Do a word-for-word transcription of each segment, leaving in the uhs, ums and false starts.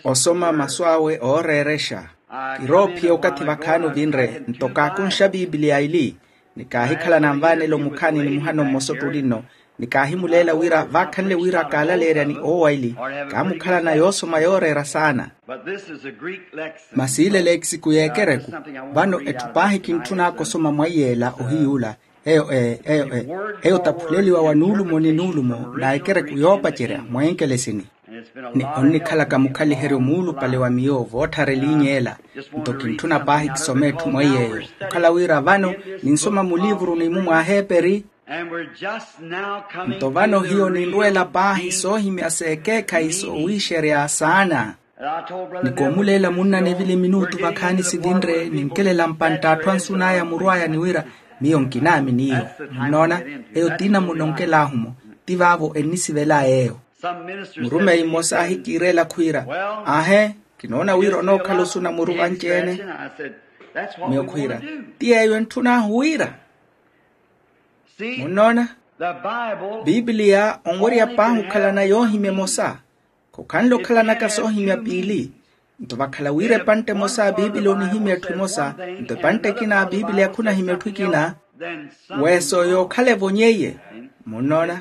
Osoma masu awe ooreerexa. Kiroophiya okathi vakhaani ovinre nto kaakunxa bibiliya ili, ni kaahikhala nanvaanela omukhaani ni muhano mmosa ottuli nno, ni kaahimuleela wira vaakhanle wira kaalaleerya ni oowa ili, kaamukhalana yoosoma yooreera saana. Masi ile leekisiku y'ekereku. Vano etthu paahi kintthun'aka osoma mwaiy'ela ohiy'ula. Eyo e eyo e eyo taphuleliwa wa nuulumo ni nuulumo na ekereku yoopacerya mweenkelesini. Ni onnikhalaka mukhaliheryo muulupale wa miyo vootthareliny'ela. Nto kintthuna paahi kisome etthu mweiy'eyo, okhala wira vano ninsoma muliivuruni-mu mw'aheeperi. Nto vano hiyo ninrweela paahi soohimya s'ekeekhayi soowiixerya saana. Ni koomuleela munna nevili minutu vakhaani sivinre ninkelela mpantta atthu ansun'aya murw'aya ni wira, miyo nkinaamini iyo. Munnoona, eyo ti namuna onkel'ahu-mo. Ti vaavo ennisivel'aya eyo. Murumeyi mmosa ahikiireela khwiira, aahe, kinoona wira onookhala osuna muru vanci-ene. Miyo khwiira, ti yeeyo entthun'ahu wira. Munnoona, piipiliya onwerya paahi okhalana yoohimya emosa. Khokhanle okhalanaka soohimya piili. Nto vakhala wira epantte emosa a piipiliya onihimya etthu emosa, nto epantte ekina a piipiliya khunahimya etthu ekina, weeso yookhala evonyeiye. Munnoona,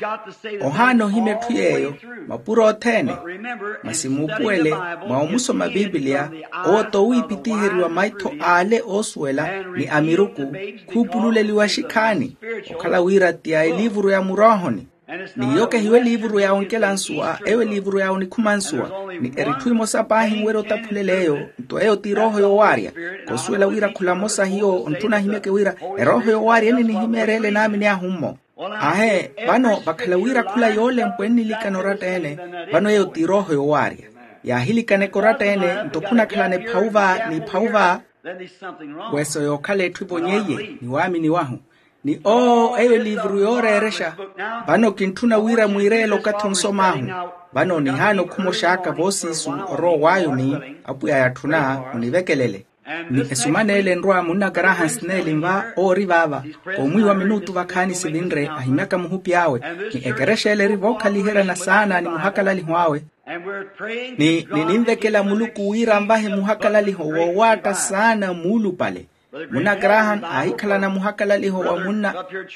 ohaana ohimya etthu yeeyo mapuro othene. Masi muupuwele, mwa omusoma piipiliya, owo t'owiipitiheriwa maitho ale oosuwela ni a miruku, khuupululeliwa xikhaani. Okhala wira ti a eliivuru ya muroohoni. Ni iyo kehiyo eliivuru ya onkela nsuwa, eyo eliivuru ya onikhuma nsuwa. Ni eritthu emosa paahi enwerya otaphulela eyo. Nto eyo ti erooho yoowaarya. Koosuwela wira khula mmosa hiyo ontthuna ahimyeke wira erooho yoowaarya enninihimya ereele naamini ahu-mmo. Aahe, vano vakhala wira khula yoolempwa ennilikana oratta-ene. Vano eyo ti erooho yoowaarya. Yaahilikaneke oratta-ene nto khunakhalana ephawu va ni ephawu va. Weeso yookhala etthu evonyeiye ni waamini wahu. Ni oo eyo eliivuru yooreerexa. Vano kintthuna wira mwiireele okathi onsom'ahu. Vano nihaana okhumox'aka voosiisu orowa w'ayuni. Apwiya yatthuna munivekelele. Ni esuman'ele enrwa munna karaha nsineeli nva oori vaava. Koomwiiwa minutu vakhaani sivinre ahimyaka muhupi awe. Ni ekerexa ele eri vookhaliheryana saana ni muhakalaliho awe. Ni nininvekela muluku wira anvahe muhakalaliho woowaatta saana muulupale. Munna graham aahikhalana muhakalaliho wa munna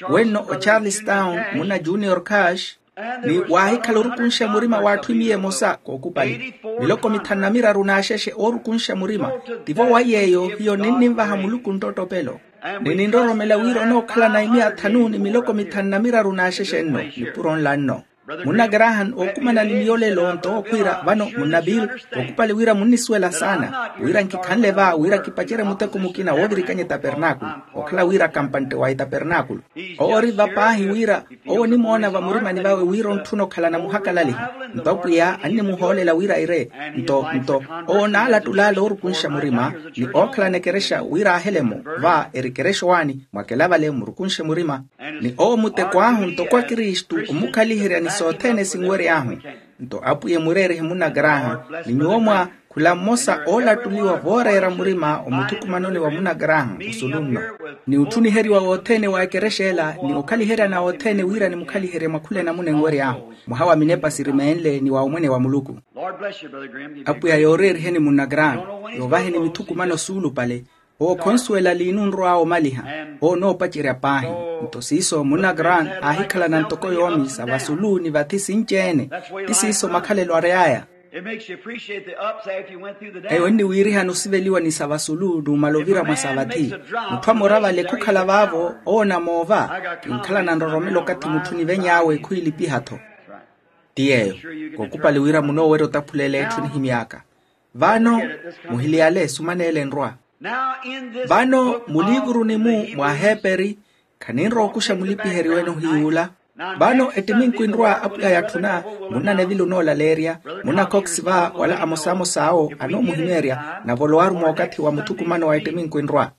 wenno ocharlestown munna junior cash. Ni waahikhala orukunxa murima w'atthu emiya emosa kookupali miloko mithanu na miraru n'axexe oorukunxa murima. Tivo wa yeeyo hiyo ninninvaha muluku nttotopelo. Ni ninroromela wira onookhalana emiya thanu ni miloko mithanu na miraru n'axexe nno nipuro nla nno. Munna graham ookumana ni miyo lelo nto ookhwiira vano munna bill. Kookupali wira munnisuwela saana wira nkikhanle va wira kipacerye muteko mukina woovirikanya etapernaakulu. Okhala wira kampantte wa etapernaakulu owo ori va paahi wira owo onimoona vamurimani vawe wira ontthuna okhalana muhakalalihi. Nto apwiya annimuhoolela wira aire nto nto owo onaalattulaala oorukunxa murima ni ookhalana ekerexa wira aahele-mo va eri ekerexa owaani mwakelavale murukunxe murima. Ni owo muteko ahu ntoko akristu omukhaliherya ni sothene sinwery'ahu. Nto apwiya emureerihe munna graham ni nyuwo mwa khula mmosa oolattuliwa vooreera murima omuthukumanoni wa munna graham osulu nno. Ni otthuniheriwa wothene wa ekerexa ela ni okhaliheryana othene wira nimukhaliherye mwa khula enamuna enwery'ahu mwaha wa minepa sirimeenle ni wa omwene wa muluku. Apwiya yooreeriheni munna graham yoovaheni mithukumano suulupale. Owo khonsuwela liinu onrw'awe omaliha. Owo onoopacerya paahi. Nto siiso munna grant aahikhalana ntoko yoomi sa vasulu ni vathi sinci-ene. Ti siiso makhalelo ary'aya. Eyo enniwiirihana osiveliwa ni sa vasulu numala ovira mwa sa vathi. Mutthu amora vale khukhala vaavo owo onamoova. Kinkhalana nroromela okathi mutthu niveny'awe khwiilipiha-tho. Ti yeeyo. Kookupali wira munoowerya otaphulela etthu nihimy'aka. Vano muhiliyale esumaneele enrwa. Vano muliivuruni-mu mw'aheeperi khaninrowa okuxa mulipiheryo ene ohiy'ula. Vano ettiminku enrwa apwiya yatthuna munna neville onoolaleerya munna cox va wala amosamosa awo anoomuhimeerya navolowaru mw'okathi wa muthukumano wa ettiminku enrwa.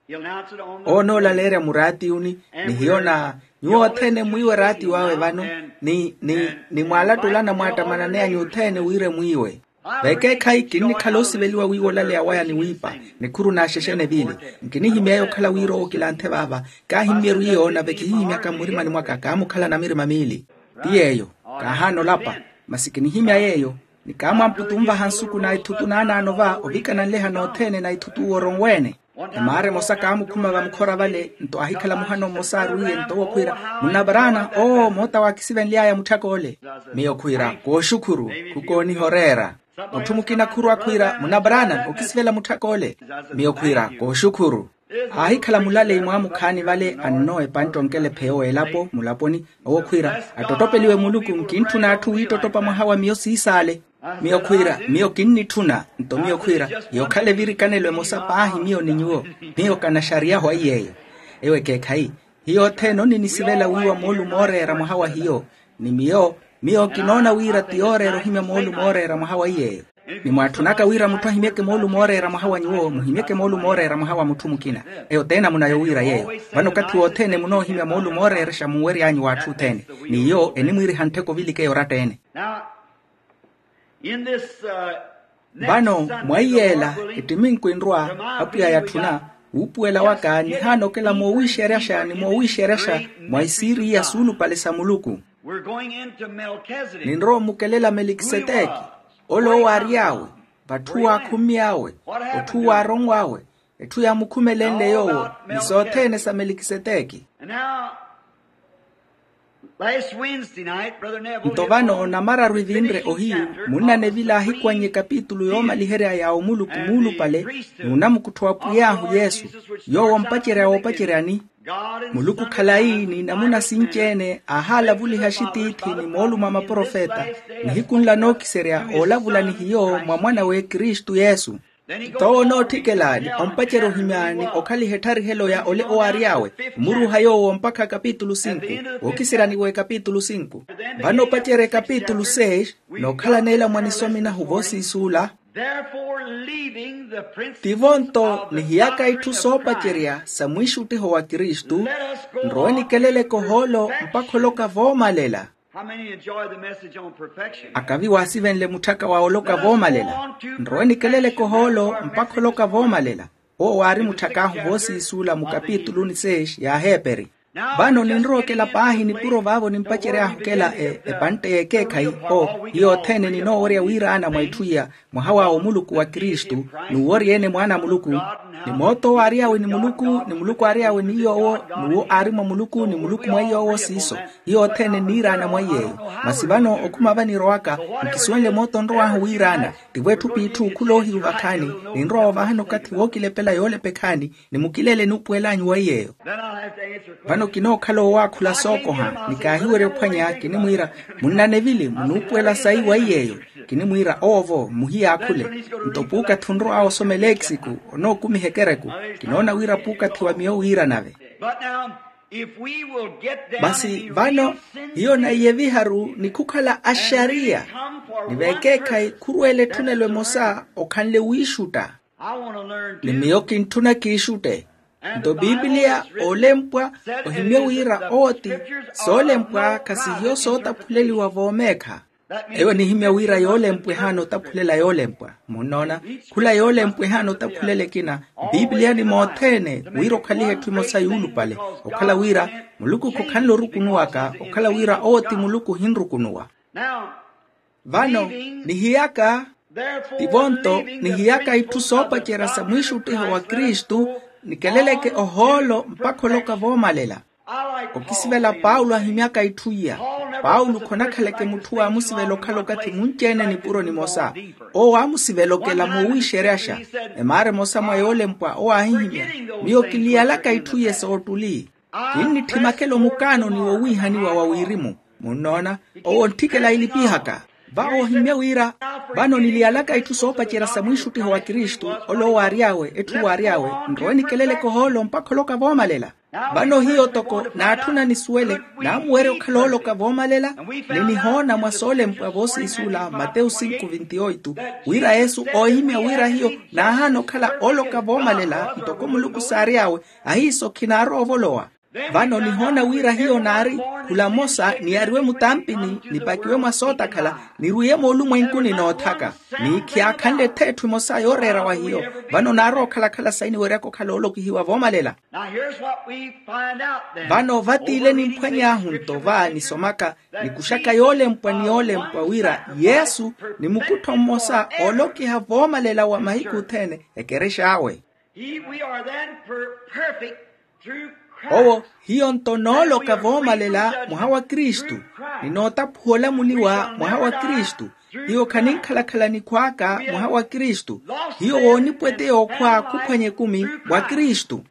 Owo onoolaleerya muraatiyuni ni hiyo na nyuwo othene mwiiwe raatiyo awe vano ni ni ni mwaalattulana mwaattamananeya nyuwo othene wira emwiiwe. Vekeekhayi kinnikhala osiveliwa wiiwa olaleya waya ni wiipa nikhuru n'axexe neville. Nkinihimy'aya okhala wira owo kilanthe vaava. Kaahimmyeru iyo nave kihihimyaka mmurimani mwaka kaamukhalana mirima miili. Ti yeeyo kaahaana olapa masi kinihimya yeeyo. Ni kaamwamputu onvaha nsuku na ithutu naanaano va ovikana nleha nothene na ithutu owo oronweene. Emaara emosa kaamukhuma vamukhora vale nto aahikhala muhano mmosa aarwiye nto owo khwiira, munna paraana oo moota waakisivenly'aya mutthaka ole. Miyo khwiira, kooxukhuru, khukooniha oreera. Mutthu mukina khurwa khwiira, munna paraana okisivela mutthaka ole. Miyo khwiira, kooxukhuru. Aahikhala mulaleyi mwaamukhaani vale anno epantte onkelepheya owo elapo mulaponi, owo khwiira, attottopeliwe muluku nkintthuna atthu wiittottopha mwaha wa miyo siisaale. Miyo khwiira, miyo kinnitthuna. Nto miyo khwiira, yookhale virikanelo emosa paahi miyo ni nyuwo. Miyo kanaxariyahu aiy'eyo. Ewo ekeekhayi, hiyo othene oninisivela wiiwa moolumo ooreera mwaha wa hiyo. Ni miyo, miyo kinoona wira ti yooreera ohimya moolumo ooreera mwaha wa iy'eyo. Ni mwaatthunaka wira mutthu ahimyeke moolumo ooreera mwaha wa nyuwo muhimyeke moolumo ooreera mwaha wa mutthu mukina. Eyo t'enamuna yowiira yeeyo. Vano okathi wothene munoohimya moolumo ooreerexa munwery'anyu w'atthu othene. Ni iyo enimwiiriha nttheko ovilika eyo oratta-ene. Vano mwa iyeela ettiminku enrwa, apwiya yatthuna, wuupuwela waka nihaana okela moowiixeryaxa ni moowiixeryaxa mwa isiiriya suulupale sa muluku. Ninrowa omukelela melikiseteki, ole owo aary'awe, vatthu waakhumy'awe, otthu waaronw'awe, etthu yaamukhumelenle yoowo ni sothene sa melikiseteki. Nto vano namararu evinre ohiyu, munnanevila aahikwannya ekapitulu yoomaliherya ya omuluku muulupale, n'unamukuttho wa pwiy'ahu yesu, yoowo ompacerya woopaceryani. Muluku khalayi n'inamuna sinci-ene aahalavuliha axitiithi ni moolumo a maprofeta, nihiku nla nookiserya oolavula ni hiyo mwa mwan'awe kristu yesu. T'owo onootthikela ni ompacerya ohimya ni okhaliha ettharihello ya ole owo aary'awe, omuruuha yoowo mpakha ekapitulu sinku, wookiseryani w'ekapitulu sinku. Vano opacerya ekapitulu seis, nookhalana ela mwa nisomi nahu voosiisuula. Tivo nto nihiyaka itthu soopacerya sa mwiixuttiho wa kristu, nrowe nikeleleke ohoolo mpakha oloka voomalela. Akavi waasivenle mutthaka wa oloka voomalela. Nrowe nikeleleke ohoolo mpakha oloka voomalela. Owo waari mutthak'ahu voosiisuula mukapituluni seis ya aheeperi. Vano ninrowa okela paahi nipuro vaavo nimpacery'ahu okela epantte y'ekeekhayi. O hiyo othene ninoowerya wiiraana mwa itthu iya, mwaha wa omuluku wa kristu, n'uwo ori-ene mwaana a muluku, ni moota owo aary'awe ni muluku ni muluku aary'awe ni yoowo, n'uwo aari mwa muluku ni muluku mwa yoowo siiso. Hiyo othene nniiraana mwa iy'eyo. Masi vano okhuma vanirowaka, nkisuwenle moota onrow'ahu wiiraana. Tivo etthu p'itthu khuloohiyu vakhaani, ninrowa ovahani okathi wookilepela yoolepa ekhaani, ni mukilele enuupuwel'anyu wa iy'eyo. Vano kinookhala owaakhula sookoha ni kaahiwerya ophwanya kinimwiira, munnanevili munuupuwela sayi wa iy'eyo. Kinimwiira owo-vo muhiyaakhule. Nto puukathi onrow'awe osoma eleeksiku, onookumiha ekereku. Kinoona wira puukathi wa miyo wiira nave. Masi vano hiyo naiye viharu ni khukhala axariya, ni vekeekhayi khurweela etthunelo emosa okhanle wiixutta. Ni miyo kintthuna kiixutte. Nto piipiliya oolempwa, ohimye wira owo ti soolempwa khasihiyo sootaphuleliwa voomeekha. Eyo enihimya wira yoolempwa ehaana otaphulela yoolempwa. Munnoona, khula yoolempwa ehaana otaphulela ekina. Mpiipiliya ni mothene wira okhalihe etthu emosa yuulupale, okhala wira muluku khokhanle orukunuwaka, okhala wira owo ti muluku ohinrukunuwa. Vano nihiyaka, tivo-nto nihiyaka itthu soopacerya sa mwiixuttiho wa kristu, nikeleleke ohoolo mpakha oloka voomalela. Okisivela paulo ahimyaka itthu iya. Paulo khonakhaleke mutthu waamusivela okhala okathi munci-ene nipuro nimosa. Owo waamusivela okela moowiixeryaxa. Emaara emosa mwa yoolempwa owo aahihimya, miyo kiliyalaka itthu iye soottuli. Kinnitthi makelo mukaanoni wowiihaniwa wa wirimu. Munnoona, owo ontthikela ilipihaka. Vawo ohimya wira, vano niliyalaka itthu soopacerya sa mwiixuttiho wa kristu, ole owo aary'awe etthu waary'awe, nrowe nikeleleke ohoolo mpakha oloka voomalela. Vano hiyo toko naatthuna nisuwele, naamuwerya okhala ooloka voomalela. Ni nihoona mwa soolempwa voosiisula matewu sinku vinti oitu, wira yesu oohimya wira hiyo naahaana okhala ooloka voomalela ntoko muluku saary'awe, ahiiso khinaarowa ovolowa. Vano nihoona wira hiyo naari khula mmosa niyariwe mutampini nipakiwe mwa sootakhala, nirwiye moolumwenkuni noothaka. Ni khiyaakhanle ettha etthu emosa yooreera wa hiyo. Vano naari okhalakhala sayi niweryaka okhala oolokihiwa voomalela. Vano vatiile nimphwany'ahu nto va nisomaka, nikuxaka yoolempwa ni yoolempwa wira yesu ni mukuttho mmosa oolokiha voomalela wa mahiku othene. Ekerex'awe. Owo hiyo nto nooloka voomalela mwaha wa kristu, ni nootaphuwa olamuliwa mwaha wa kristu. Hiyo khaninkhalakhala nikhw'aka mwaha wa kristu. Hiyo woonipweteya okhwa khuphwanya ekumi mwa kristu.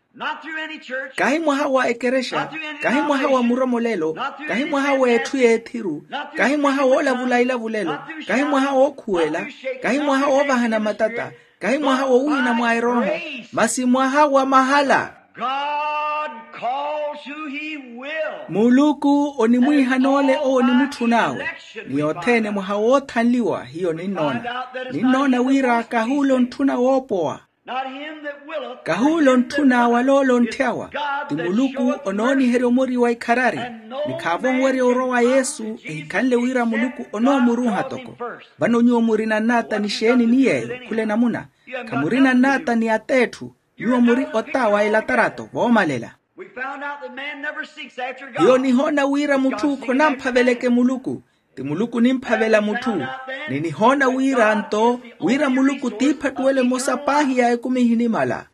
Kahi mwaha wa ekerexa, kahi mwaha wa muromolelo, kahi mwaha w'etthu y'ethiru, kahi mwaha w'olavula ilavulelo, kahi mwaha wookhuwela, kahi mwaha woovahana matata, kahi mwaha wowiina mwa erooho, masi mwaha wa mahala. Muluku onimwiihana ole owo onimutthun'awe. Ni othene mwaha woothanliwa hiyo ninnoona, ninnoona wira kahuula ontthuna woopowa. Kahuula ontthuna wala ole ontthyawa. Ti muluku onooniherya omori wa ikharari. Ni khaavo onwerya orowa yesu ehikhanle wira muluku onoomuruuha toko. Vano nyuwo murina nnaata ni xeeni ni yeeyo khula enamuna? Khamurina nnaata ni ateetthu. Nyuwo muri ota wa elatarato voomalela. Hiyo nihoona wira mutthu khonamphaveleke muluku. Ti muluku onimphavela mutthu. Ni nihoona wira nto wira muluku t'iphattuwelo emosa paahi ya ekumi ehinimala.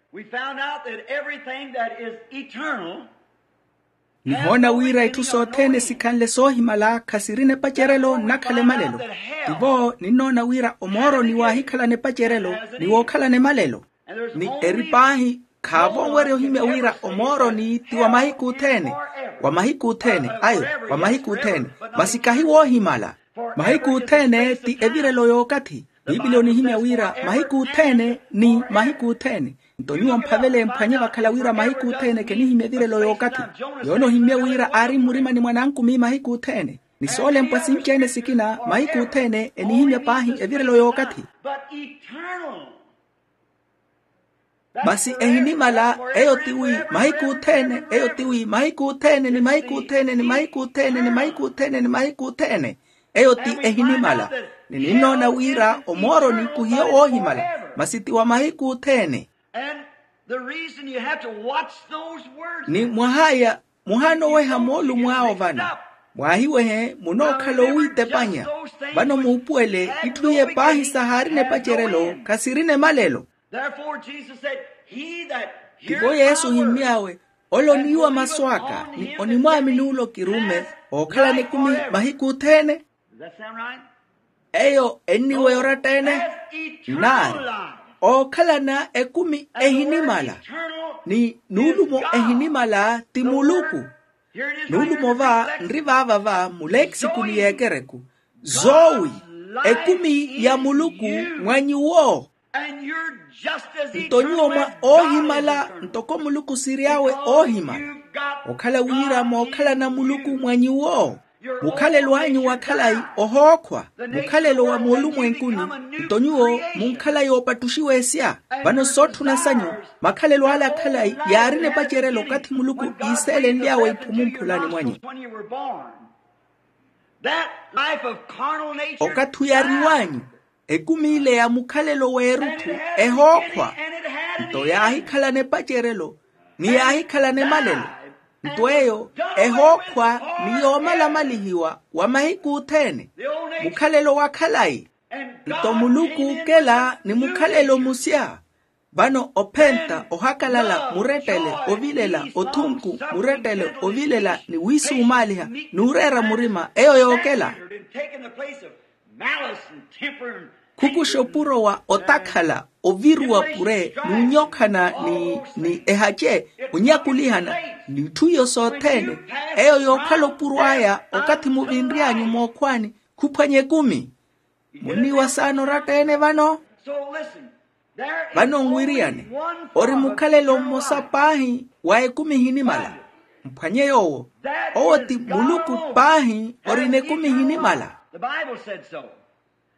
Nihoona wira itthu sothene sikhanle soohimala khasirina epacerelo nnakhala emalelo. Tivo ninnoona wira omooroni waahikhalana epacerelo ni wookhalana emalelo. Ni eri paahi khaavo onwerya ohimya wira omooroni ti wa mahiku othene. Wa mahiku othene ayo, wa mahiku othene. Masi kahi woohimala. Mahiku othene ti evirelo y'okathi. Piipili onihimya wira mahiku othene ni mahiku othene. Nto nyuwo mphavele mphwanye vakhala wira mahiku othene khenihimya evirelo y'okathi. Yoona ohimya wira aari mmurimani mwa nankumi mahiku othene. Ni soolempwa sinci-ene sikina mahiku othene enihimya paahi evirelo y'okathi. Masi ehinimala eyo ti wi mahiku othene eyo ti wi mahiku othene ni mahiku othene ni mahiku othene ni mahiku othene ni mahiku othene. Eyo ti ehinimala. Ni ninnoona wira omooroni khuhiyo woohimala, masi ti wa mahiku othene. Ni mwahaya muhaana oweha moolumo awo vano. Mwaahiwehe munookhala owiitepanya. Vano muupuwele itthu iye paahi sahaarina epacerelo khasirina emalelo. Tivo yesu ohimmy'awe ole oniiwa masu aka ni onimwaamini ole okirumme ookhalana ekumi mahiku othene. Eyo enniweya oratta-ene? Naari ookhalana ekumi ehinimala. Ni nuulumo ehinimala ti muluku. Nuulumo va nri vaava va muleekisiku ni y'ekereku. Zowi ekumi ya muluku mwa nyuwo. Nto nyuwo mwa oohimala ntoko muluku siry'awe oohimala. Okhala wira mookhalana muluku mwa nyuwo. Mukhalelo anyu wa khalayi ohookhwa. Mukhalelo wa moolumwenkuni. Nto nyuwo munkhala yoopattuxiwa-esya. Vano sootthuna sanyu makhalelo ale a khalayi yaarina epacerelo okathi muluku iiseelenly'awe iphumu mphulani mwanyu. Okathi oyariw'anyu ekumi ile ya mukhalelo w'erutthu ehookhwa. Nto yaahikhalana epacerelo ni yaahikhalana emalelo. Nto eyo ehookhwa ni yoomalamalihiwa wa mahiku othene. Mukhalelo wa khalayi. Nto muluku okela ni mukhalelo musya. Vano ophenta ohakalala murettele ovilela othunku murettele ovilela ni wiisumaaliha n'ureera murima eyo yookela. Khukuxa opuro wa otakhala oviruwa pure n'unyokhana ni ni ehace onyakulihana. N'itthu iyo sothene eyo yookhala opuro aya okathi muvinry'anyu mookhwani khuphwanya ekumi. Munniiwa saana oratta-ene vano? Vano nwiriyane ori mukhalelo mmosa paahi wa ekumi ehinimala. Mphwanye yoowo. Owo ti muluku paahi orina ekumi ehinimala.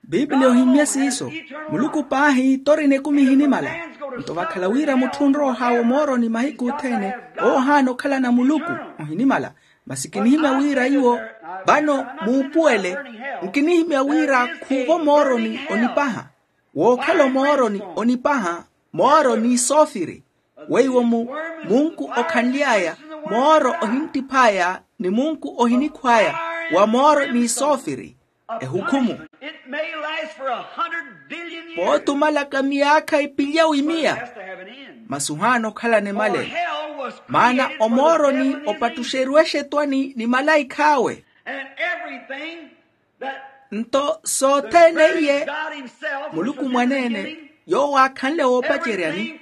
Bibliya ohimmye siiso. Muluku paahi torina ekumi ehinimala. Nto vakhala wira mutthu onrowa ohaawa omooroni mahiku othene, owo ohaana okhalana muluku, ohinimala. Masi kinihimya wira iwo vano muupuwele. Nkinihimya wira khuuva omooroni onipaha. Wookhala omooroni onipaha, mooro n'isoofiri. Weiwo mu munku okhanly'aya, mooro ohinttiph'aya ni munku ohinikhw'aya, wa mooro n'isoofiri. Ehukhumu. Pootumalaka miyaakha ipilyawu imiya. Masi ohaana okhalana emalela. Maana omooroni opattuxeriwa exetwani ni malaikh'awe. Nto sothene iye, muluku mwaneene, yoowo aakhanle woopaceryani,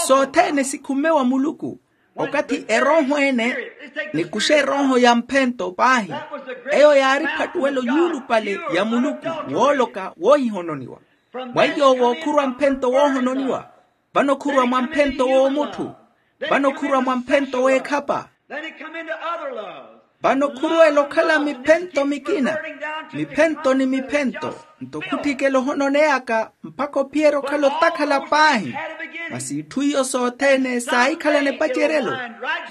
sothene sikhumme wa muluku. Okathi erooho ene nikuxa erooho ya mphento paahi. Eyo yaari ephattuwelo yuulupale ya muluku, wooloka woohihononiwa. Mwa iyoowo khurwa mphento woohononiwa. Vano khurwa mwa mphento w'omutthu. Vano khurwa mwa mphento w'ekhapa. Vano khurwela okhala miphento mikina, miphento ni miphento. Nto khutthikela ohononeyaka mpakha ophiyerya okhala otakhala paahi. Masi itthu iyo sothene saahikhalana epaceryelo.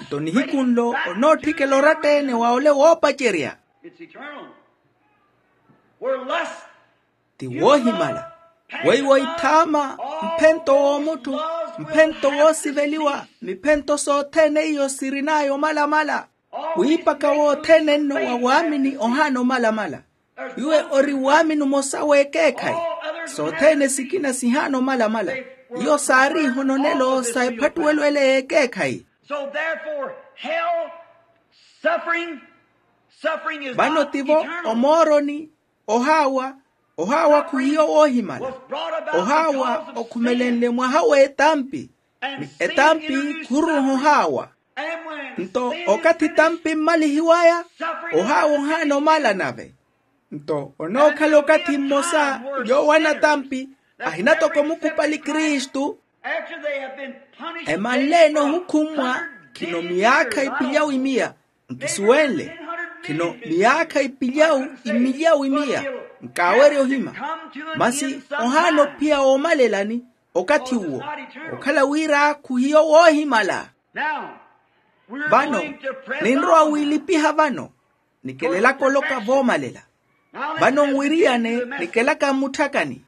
Nto nihiku nlo onootthikela oratta-ene wa ole woopacerya. Ti woohimala. Weiwo ithaama, mphento w'omutthu, mphento woosiveliwa, miphento sothene iyo sirin'aya omalamala. Wiipaka wothene nno wa waamini ohaana omalamala. Iwe ori waamini omosa w'ekeekhayi. Sothene sikina sihaana omalamala. Iyo saari ihononelo sa ephattuwelo ele y'ekeekhayi. Vano tivo omooroni, ohaawa, ohaawa khuhiyo woohimala. Ohaawa okhumelenle mwaha w'etampi, ni etampi khuruuha ohaawa. Nto okathi etampi mmalihiw'aya, ohaawa ohaana omala nave. Nto onookhala okathi mmosa, yoowo anatampi ahina toko mukupali kristu. Emanle-ene ohukhummwa khino miyaakha ipilyawu imiya. Nkisuwenle khino miyaakha ipilyawu imilyawu imiya. Nkaawerya ohima. Masi ohaana ophiya woomalelani okathi uwo, okhala wira khuhiyo woohimala. Vano ninrowa wiilipiha vano, nikelelaka oloka voomalela. Vano nwiriyane nikelaka mmutthakani.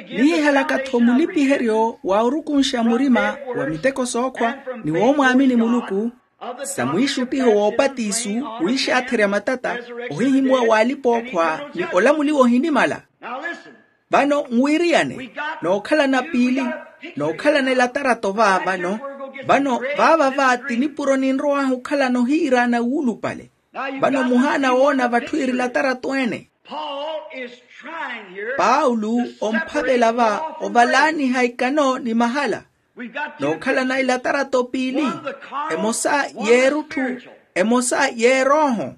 Nihihalaka-tho mulipiheryo wa orukunxa murima wa miteko sookhwa ni woomwaamini muluku, sa mwiixuttiho w'opatisu, wiixaatherya matata, ohihimuwa w'alipa-ookhwa ni olamuliwa ohinimala. Vano nwiriyane nookhalana piili, nookhalana elatarato va vano. Vano vaava va ti nipuro ninrow'ahu okhalana ohiiraana wuulupale. Vano muhaana woona vatthu iri latarato ene. Paulo omphavela va ovalaaniha ikano ni mahala. Nookhalana ilatarato piili, emosa y'erutthu, emosa y'erooho.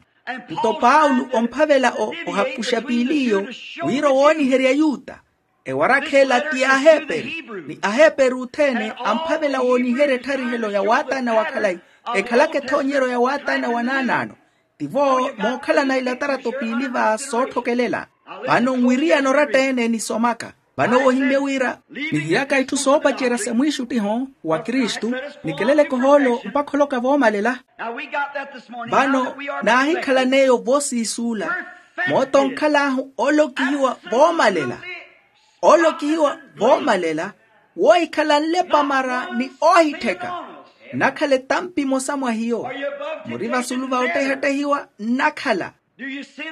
Nto paulo omphavela ohapuxa piili iyo, wira owooniherya yuta. Ewarakha ela ti y'aheeperu, ni aheeperu othene amphavela wooniherya ettharihelo ya waataana wa khalayi, ekhalaka ethoonyeryo ya waataana wa naanaano. Tivo mookhalana ilatarato piili va sootthokelela. Vano nwiriyana oratta-ene nisomaka. Vano wohimmye wira nihiyaka itthu soopacerya sa mwiixuttiho wa kristu, nikeleleke ohoolo mpakha oloka voomalela. Vano naahikhalan'eyo voosiisuula. Moota onkhal'ahu oolokihiwa voomalela. Oolokihiwa voomalela woohikhala nlepa mara ni oohittheka. Nnakhala etampa emosa mwa hiyo. Muri vasulu va ottehattehiwa nnakhala.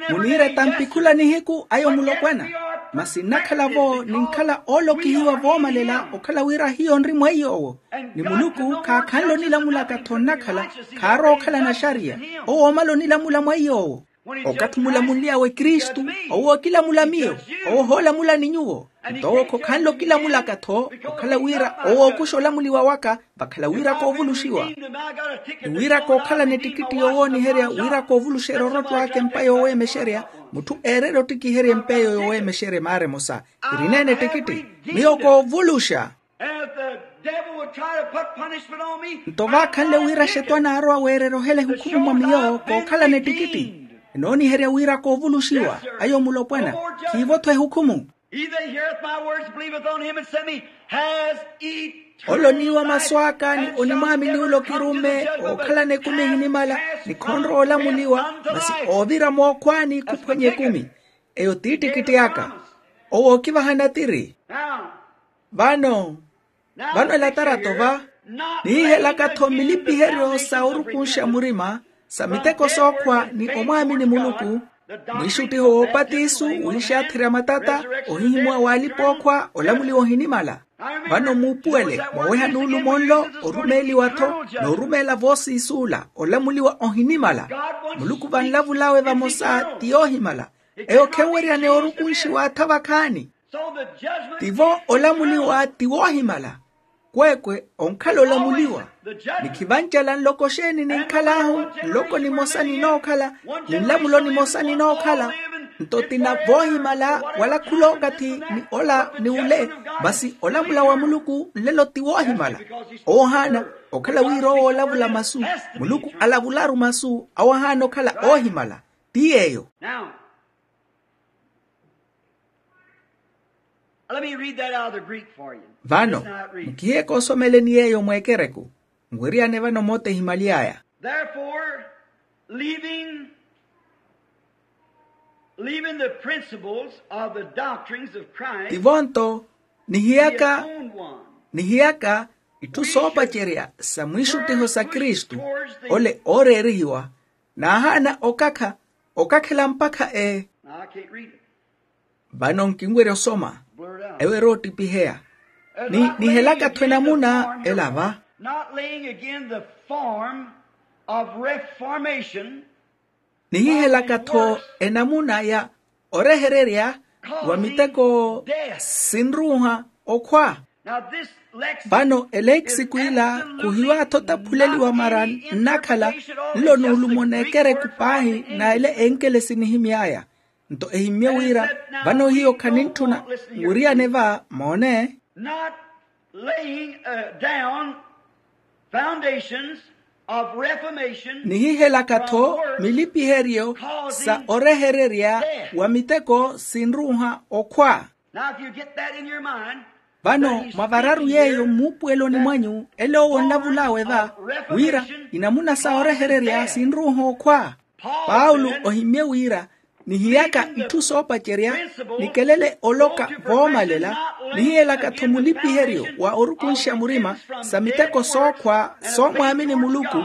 Muniira etampa khula nihiku ayo mulopwana. Masi nnakhala-vo ninkhala oolokihiwa voomalela okhala wira hiyo nri mweiy'owo. Ni muluku khaakhanle onilamulaka-tho nnakhala. Khaarowa okhalana axariya. Owo oomala onilamula mweiy'owo. Okathi omulamuly'awe kristu, owo okilamula miyo. Owo ohoolamula ni nyuwo. Nto owo khokhanle okilamulaka-tho okhala wira owo ookuxa olamuliwa waka. Vakhala wira koovuluxiwa. Ni wira kookhalana ettikitti yowooniherya wira koovuluxerya orotto aka empa yoweemexerya. Mutthu eererya ottikiherya empa eyo yoweemexerya emaara emosa. Irineene ettikitti. Miyo koovuluxa. Nto vaakhanle wira axetwani aarowa weererya ohela ehukhumu mwa miyo kookhalana ettikitti. Enooniherya wira koovuluxiwa. Ayo mulopwana. Khiivo-tho ehukhumu. He that heareth my words and believeth on him that sent me has eternal life. Ole oniiwa masu aka ni onimwaamini ole okirumme ookhalana ekumi ehinimala, ni khonrowa olamuliwa masi oovira mookhwaani khuphwanya ekumi. Eyo t'ittikitti aka. Owo ookivaha natiri. Vano vano elatarato va nihihelaka-tho milipiheryo sa orukunxa murima sa miteko sookhwa ni omwaamini muluku, mwiixuttiho woopatisu, wiixaatherya matata, ohihimuwa w'alipa-ookhwa, olamuliwa ohinimala. Vano muupuwele mwaweha nuulumo nlo orumeeliwa-tho, n'orumeela voosiisuula olamuliwa ohinimala. Muluku vanlavul'awe vamosa ti yoohimala. Eyo khenweryaneya orukunxiwa atha vakhaani. Tivo olamuliwa ti woohimala. Kweekwe onkhala olamuliwa. Ni khivancela nloko xeeni ninkhal'ahu? Nloko nimosa ninookhala, ni nlamulo nimosa ninookhala. Nto tina voohimala wala khul'okathi ni ola ni ole. Masi olamula wa muluku nlelo ti woohimala. Oohaana okhala wira owo olavula masu, muluku alavularu masu awo ahaana okhala oohimala. Ti yeeyo. Let me read that out of the Greek for you. Vano nkihiyeke osomeleni yeeyo mweekereku. Nweriyane vano moota ehimaly'aya. Therefore, leaving leaving the principles of the doctrines of Christ. Tivo-nto nihiyaka nihiyaka itthu soopacerya sa mwiixuttiho sa kristu, ole ooreerihiwa, naahaana okakha okakhela mpakha e. Vano nkinwerya osoma. Ewo eroottipiheya. Nihihelaka-tho enamuna ela va. Not laying again the form of reformation. Nihihelaka-tho enamuna ya orehererya wa miteko sinruuha okhwa. Vano eleexiku ila khuhiwa-tho taphuleliwa mara nnakhala nlo nuulumo n'ekereku paahi na ele enkelesi nihimy'aya. Nto ehimmye wira vano hiyo khanintthuna wiriyane va moone. Not laying down foundations of reformation. Nihihelaka-tho milipiheryo sa orehererya wa miteko sinruuha okhwa. Now if you get that in your mind. Vano mwavararu yeeyo mmuupuweloni mwanyu ele owo onlavul'awe va, wira inamuna sa orehererya sinruuha okhwa. Paulo ohimmye wira nihiyaka itthu soopacerya nikelele oloka voomalela. Nihiyelaka-tho mulipiheryo wa orukunxa murima sa miteko sookhwa soomwaamini muluku,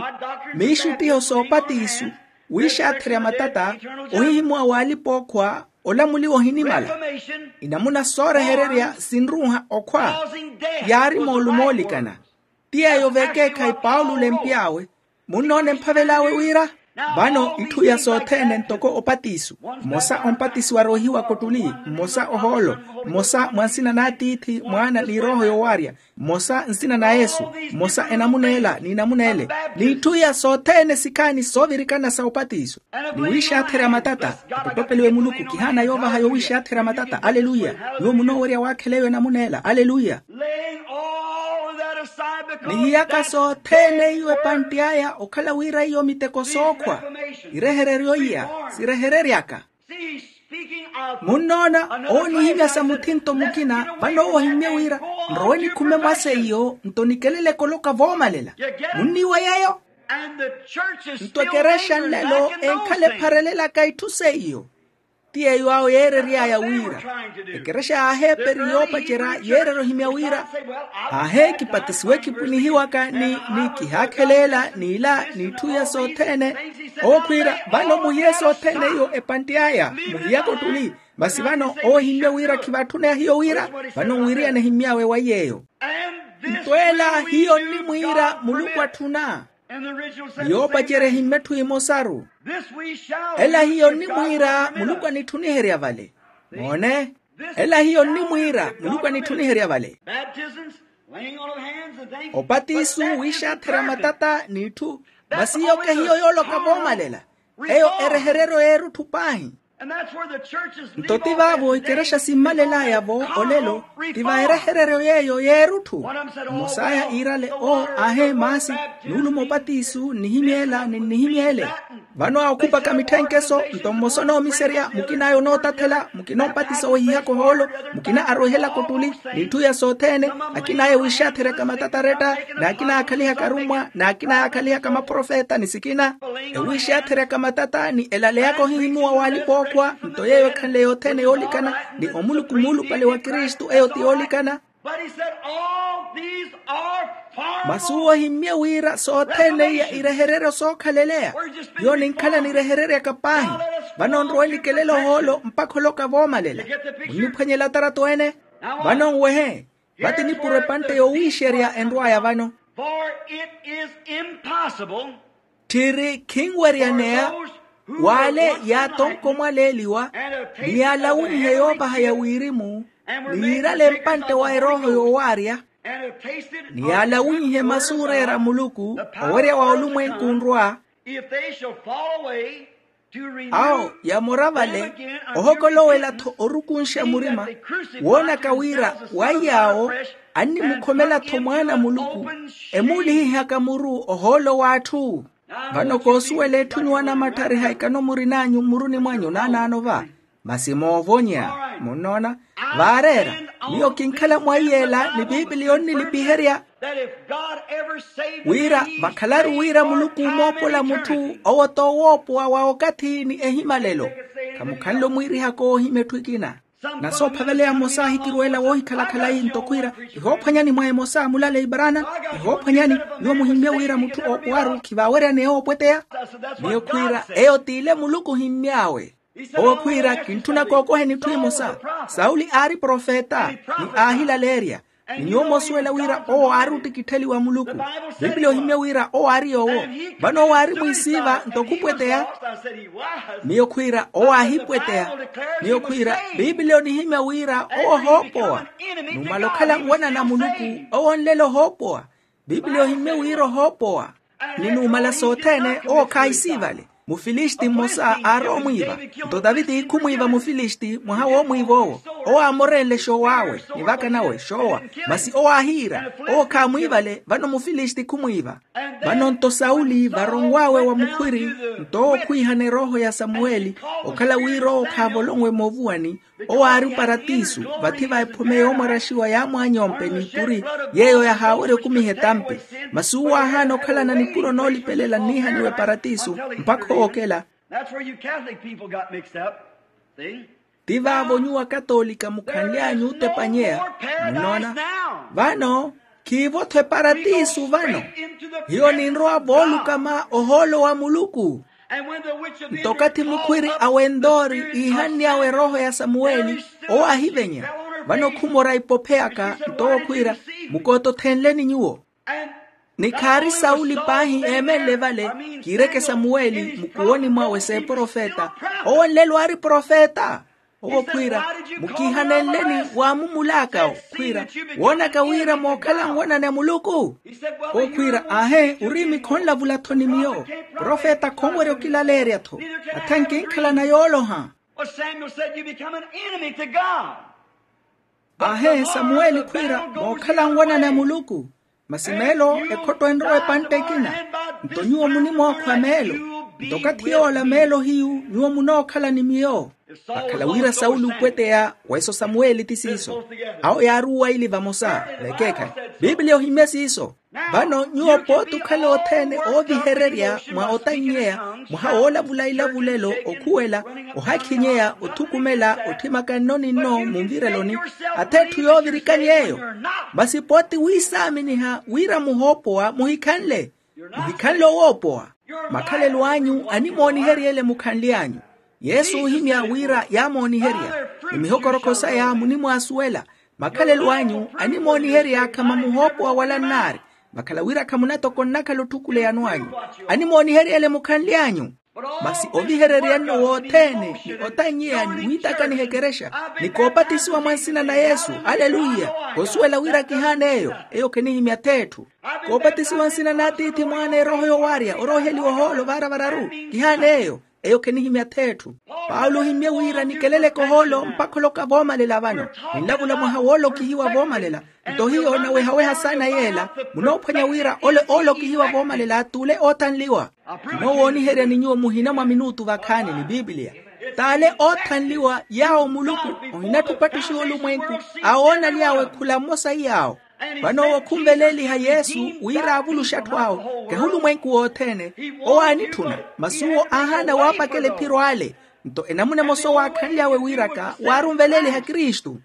miixuttiho soopatiisu, wiixaatherya matata, ohihimuwa w'alipa-ookhwa, olamuliwa ohinimala. Inamuna soorehererya sinruuha okhwa yaari moolumo oolikana. Ti yeeyo vekeekhayi paulo olempy'awe. Munnoona emphavel'awe wira vano itthu iya sothene ntoko opatiso, mmosa ompatisiwa roohiwa kottuli, mmosa ohoolo, mmosa mwa nsina n'atiithi mwaana ni erooho yoowarya, mmosa nsina na yesu, mmosa enamuna ela n'inamuna ele. N'itthu iya sothene sikhaani soovirikana sa opatiso ni wiixaatherya matata. Atottopeliwe muluku kihaana yoovaha yowiixaatherya matata aleluya. Nyuwo munoowerya waakhela eyo enamuna ela aleluya. Nihiyaka sothene iyo epantti aya okhala wira iyo miteko sookhwa irehereryo iya sirehereryaka. Munnoona owo onihimya sa muthinto mukina vano owo ohimmye wira nrowe nikhume mwa seiyo nto nikeleleke oloka voomalela. Munniiwa yeeyo. Nto ekerexa nlelo enkhala epharelelaka itthu seiyo. Ti yeeyo awo yeerery'aya wira ekerexa y'aheeperi yoopacerya yeererya ohimya wira, aahe kipatisiwe kipwinihiwaka ni ni kihaakheleela n'ila n'itthu iya sothene. Owo khwiira vano muhiye sothene iyo epantti aya muhiyaka ottuli. Masi vano owo ohimmye wira khivaatthuna hiyo wira vano nwiriyana ehimmy'awe wa yeeyo. Nto ela hiyo nnimwiira muluku atthuna. Ni yoopacerya ehimmya etthu emosaru. Ela hiyo nnimwiira muluku anitthuniherya vale. Moone. Ela hiyo nnimwiira muluku anitthuniherya vale. Opatiso wiixaatherya matata n'itthu. Masi hiyo kehiyo yooloka voomalela. Eyo erehereryo y'erutthu paahi. Nto ti vaavo ikerexa simmalelaya-vo olelo, ti va erehereryo yeeyo yeerutthu. Mosaya iirale oo aahe maasi, nuuluma opatiso nnihimyeela ni nnihimyeele. Vano awo khupaka mitthenkeso, nto mmosa onoomiserya, mukin'aya onootathela, mukina opatiso wehihaka ohoolo, mukina arwehelaka ottuli, n'itthu iya sothene. Akin'aya wiixaatherya ka matataretta, n'akina aakhalihaka arummwa, n'akina aakhalihaka maprofeta ni sikina. Ewiixaatherya ka matata ni elaleyaka ohihimuwa w'alipa-ookhwa, nto yeeyo ekhanle yothene yoolikana, ni omuluku muulupale wa kristu eyo ti yoolikana. Masi uwo ohimmye wira sothene iya irehereryo sookhaleleya. Hiyo ninkhala nirehereryaka paahi. Vano nrowa enikelela ohoolo mpakha oloka voomalela. Munniphwanyela atarato ene. Vano nwehe. Vati nipuro epantte yowiixerya enrw'aya vano. Tthiri khinweryaneya w'ale yaatonko mwaleeliwa, ni yaalawinhe yoopaha ya wirimu, ni yiirale mpantte wa erooho yoowaarya, ni yaalawinhe masu ooreera muluku, owerya wa olumwenku onrwa. Awo yamora vale, ohokolowela-tho orukunxa murima, woonaka wira waiy'awo annimukhomela-tho mwaana a muluku, emuulihihaka muru ohoolo w'atthu. Vano koosuwela etthu nyuwo anamattharihaka ekano murin'anyu mmuruni mwanyu naanaano va. Masi moovonya. Munnoona? Vaareera, miyo kinkhala mwaiy'ela ni piipiliya onnilipiherya wira vakhalaru wira muluku omoopola mutthu owo t'owoopowa wa okathi ni ehimalelo. Khamukhanle omwiirihaka oohimya etthu ekina. Na soophaveleya mmosa ahikirweela woohikhala khalayi nto khwiira, ihoophwanyani mwa emosa mulale ibarana, ihoophwanyani. Nyuwo muhimmye wira mutthu oopowaru khivaaweryaneya oopweteya. Miyo khwiira eyo t'ile muluku ohimmy'awe. Owo khwiira kintthuna kookoheni etthu emosa. Sauli aari profeta, ni aahilaleerya. Ni nyuwo moosuwela wira owo aari ottikittheliwa a muluku. Piipiliya ohimmye wira owo aari yoowo. Vano owo aari mwiisiiva nto khupweteya. Miyo khwiira owo aahipweteya. Miyo khwiira piipiliya onihimya wira owo ohoopowa. Numala okhala nwanana a muluku, owo onlela ohoopowa. Piipiliya ohimmye wira ohoopowa. Ni numala sothene owo khaahisiivale. Mufilisti mmosa aarowa omwiiva. Nto taviti khumwiiva mufilisti mwaha woomwiiva owo. Owo aamorenle xoow'awe ni vaka nawe xoowa. Masi owo aahiira, owo khaamwiivale vano mufilisti khumwiiva. Vano nto sauli varonw'awe wa mukhwiri, nto owo khwiihana erooho ya samuweli, okhala wira owo khaavolonwe moovuwani. Owo aari oparatisu, vathi va ephome yoomwaraxiwa yaamwaanyompe n'ipuri, yeeyo yahaawerya okumiha etampi. Masi uwo aahaana okhalana nipuro noolipelela nniihaniwa eparatisu, mpakha owookela. That's where you Catholic people got mixed up. See? Ti vaavo nyuwo akatolika mukhanly'anyu otepanyeya. Munnoona? Vano khiivo-tho eparatisu vano. Hiyo ninrowa voolukama ohoolo wa muluku. Nto okathi mukhwiri a wentori iihanny'awe erooho ya samuweli, owo aahivenya. Vano khumora ipopheyaka nto owo khwiira, mukootothenleni nyuwo. Ni khaari sauli paahi eemenle vale, kiireke samuweli mukuwoni mwawe s'eprofeta. Owo nlelo aari profeta. Owo khwiira, mukiihanenleni waamumulaka owo khwiira, woonaka wira mookhala nwanani a muluku? Owo khwiira, aahe, uriimi khonlavula-tho ni miyo. Profeta khonwerya okilaleerya-tho. Atha nkinkhalana yooloha. Aahe samuweli khwiira, mookhala nwanani a muluku. Masi meelo ekhotto enrowa epantte ekina. Nto nyuwo munimookhwa meelo. Nto okathi yoola meelo hiyu nyuwo munookhala ni miyo. Vakhala wira sauli upweteya, weso samuweli ti siiso. Awo yaari uwaili vamosa. Vekeekhayi, piipiliya ohimmye siiso. Vano nyuwo pooti okhala othene oovihererya mwa otannyeya, mwaha woolavula ilavulelo, okhuwela, ohakhinyeya, othukumela, otthimaka nno ni nno munvireloni. Atha etthu yoovirikani eyo. Masi pooti wiisaaminiha wira muhoopowa muhikhanle. Muhikhanle owoopowa. Makhalelo anyu animooniheryele mukhanly'anyu. Yesu oohimya wira yaamooniherya, ni mihokorokho saya munimwaasuwela. Makhalelo anyu animooniherya khamamuhoopowa wala nnaari. Vakhala wira khamunatoka onnakhala otthukuluwano anyu. Animooniheryele mukhanly'anyu. Masi ovihererya nno wothene ni otannyeya ni wiitakaniha ekerexa, ni koopatisiwa mwa nsina na yesu. Aleluya. Kosuwela wira kihaana eyo. Eyo khenihimya th'etthu. Koopatisiwa nsina n'atiithi mwaana erooho yowaarya orooheliwa ohoolo vaara vararu. Kihaana eyo. eyo khenihimya th'etthu. Paulo ohimmye wira nikeleleke ohoolo mpakha oloka voomalela vano. Ninlavula mwaha woolokihiwa voomalela. Nto hiyo nawehaweha saana yeela, munoophwanya wira ole oolokihiwa voomalela t'ule oothanliwa. Kinoowooniheryani nyuwo muhina mwa minutu vakhaani ni pipiliya. T'ale oothanliwa yaawo muluku ohinatthupattuxiwa olumwenku, awoona aly'awe khula mmosa iyaawo. Vano owo khunveleeliha yesu wira aavuluxe atthu awe, kahi olumwenku wothene. Owo aanitthuna, masi owo aahaana waapakela ephiro ale. Nto enamuna emosa owaakhanly'awe wiiraka waari onveleeliha kristu,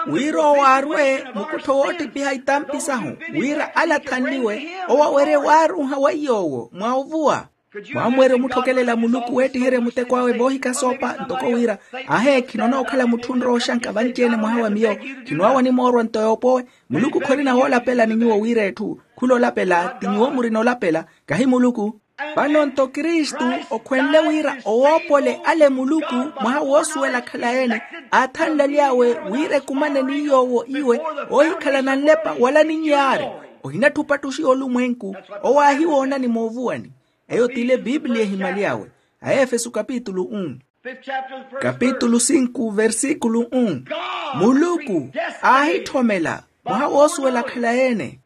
wira owo aarwe mukuttho woottipiha itampi sahu, wira alathanliwe owo awerye waaruuha weiy'owo mwa ovuwa. Mwaamweerya omutthokelela muluku weettiherya muteko awe voohikha soopa ntoko wira, ahe khinoona okhala mutthu onrowa oxanka vanci-ene mwaha wa miyo. Khinwaawa onimoorwa nto yoopowe. Muluku khorina woolapela ni nyuwo wira etthu khula olapela ti nyuwo murina olapela, kahi muluku. Vano nto kristu okhwenle wira owoopole ale muluku mwaha woosuwela khalayi-ene, aathanle aly'awe wira ekumane ni yoowo iwe, oohikhalana nlepa wala ninyaari, ohinatthupattuxiwa olumwenku. Owo aahiwoonani moovuwani. Eyo t'ile pipiliya ehimaly'awe. Aefeso kapitulu um. Kapitulu sinku versikulu um. Muluku aahitthomela mwaha woosuwela khalayi-ene.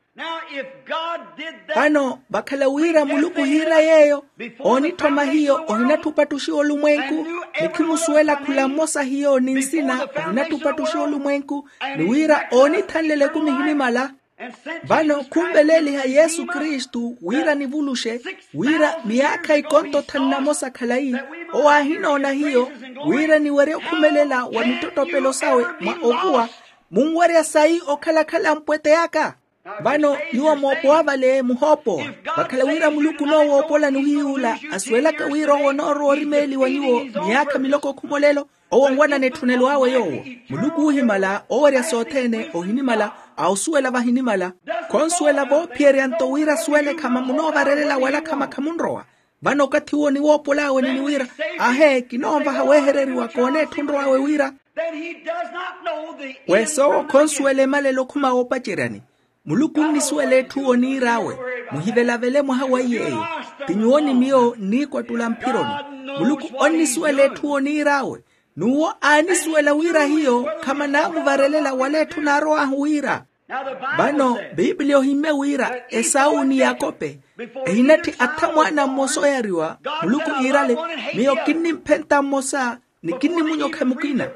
Vano vakhala wira muluku ohiira yeeyo, oonitthoma hiyo ohinatthupattuxiwa olumwenku, ni khimusuwela khula mmosa hiyo ni nsina ohinatthupattuxiwa olumwenku, ni wira oonithanlela ekumi ehinimala. Vano khunveleeliha yesu kristu wira nivuluxe, wira miyaakha ikonto thanu na mosa khalayi, owo aahinoona hiyo, wira niwerye okhumelela wa mittottopelo sawe mwa ovuwa. Munwerya sayi okhala-khala mpwete aka? Vano nyuwo moopowa vale muhoopowa. Vakhala wira muluku onoowoopola ni ohiyuula asuwelaka wira owo onoorowa orimeeliwa nyuwo miyaakha miloko khumolelo. Owo onwanana etthunelo awe yoowo. Muluku oohimala oowerya sothene ohinimala, a osuwela vahinimala. Khonsuwela voophiyerya nto wira asuwele khama munoovarelela wala khama khamunrowa. Vano okathi uwo niwoopol'awe nini wira, ahe kinoonvaha weehereriwa kooneetthunrw'awe wira. Wesoowo khonsuwela emalelo khuma woopaceryani. Muluku onnisuwela etthu owo niir'awe, muhivelavele mwaha wa iy'eyo. Ti nyuwo ni miyo nniikwattula mphironi. Muluku onnisuwela etthu owo niir'awe, n'uwo aanisuwela wira hiyo khamanaamuvarelela wala etthu naarow'ahu wira. Vano pipiliya ohimmye wira esau ni yakope ehinatthi atha mwaana mmosa oyariwa, muluku iirale, miyo kinnimphenta mmosa ni kinnimunyokha mukina.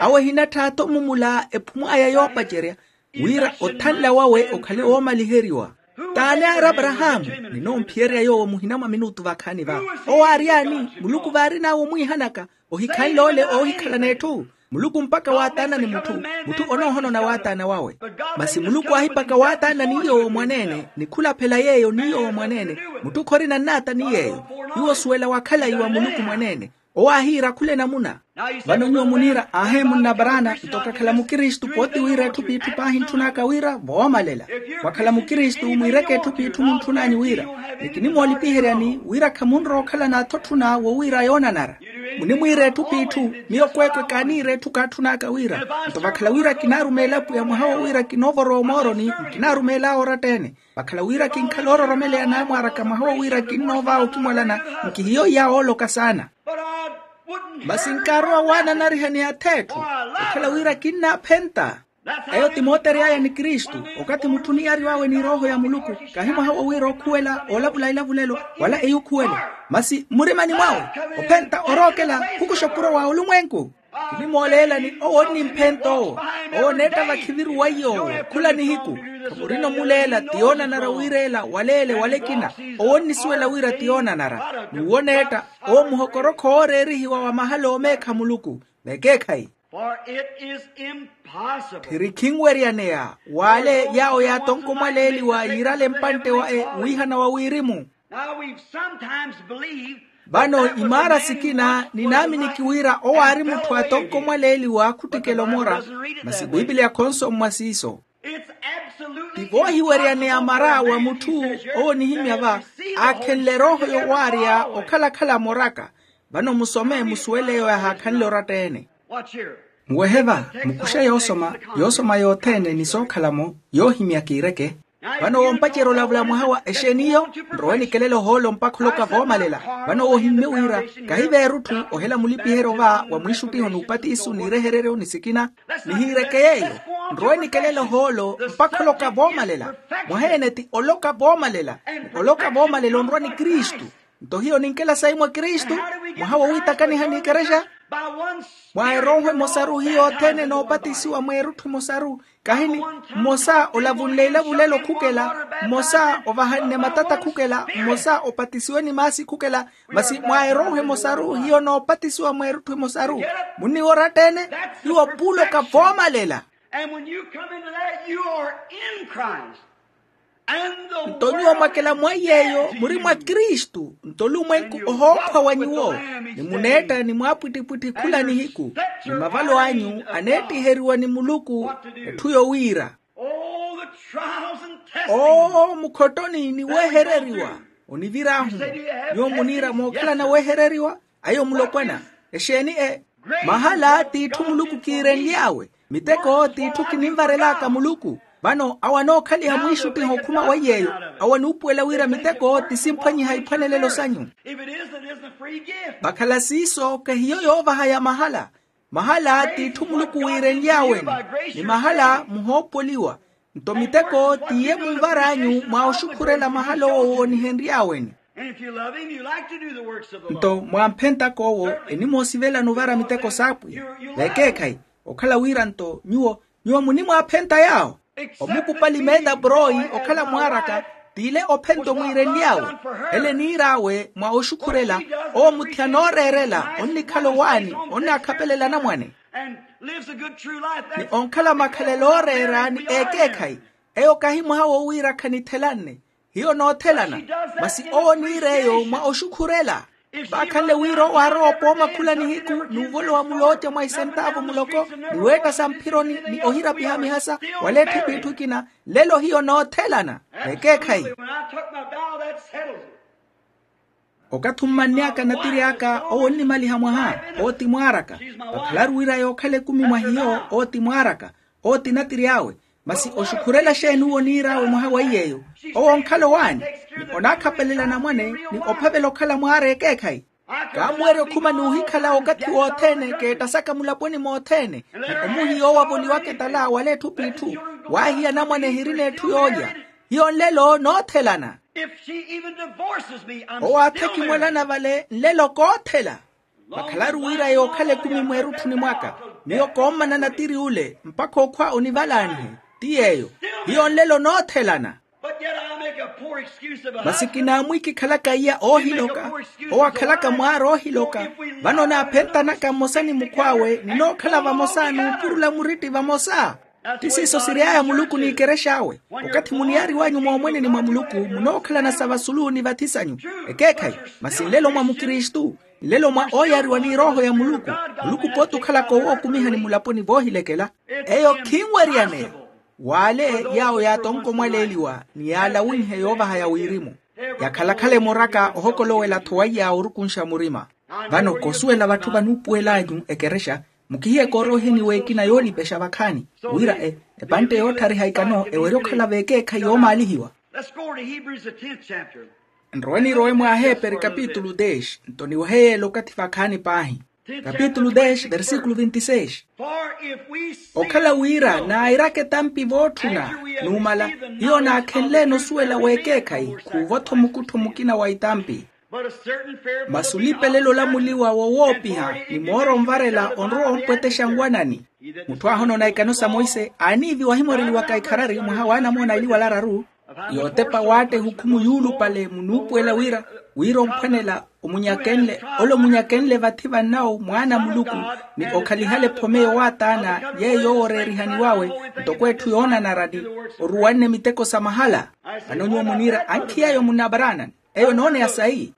Awo ehinatthi atha omumula ephumw'aya yoopacerya, wira othanla wawe okhale woomaliheriwa. T'ani aari aparahaamu? Ninoomphiyereya yoowo muhina mwa minutu vakhaani va. Owo aaryaani? Muluku vaarin'awe omwiihanaka. Ohikhanle ole oohikhalana etthu. Muluku mpakha waataanani mutthu, mutthu onoohonona waataana wawe. Masi muluku aahipakha waataanani iy'owo mwaneene ni khulaphela yeeyo n'iy'owo mwaneene. Mutthu khorina nnaata ni yeeyo. Hiwo osuwela wa khalayi wa muluku mwaneene. Owo aahiira khula enamuna. Vano nyuwo muniira ahe munnaparaana nto kakhala mukristu pooti wira etthu p'itthu paahi ntthun'aka wira voomalela. Mwakhala mukristu mwiireke etthu p'itthu muntthun'anyu wira, ni kinimoolipiheryani wira khamunrowa okhala n'athotthuna wo wira yoonanara. Munimwiira etthu p'itthu. Miyo kweekwe kaaniira etthu kaatthun'aka wira. Nto vakhala wira kinaarumeela apwiya mwaha wo wira kinoovorowa omooroni, nkinaarumeel'awe oratta-ene. Vakhala wira kinkhala oororomeleya naamwaaraka mwaha wo wira kinnoov'awe okimwalana. Nkihiyo iya wooloka saana. Masi nkaarowa waananarihani ath'etthu, okhala wira kinnaaphenta. Eyo ti mootery'aya ni kristu. Okathi mutthu oniyariw'awe ni erooho ya muluku, kahi mwaha wo wira ookhuwela oolavula elavulelo wala eyukhuwelo. Masi mmurimani mwawe ophenta orookela khukuxa okuro wa olumwenku. Kinimooleelani owo onnimphenta owo. Owo oneetta vakhiviru weiya owo khula nihiku. Khamurina omuleela ti yoonanara wiireela waleele wala ekina. Owo onnisuwela wira ti yoonanara. N'uwo oneetta owo muhokorokho wooreerihiwa wa mahala oomeekha muluku. Vekeekhayi. Tthiri khinweryaneya w'ale yaawo yaatonkomwaleeliwa yiirale mpantte wa e wiihana wa wirimu. Vano imaara sikina ninaaminiki wira owo aari mutthu atonkomwaleeliwa khuttikela omora. Masi pipiliya khonsommwa siiso. Ti voohiweryaneya mara wa mutthu owo onihimya va aakhenle erooho yowaarya okhala-khala moraka. Vano musome musuwele eyo yahaakhanle oratta-ene. Muwehe va, mukuxe yoosoma yothene ni sookhala-mo yoohimya kiireke. Vano woompacerya olavula mwaha wa exeeni iyo? Nrowe nikelele ohoolo mpakha oloka voomalela. Vano ohimmye wira kahiva erutthu ohela mulipiheryo va wa mwiixuttiho n'upattiso n'irehereryo ni sikina. Nihiireke yeeyo. Nrowe nikelele ohoolo mpakha oloka voomalela. Mwaha ene ti oloka voomalela. Oloka voomalela onrwa ni kristu. Nto hiyo ninkela sayi mwa kristu. Mwaha wowiitakaniha n'ikerexa. Mwa erooho emosaru hiyo othene enoopatisiwa mweerutthu emosaru. Kahini mmosa olavunle ilavulelo khukela. Mmosa ovahanne matata khukela mmosa opatisiwe ni maasi khukela. Masi mwa erooho emosaru hiyo enoopatisiwa mweerutthu emosaru. Munniworatta-ene. Hiyo puuloka voomalela. And when you come into that, you are in Christ. Nto nyuwo mwakela mwa yeeyo muri mwa kristu nto olumwenku ohookhwa wa nyuwo. Ni muneetta ni mwaapwittipwitthi khula nihiku ni mavalo anyu aneettiheriwa ni muluku. Etthu yowiira. Oo mukhottoni ni weehereriwa. Onivir'ahu nyuwo muniira mookhalana weehereriwa. Ayo mulopwana exeeni e? Mahala t'itthu muluku kiirenly'awe. Miteko t'itthu kininvarel'aka muluku. Vano awo anookhaliha mwiixuttiha okhuma wa iy'eyo. Awo anuupuwela wira miteko ti simphwanyiha iphwanelelo sanyu. Vakhala siiso kahiyo yoovaha ya mahala. Mahala t'itthu muluku wiirenly'awe-ni. Ni mahala muhoopoliwa. Nto miteko t'iye munvar'anyu mwa oxukhurela mahala owo woonihenry'awe-ni. Nto mwamphentaka owo enimoosivela nuvara miteko s'apwiya. Vekeekhayi okhala wira nto nyuwo nyuwo munimwaaphenta yaawo. Omukupali meeta poroi okhala mwaaraka t'ile ophenta omwiirenly'awe. Ele niir'awe mwa oxukhurela owo muthi anooreerela onnikhala owaani onnakhapelela anamwane. Ni onkhala makhalelo ooreera ni ekeekhayi. Eyo kahi mwaha wowiira khanithelanne. Hiyo noothelana. Masi owo oniir'eyo mwa oxukhurela. Vaakhanle wira owo aarowa opooma khula nihiku n'uvolowa mulooca mwa isentaavu muloko ni weetta samphironi ni ohirapiha mihasa wala etthu p'itthu ikina. Lelo hiyo noothelana. Ekeekhayi. Okathi ommanny'aka natiri aka owo onnimaliha mwaha. Owo ti mwaar'aka. Vakhalaru wira yookhala ekumi mwa hiyo owo ti mwaar'aka. Owo ti natiri awe. Masi oxukhurela xeeni uwo oniir'awe mwaha wa iy'eyo? Owo onkhala owaani ni onaakhapelela anamwane ni ophavela okhala mwaara ekeekhayi. Kaamuwerya okhuma n'uhikhala okathi wothene keettasaka mulaponi mothene. Ni omuhiya owo avoliwaka etala wala etthu p'itthu waahiya anamwane ehirina etthu yoolya. Hiyo nlelo noothelana. Owo aathekimwelana vale nlelo koothela. Vakhalaru wira yookhala ekumi mweerutthuni mwaka miyo koommana natiri ule mpakha okhwa onivalaanihe. Ti yeeyo hiyo nlelo noothelana. Masi kinaamwikikhalaka iya oohiloka owo akhalaka mwaara oohiloka. Vano naaphentanaka mmosa ni mukhw'awe ninookhala vamosa n'upurula muritti vamosa. Ti siiso siry'aya muluku n'ikerexa awe. Okathi muniyari wanyu moomweneni mwa muluku munookhalana sa vasulu ni vathi sanyu. Ekeekhayi masi nlelo mwa mukristu nlelo mwa ooyariwa ni erooho ya muluku. Muluku pooti okhalaka owookumihani mulaponi voohilekela. Eyo khinweryaneya w'ale yaawo yaatonkomwaleeliwa ni yaalawinhe yoovaha ya wirimu. Yakhalakhala emoraka ohokolowela-tho waiya orukunxa murima. Vano kosuwela vatthu vanuupuwel'anyu ekerexa mukihiyeke orooheni w'ekina yoolipexa vakhaani wira epantte yootthariha ikano ewerye okhala v'ekeekhayi yoomaalihiwa. Nrowe nirowe mwa aheeperi kapitulu dez nto niwehe yeela okathi vakhaani paahi. Kapitulu dez versikulu vinti seis. Okhala wira nairaka etampi vootthuna numala hiyo naakhenle-ene osuwela w'ekeekhayi khuuvo-tho mukuttho mukina wa itampi. Masi olipelelo olamuliwa wowoopiha ni mooro onvarela onrowa ompwetexa nwanani. Mutthu aahonona ikano sa monse aaniiviwa ahimoreliwaka ikharari mwaha w'anamoona eliwala araru. Yootepa waatta ehukhumu yuulupale munuupuwela wira wira omphwanela omunyakenle ole omunyakenle vathi vannawo mwaana a muluku ni okhalihala ephome yowaataana yeeyo yooworeerihaniw'awe ntoko etthu yoonanara ni oruwanne miteko sa mahala. Vano nyuwo muniira ankhi yeeyo munabaraanani eyo enooneya sayi.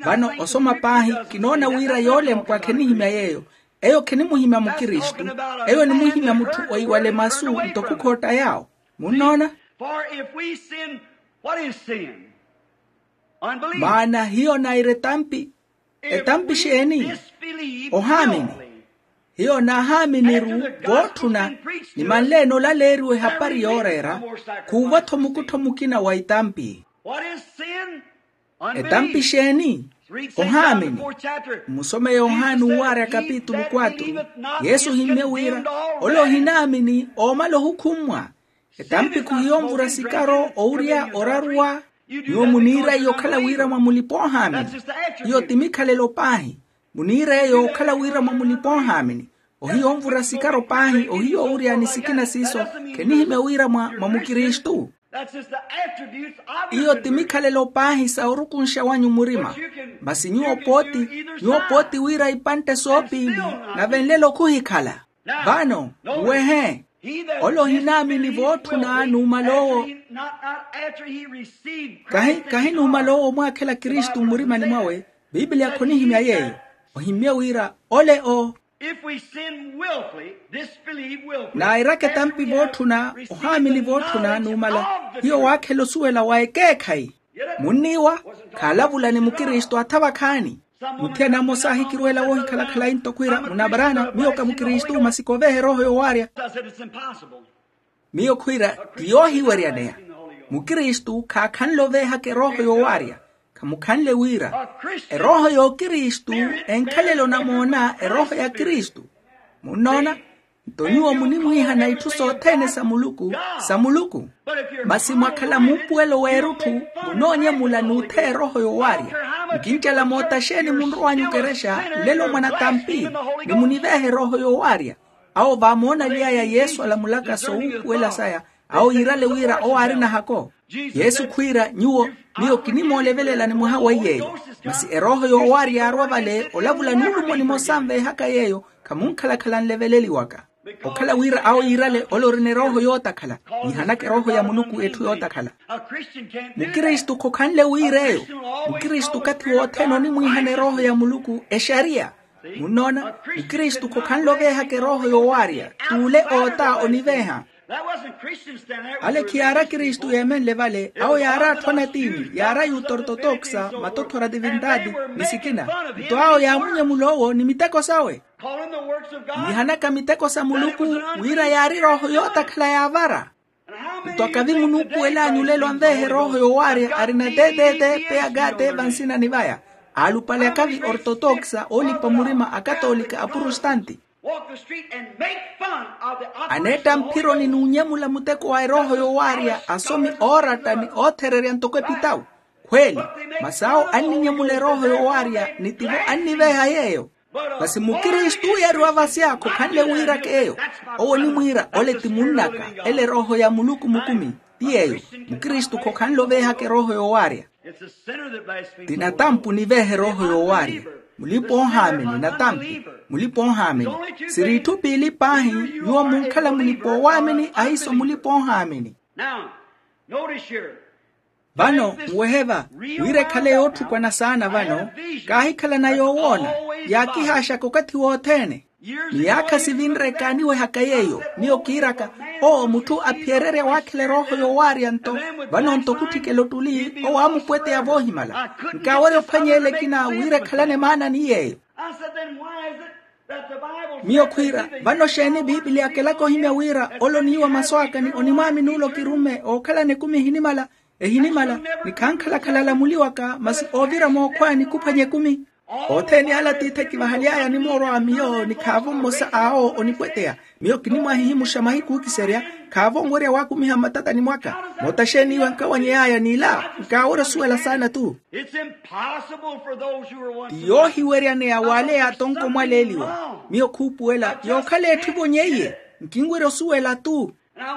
Vano osoma paahi kinoona wira yoolempwa khenihimya yeeyo eyo khenimuhimya mukristu. Eyo enimuhimya mutthu oiwale masu ntoko khootta yaawo. Munnoona? Maana hiyo naira etampi. Etampi xeeni? Ohaamini. Iyo naahaaminiru vootthuna. Ni manleene olaleeriwa ehapari yooreera, khuuva-tho mukuttho mukina wa itampi. Etampi xeeni? Ohaamini. Mmusome yohani uuwaarya kapitulu kwatru, yesu ohimmye wira ole ohinaamini oomala ohukhummwa. Etampi khuhiyo onvura sikaro owurya oraruwa. Nyuwo muniira iyo okhala wira mwa mulipa-ohaamini. Iyo ti mikhalelo paahi. Muniira eyo okhala wira mwa mulipa-ohaamini. Ohiyo onvura sikaro paahi ohiyo owurya ni sikina siiso. Khenihimya wira mwa mukristu. Iyo ti mikhalelo paahi sa orukunxa wanyu murima. Masi nyuwo pooti, nyuwo pooti wira ipantte soopiili, nave nlelo khuhikhala. Vano, nwehe, ole ohinaamini vootthuna numala owo. Kahi numala owo omwaakhela kristu mmurimani mwawe. Piipiliya khonihimya yeeyo. Ohimmye wira ole o. Nairaka etampi vootthuna ohaamini vootthuna numala, hiyo waakhela osuwela wa ekeekhayi. Munniiwa, khaalavula ni mukristu atha vakhaani. Muthiyana mmosa aahikirwela woohikhala khalayi ntoko ira munabaraana miyo ka mukristu masi kooveha erooho yoowaarya. Miyo khwiira, ti yoohiweryaneya. Mukristu khaakhanle oveehaka erooho yoowaarya. Khamukhanle wira erooho y'okristu enkhalele onamoona erooho ya kristu. Munnoona? Nto nyuwo munimwiihana itthu sothene sa muluku, sa muluku. Masi mwakhala muupuwelo w'erutthu, munoonyemula n'utheya erooho yoowaarya. Nkincela moota xeeni munrow'anyu okerexa nlelo mwanatampi, ni muniveeha erooho yoowaarya. Awo vaamoonaly'aya yesu alamulaka sowuupuwela saya, awo yiirale wira owo aari nahako. Yesu khwiira nyuwo, miyo kinimoolevelelani mwaha weiy'eyo. Masi erooho yoowaari yaarowa vale olavula nuulumo nimosa anveehaka yeeyo. Khamunkhalakhala nleveleliwaka. Okhala wira awo yiirale ole orina erooho yootakhala, yiihanaka erooho ya muluku etthu yootakhala. Mukristu khokhanle wiir'eyo. Mukristu okathi wothene onimwiihana erooho ya muluku exariya. Munnoona? Mukristu khokhanle oveehaka erooho yoowaarya, t'ule oota oniveeha. Ale khiyaari akristu yeemenle vale, awo yaari atthu anatiini, yaari ayuta ortotoksa, matothora divindadi, ni sikina. Nto awo yaamunyemula owo ni miteko sawe. Yiihanaka miteko sa muluku, wira yaari erooho yootakhala yaavara. Nto akavi munuupuwel'anyu lelo anveeha erooho yoowaarya arina teteete peyagate vansinani vaya, aalupale akavi ortotoksa oolipa murima akatolika aprostanti. Aneetta mphironi n'unyemula muteko wa erooho yoowaarya asomi ooratta ni oothererya ntoko epitawu. Khweeli, masi awo anninyemula erooho yoowaarya ni tivo anniveeha yeeyo. Masi mukristu oyeeriwa vasya khokhanle wiiraka eyo. Owo onimwiira ole ti munnaka, ele erooho ya muluku mukumi. Ti yeeyo. Mukristu khokhanle oveehaka erooho yoowaarya. Ti natampu niveeha erooho yoowaarya. Mulipa-oohaamini natampu. Mulipa-oohaamini. Siri itthu piili paahi. Nyuwo munkhala mulipa-oowaamini ahiiso mulipa-oohaamini. Vano nwehe va, wira ekhale yootthukwana saana vano. Kaahikhalana yoowoona, yaakihaaxaka okathi wothene. Miyaakha sivinre kaaniwehaka yeeyo. Miyo kiiraka, owo mutthu aphiyererya waakhela erooho yoowaarya nto, vano nto khutthikela ottuli owo aamupweteya voohimala. Nkaawerya ophwanya ele ekina wira ekhalane maana ni yeeyo. Miyo khwiira, vano xeeni piipiliya akelaka ohimya wira ole oniiwa masu aka ni onimwaamini ole okirumme ookhalana ekumi ehinimala? Ehinimala. Ni khankhalakhala alamuliwaka masi oovira mookhwaani khuphwanya ekumi. Othene ale atiithi ekivahaly'aya animoorwa miyo ni khaavo mmosa awo onipweteya. Miyo kinimwahihimuxa mahiku ookiserya. Khaavo onwerya waakumiha mmatatani mwaka. Moota xeeni iwe nkawanyey'aya n'ila nkaawerya osuwela saana-tu. Ti yoohiweryaneya w'ale yaatonka omwaleeliwa. Miyo khuupuwela yookhala etthu evonyeiye. Nkinwerya osuwela-tu.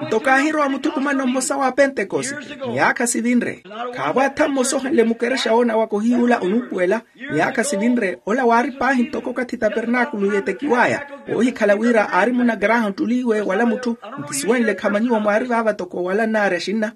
Nto kaahirowa muthukumano mmosa wa pentekosite, miyaakha sivinre. Khaavo atha mmosa ohanle mukerexa woona waka ohiyuula onuupuwela. Miyaakha sivinre ola waari paahi ntoko okathi tapernaakulu yeetekiw'aya. Woohikhala wira aari munna graham ttuli iwe wala mutthu. Nkisuwenle khama nyuwo mwaari vaava toko wala nnaari axinna.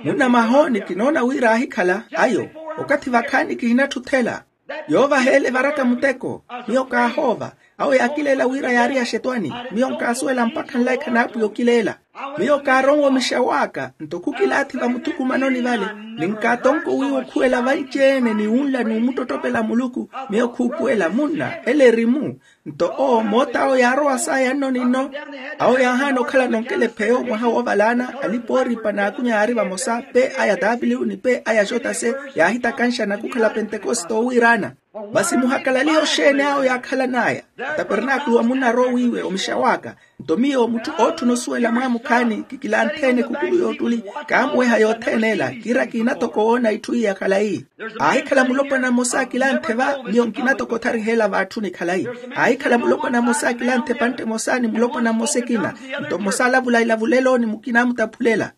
Munna mahooni kinoona wira aahikhala ayo. Okathi vakhaani kihinatthuthela. Yoovaha ele evaraka muteko. Miyo kaahoova. Awo yaakileela wira yaari axetwani. Miyo nkaasuwela mpakha nlaikha n'apwiya okileela. Miyo kaaronwa omixa w'aka, nto khukilaathi vamuthukumanoni vale, ni nkaatonko wiiwa okhuwela vanci-ene ni wunla n'umuttottopela muluku. Miyo khuupuwela munna ele eri-mu. Nto owo moota awo yaarowa saaya nno ni nno. Awo yaahaana okhalana onkelepheyo mwaha woovalaana, alipa ooripa n'akunya yaari vamosa pe aya taapiliwu ni pe aya xotase. Yaahitakanxana khukhala pentekoste oowiiraana. Masi muhakalalihe oxeeni awo yaakhalan'aya. Tapernaakulu wa munna arowiiwe omixa w'aka. Nto miyo mutthu ootthuna osuwela mwaamukhaani kikilanthe-ene khukulu y'ottuli. Kaamuweha yothene ela kiira kiina toko woona itthu iya khalayi. Aahikhala mulopwana mmosa akilanthe va miyo nkina toko othariha ela vaatthu ni khalayi. Aahikhala mulopwana mmosa akilanthe epantte emosa ni mulopwana mmosa ekina. Nto mmosa alavula ilavulelo ni mukina amutaphulela.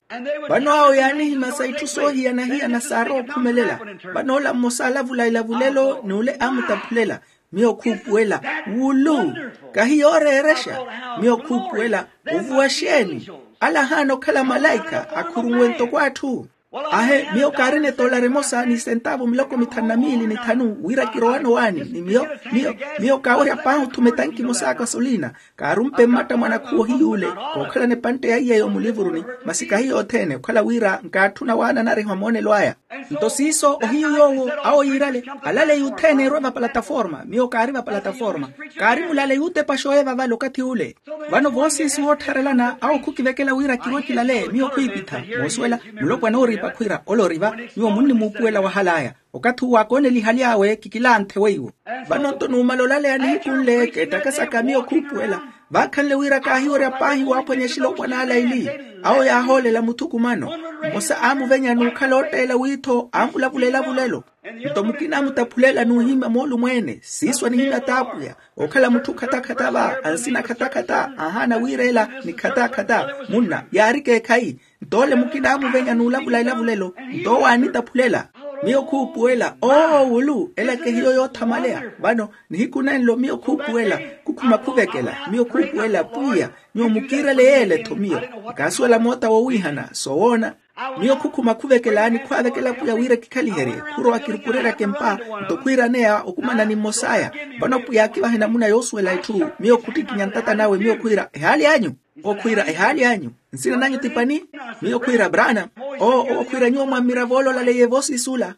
Vano awo yaanihimasa itthu soohiyana-hiyana saarowa okhumelela. Vano ola mmosa alavula ilavulelo ni ole amutaphulela. Miyo khuupuwela wulu, kahi yooreerexa. Miyo khuupuwela ovuwa xeeni? Ala ahaana okhala malaikha akhurunwe ntoko atthu. Ahe, miyo kaarina etoolari emosa ni sentaavu miloko mithanu na miili ni thanu wira kirowane owaani ni miyo. Miyo miyo kaawerya paahi othuma etanki emosa ya kasoliina. Kaarumpe mmatta mwa nakhuwa ohiy'ule, kookhalana epantte ya iy'eyo mulivuruni. Masi kahi yothene okhala wira nkaatthuna waana anariha omoonelo aya. Nto siiso ohiyu yoowo awo yiirale, alale yuuthene erwe vapalataforma miyo kaari vapalataforma. Kaari mulale yuutepa xooyeva vale okathi ule. Vano voosiisi woottharelana awo khukivekela wira kirwe kilale miyo khwiipitha. Moosuwela, mulopwana ooripa khwiira ole ori va. Nyuwo munnimuupuwela wahal'aya. Okathi uwo akoonelihaly'awe kikilanthe weiwo. Vano nto numala olaleya nihiku nle keettakasaka miyo khuupuwela. Vaakhanle wira kaahiwerya paahi waaphwanya exilopwana ala ili. Awo yaahoolela muthukumano. Mmosa aamuvenya n'ukhala ootteela wiitho aamulavula elavulelo. Nto mukina aamutaphulela n'uhimya moolumo-ene siiso anihimya t'apwiya. Okhala mutthu khatakhatta va ansina khatakhatta aahaana wiireela ni khatakhatta. Munna yaari keekhayi. Nto ole mukina aamuvenya n'ulavula elavulelo. Nto owo aanitaphulela. Miyo khuupuwela oo wulu ela kehiyo yoothamaleya. Vano nihiku nenlo miyo khuupuwela khukhuma khuvekela miyo khuupuwela pwiya. Nyuwo mukiirele yeele-tho miyo. Nkaasuwela moota wowiihana soowoona. Miyo khukhuma khuvekela ni khwaavekela pwiya wira kikhaliherye. Khurowa kirukureryaka empa nto khwiiraneya okumana ni mmos'aya. Vano pwiya akivahe namuna yoosuwela itthu. Miyo khuttikinya ntata nawe miyo khwiira ehaali anyu. Owo khwiira ehaali anyu. Nsina nanyu ti pani? Miyo khwiira braana. Oo owo khwiira nyuwo mwammiravo ole olaleiye voosiisi ula.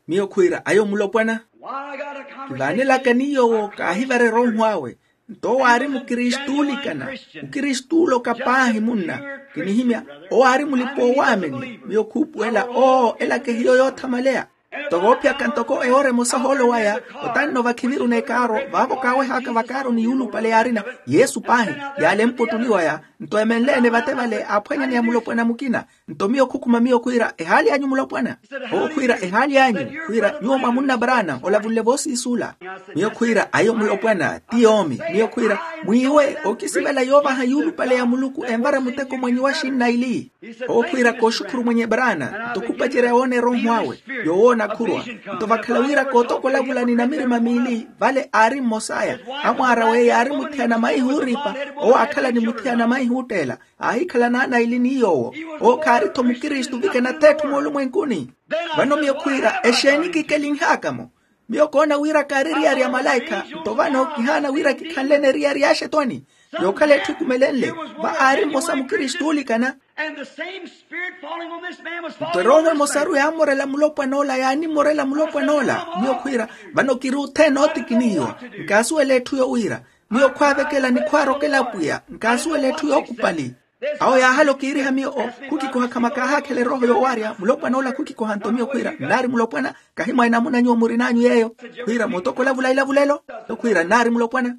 Miyo khwiira ayo mulopwana. Kivaanelaka ni yoowo kaahivare erooho awe. Nto owo aari mukristu oolikana. Mukristu ooloka paahi munna. Kinihimya owo aari mulipa-oowaamini miyo khuupuwela oo ela kehiyo yoothamaleya. Nto voophiyaka ntoko ewoora emosa ohoolo waya otanno vakhiviruna ekaaro vaavo kaaweh'aka vakaaroni yuulupale yaarina yesu paahi. Yaalempa ottuliwaya. Nto emenle-ene vate vale aaphwanyaneya mulopwana mukina. Nto miyo khukhuma miyo khwiira ehaali anyu mulopwana. Owo khwiira ehaali anyu. Khwiira nyuwo mwa munna braana olavunle voosiisi ula. Miyo khwiira ayo mulopwana ti yoomi miyo khwiira mwiiwe okisivela yoovaha yuulupale ya muluku envara muteko mwenyu wa xinna ili. Owo khwiira kooxukhuru mwenye braana nto khupacerya woona erooho awe. Yoowoona khurwa. Nto vakhala wira kootokolavula ni namirima miili vale aari mmos'aya. Amwaara w'eyo yaari muthiyana maihi ooripa. Owo aakhala ni muthiyana maihi ootteela. Aahikhala naanaili ni yoowo. Owo khaari-tho mukristu ovika enatheetthu moolumwenkuni. Vano miyo khwiira exeeni kikelinh'aka-mo? Miyo koona wira kaari eriyari ya malaikha. Nto vano kihaana wira kikhanlene eriyari ya axetwani. Yookhala etthu ekumelenle va aari mmosa mukristu oolikana. Nto erooho emosaru yaammorela mulopwan'ola yaanimmorela mulopwan'ola. Miyo khwiira vano kiri othene ootikinihiwa. Nkaasuwela etthu yowiira. Miyo khwaavekela ni khwaarokela apwiya nkaasuwela etthu yookupali. Awo yaahala okiiriha miyo o khukikoha khama kaahaakhela erooho yoowarya mulopwan'ola khukikoha nto miyo khwiira nnaari mulopwana. Kahi mwa enamuna nyuwo murin'anyu yeeyo. Khwiira mootokolavula ilavulelo. Nto khwiira nnaari mulopwana.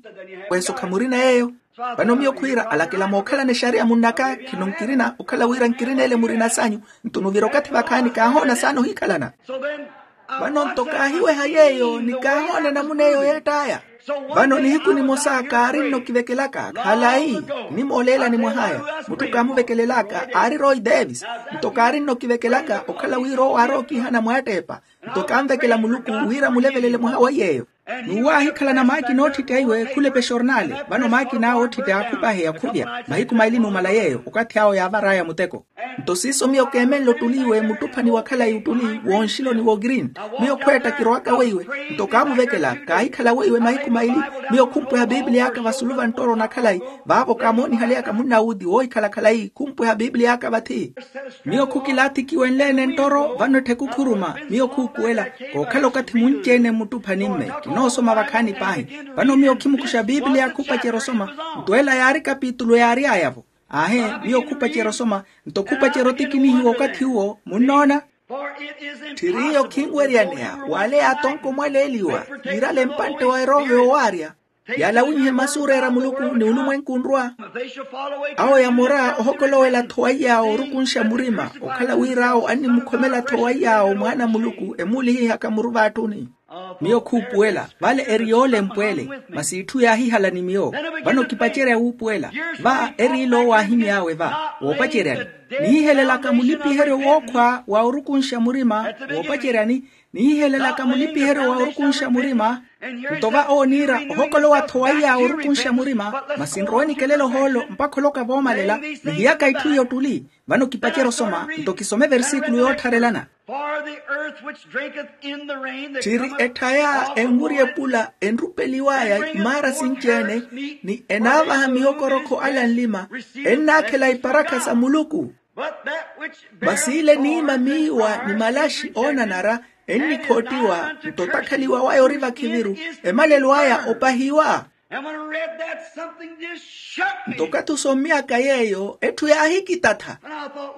Kweeso khamurina yeeyo. Vano miyo khwiira alakela mookhalana exariya munn'aka khino nkirina okhala wira nkirina ele murina s'anyu. Nto nuvira okathi vakhaani kaahoona saana ohiikhalana. Vano nto kaahiweha yeeyo ni kaahoona enamuna eyo yeett'aya. Vano nihiku nimosa kaarinno kivekelaka khalayi. Nimooleelani mwah'aya. Mutthu kaamuvekelelaka aari roy davis. Nto kaarinno kivekelaka okhala wira owo aarowa okiihana mwaatteepa. Nto kaanvekela muluku wira mulevelele mwaha wa iy'eyo. N'uwo aahikhalana maakina oottitta iwe khula epexornaale. Vano maakina awe oottitta aakhupahe akhupya mahiku maili numala yeeyo okathi awo yaavar'aya muteko. Nto siiso miyo keemenle ottuli iwe muttuphani wa khalayi ottuli wonxiloni wookirini. Miyo khweetta kirowaka weiwe. Nto kaamuvekela kaahikhala weiwe mahiku maili. Miyo khumpweha piipiliy'aka vasulu va nttoro na khalayi. Vaavo kaamoonihaleyaka munnawuti woohikhala khalayi khumpweha piipiliy'aka vathi. Miyo khukilaathi kiwenle-ene nttoro vano ettheku khuruma. Miyo khuupuwela kookhala okathi munci-ene mmuttuphani-mme kinoosoma vakhaani paahi. Vano miyo khimukuxa piipiliya khupacerya osoma. Nto ela yaari kapitulu yaary'aya-vo. Aahe, miyo khupacerya osoma. Nto khupacerya otikinihiwa okathi uwo munnoona. Tthiriiyo khinweryaneya w'ale yaatonkomwaleeliwa yiirale mpantte wa erooho yoowaarya. Yalawinyihe masu ooreera muluku ni olumwenku onrwa. Awo yamora ohokolowela-tho waiy'awo orukunxa murima okhala wira awo annimukhomela-tho waiy'awo mwaana a muluku emuulihihaka muru vaatthuni. Miyo khuupuwela vale eri yoolempw'ele. Masi itthu yaahihala ni miyo. Vano kipacerya wuupuwela. Va eri ilo owaahimy'awe va woopaceryani nihihelelaka mulipiheryo wookhwa wa orukunxa murima. Woopaceryani nihihelelaka mulipiheryo wa orukunxa murima. Nto va ooniira ohokolowa-tho waiy'awe orukunxa murima. Masi nrowe nikelela ohoolo mpakha oloka voomalela. Nihiyaka itthu iyo ottuli. Vano kipacerya osoma nto kisome eversikulo yoottharelana. Tthiri etthaya enwirya epula enrupeliw'aya imaara sinci-ene ni enaavaha mihokorokho ala nlima. Ennaakhela iparakha sa muluku. Masi ile eniima miiwa ni malaxi oonanara ennikhoottiwa. Nto otakhaliwa waya ori vakhiviru emalelo aya opahiwa. Nto okathi osommy'aka yeeyo etthu yaahikitatha.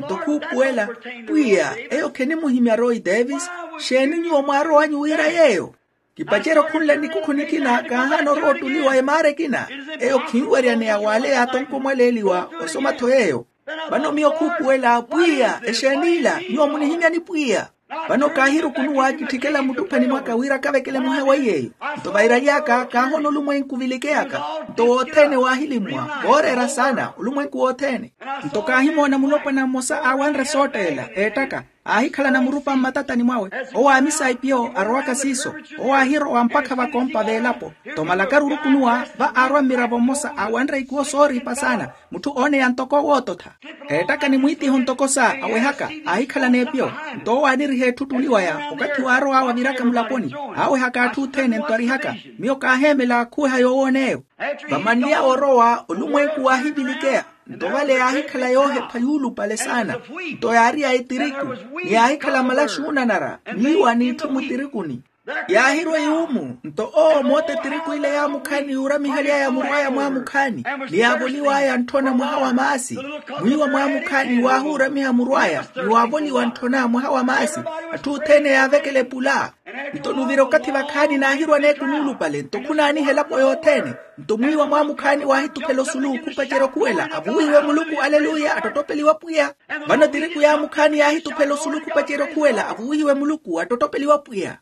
Nto khuupuwela pwiya eyo khenimuhimya roy davis. Xeeni nyuwo mwaarow'anyu wira yeeyo? Kipacerya okhunle nikukhu nikina kaahaana orowa ottuliwa emaara ekina. Eyo khinweryaneya w'ale yaatonkomwaleeliwa osoma-tho yeeyo. Vano miyo khuupuwela pwiya exeeni ila nyuwo munihimyani pwiya? Vano kaahirukunuwa kitthikela muttuphani mwaka wira kavekele muhewa iy'eyo. Nto vairaly'aka kaahoona olumwenku vilikeyaka. Nto wothene waahilimmwa vooreera saana olumwenku wothene. Nto kaahimoona mulopwana mmosa aawanre sootteela eettaka. Aahikhalana murupa mmatatani mwawe. Owo aamisa ipiyo arowaka siiso. Owo aahirowa mpakha vakompa veelapo. Nto malakaru orukunuwa va aarwa mmiravo mmosa aawanre ikuwo sooriipa saana. Mutthu ooneya ntoko woototha. Eettaka ni mwiitiho ntoko sa awehaka aahikhalana epiyo. Nto owo aaniriha etthu ottuli waya okathi waarow'awe aviraka mulaponi. Aawehaka atthu othene nto arihaka. Miyo kaaheemela khuweha yoowoona eyo. Vamanly'awe orowa olumwenku waahivilikeya. Nto vale yaahikhala yoohepha yuulupale saana. Nto yaari ya etiriku ni yaahikhala malaxi oonanara mwiiwa n'itthu mutirikuni. Yaahirwa yuumu nto owo moote etiriku ile yaamukhaani yuuramihaly'aya murw'aya mwaamukhaani. Ni yaavoliw'aya ntthona mwaha wa maasi. Mwiiwa mwaamukhaani waahuuramiha murw'aya ni waavoliwa ntthona mwaha wa maasi. Atthu othene yaavekela epula. Nto nuvira okathi vakhaani naahirwa neeku nuulupale nto khunaaniha elapo yothene. Nto mwiiwa mwaamukhaani waahituphela osulu khupacerya okhuwela avuwihiwe muluku aleluya attottopeliwa pwiya. Vano etiriku yaamukhaani yaahituphela osulu khupacerya okhuwela avuwihiwe muluku attottopeliwa pwiya.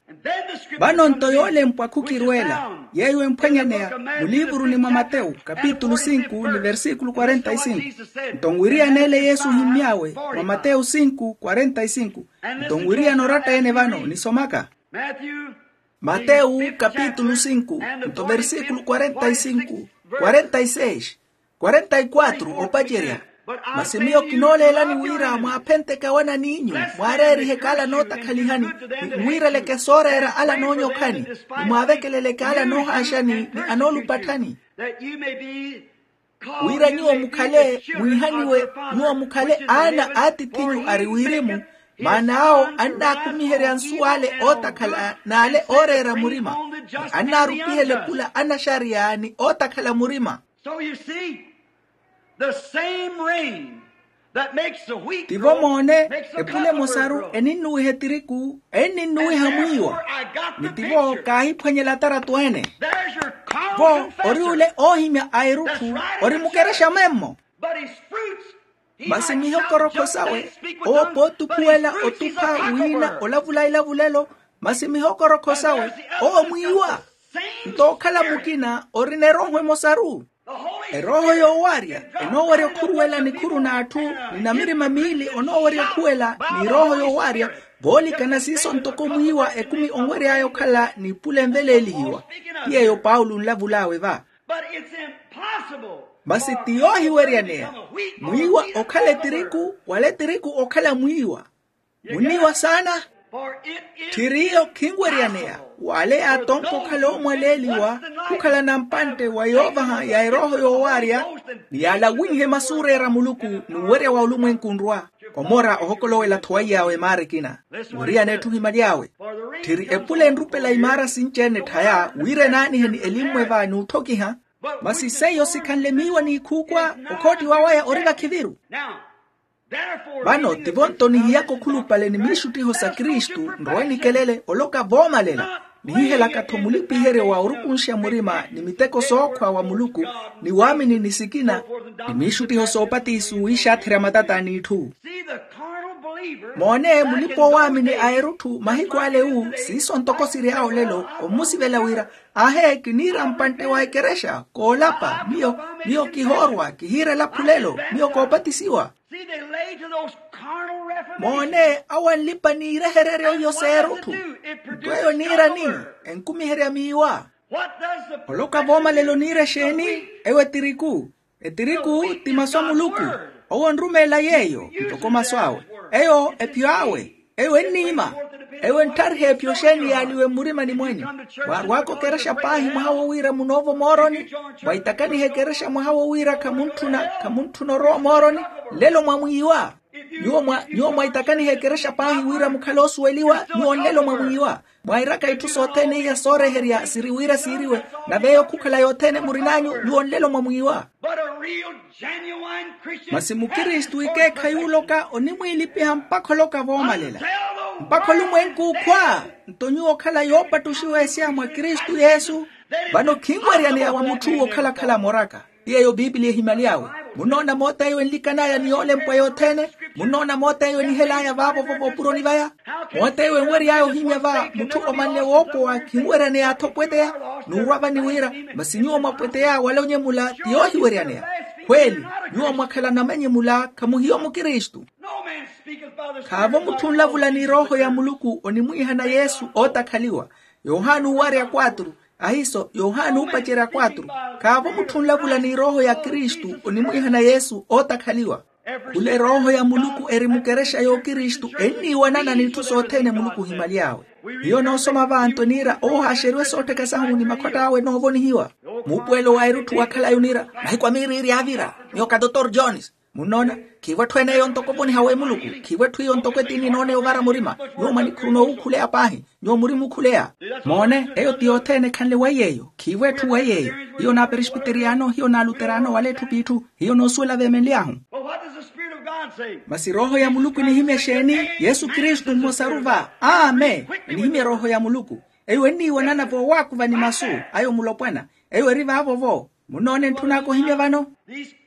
Vano nto yoolempwa khukirweela yeeyo emphwanyaneya muliivuruni mwa matewu kapitulu sinku ni versikulu kwarenta y sinku. Nto nwiriyan'ele yesu ohimmy'awe mwa matewu sinku kwarenta y sinku. Nto nwiriyana oratta-ene vano nisomaka matewu kapitulu sinku nto versikulu kwarenta y sinku, kwarenta y seis, kwarenta y quatro opacerya. Masi miyo kinooleelani wira mwaaphenteke awanan'inyu mwaareerihe kaala anootakhalihani, ni mwiireleke sooreera ala anoonyokhani, ni mwaavekeleleke ala anoohaaxani ni anoolupatthani. Wira nyuwo mukhale mwiihaniwe, nyuwo mukhale aana a atith'inyu ari wirimu. Maana awo annaakumiherya nsuw'ale ootakhala n'ale ooreera murima, ni annaarupihela epula anaxariya ni ootakhala murima. Tivo moone, epula emosaru eninnuwiha etiriku enninnuwiha mwiiwa. Ni tivo kaahiphwanyela ataratu ene. Vo ori ole oohimya a erutthu ori mukerexa memmo. Masi mihokorokho sawe owo pootukhuwela otupha wiina olavula elavulelo. Masi mihokorokho sawe owo mwiiwa. Nto okhala mukina orina erooho emosaru. Erooho yoowaarya enoowerya okhuruwela nikhuru n'atthu, ni namirima miili onoowerya okhuwela n'erooho yoowaarya. Voolikana siiso ntoko mwiiwa ekumi onwery'aya okhala n'ipule enveleelihiwa. Ti yeeyo paulo nlavul'awe va. Masi ti yoohiweryaneya mwiiwa okhala etiriku wala etiriku okhala mwiiwa. Munniiwa saana. Tthiriyo khinweryaneya w'ale yaatonka okhala oomwaleeliwa khukhala nampantte wa yoovaha ya erooho yoowaarya ni yaalawinhe masuureera a muluku n'uwerya wa olumwenku nrwa. Omora ohokolowela-tho waiy'awe maara ekina. Weriyana etthu ohimaly'awe. Tthiri epule enrupela imaara sinci-ene tthaya wira enaanihe ni elimmwe va n'utthokiha. Masi seiyo sikhanle miiwa n'ikhuukwa okhoottiwa waya ori vakhiviru. Vano tivo nto nihiyaka okhulupale ni miixuttiho sa kristu nrowe nikelele oloka voomalela nihihelaka-tho mulipiheryo wa orukunxa murima ni miteko sookhwa wa muluku ni waamini ni sikina ni miixuttiho soopatisu wiixaatherya matata a n'itthu. Moone mulipa owaamini a erutthu mahiku ale wu siiso ntoko siry'awe olelo ommusivela wira ahe kiniira mpantte wa ekerexa koolapa miyo miyo kihoorwa kihiira elaphu lelo miyo koopatisiwa. Moone awo anlipa niirehereryo iyo s'erutthu. Nto eyo niira ni enkumiherya miiwa. Oloka voomalela oniira exeeni? Eyo etiriku. Etiriku ti masu a muluku. Owo onrumeela yeeyo ntoko masu awe. Eyo ephiyo awe. Eyo enniima. Eyo entthariha ephiyo xeeni yaaliwe mmurimani mwene. Mwaarw'aka okerexa paahi mwaha wo wira munoova omooroni. Mwaitakaniha ekerexa mwaha wo wira khamuntthuna khamuntthuna orowa omooroni. Nlelo mwamwiiwa. Nyuwo mwa nyuwo mwaitakaniha ekerexa paahi wira mukhale oosuweliwa nyuwo nlelo mwamwiiwa. Mwairaka itthu sothene iya sooreherya siri wira siiriwe. Nave eyo khukhala yothene murin'anyu nyuwo nlelo mwamwiiwa. Masi mukristu ikeekhayi oloka onimwiilipiha mpakha oloka voomalela. Mpakha olumwenku okhwa. Nto nyuwo okhala yoopattuxiwa eseya mwa kristu yesu. Vano khinweryaneya wa mutth'uwo okhala-khala amoraka. Ti yeeyo piipiliya ehimaly'awe. Munnoona moota eyo enlikan'aya ni yoolempwa yothene. Munnoona moota eyo enihel'aya vaavo-vo voopuroni vaya. Moota eyo enwery'aya ohimya va mutthu omanle woopowa khinweryaneya-tho opweteya. N'urwa vani wira masi nyuwo mwapweteya wala onyemula ti yoohiweryaneya. Khweeli nyuwo mwakhala namanyemula khamuhiyo mukristu. Khaavo mutthu onlavula ni erooho ya muluku onimwiihana yesu ootakhaliwa. Yohani owarya kwatru. Ahiiso yohani oopacerya kwatru. Khaavo mutthu onlavula ni erooho ya kristu onimwiihana yesu ootakhaliwa. Khula erooho ya muluku eri mukerexa y'okristu enniiwanana n'itthu sothene muluku ohimaly'awe. Hiyo noosoma vantu eniira oohaaxeriwe soottheka sahu ni makhwatt'awe noovonihiwa. Muupuwelo wa erutthu wakhalayi oniira mahiku a miiriiri aavira. Miyo ka dotor jones. Munnoona? Khiivo etthu ene eyo ntoko ovoniha w'emuluku. Khiivo etthu iyo ntoko etiini enooneya ovara murima. Nyuwo mwanikhuru noowukhuleya paahi. Nyuwo muri muukhuleya. Moone eyo ti yothene ekhanle weiy'eyo khiivo etthu weiy'eyo. Hiyo n'aperesbiteriyano hiyo n'aluterano wala etthu p'itthu. Hiyo noosuwela veemenly'ahu. Masi erooho ya muluku enihimya exeeni? Yesu kristu mmosaru va. Amen. Enihimya erooho ya muluku. Eyo enniiwanana voowaakuva ni masu ayo mulopwana. Eyo eri vaavo-vo. Munnoona entthun'aka ohimya vano?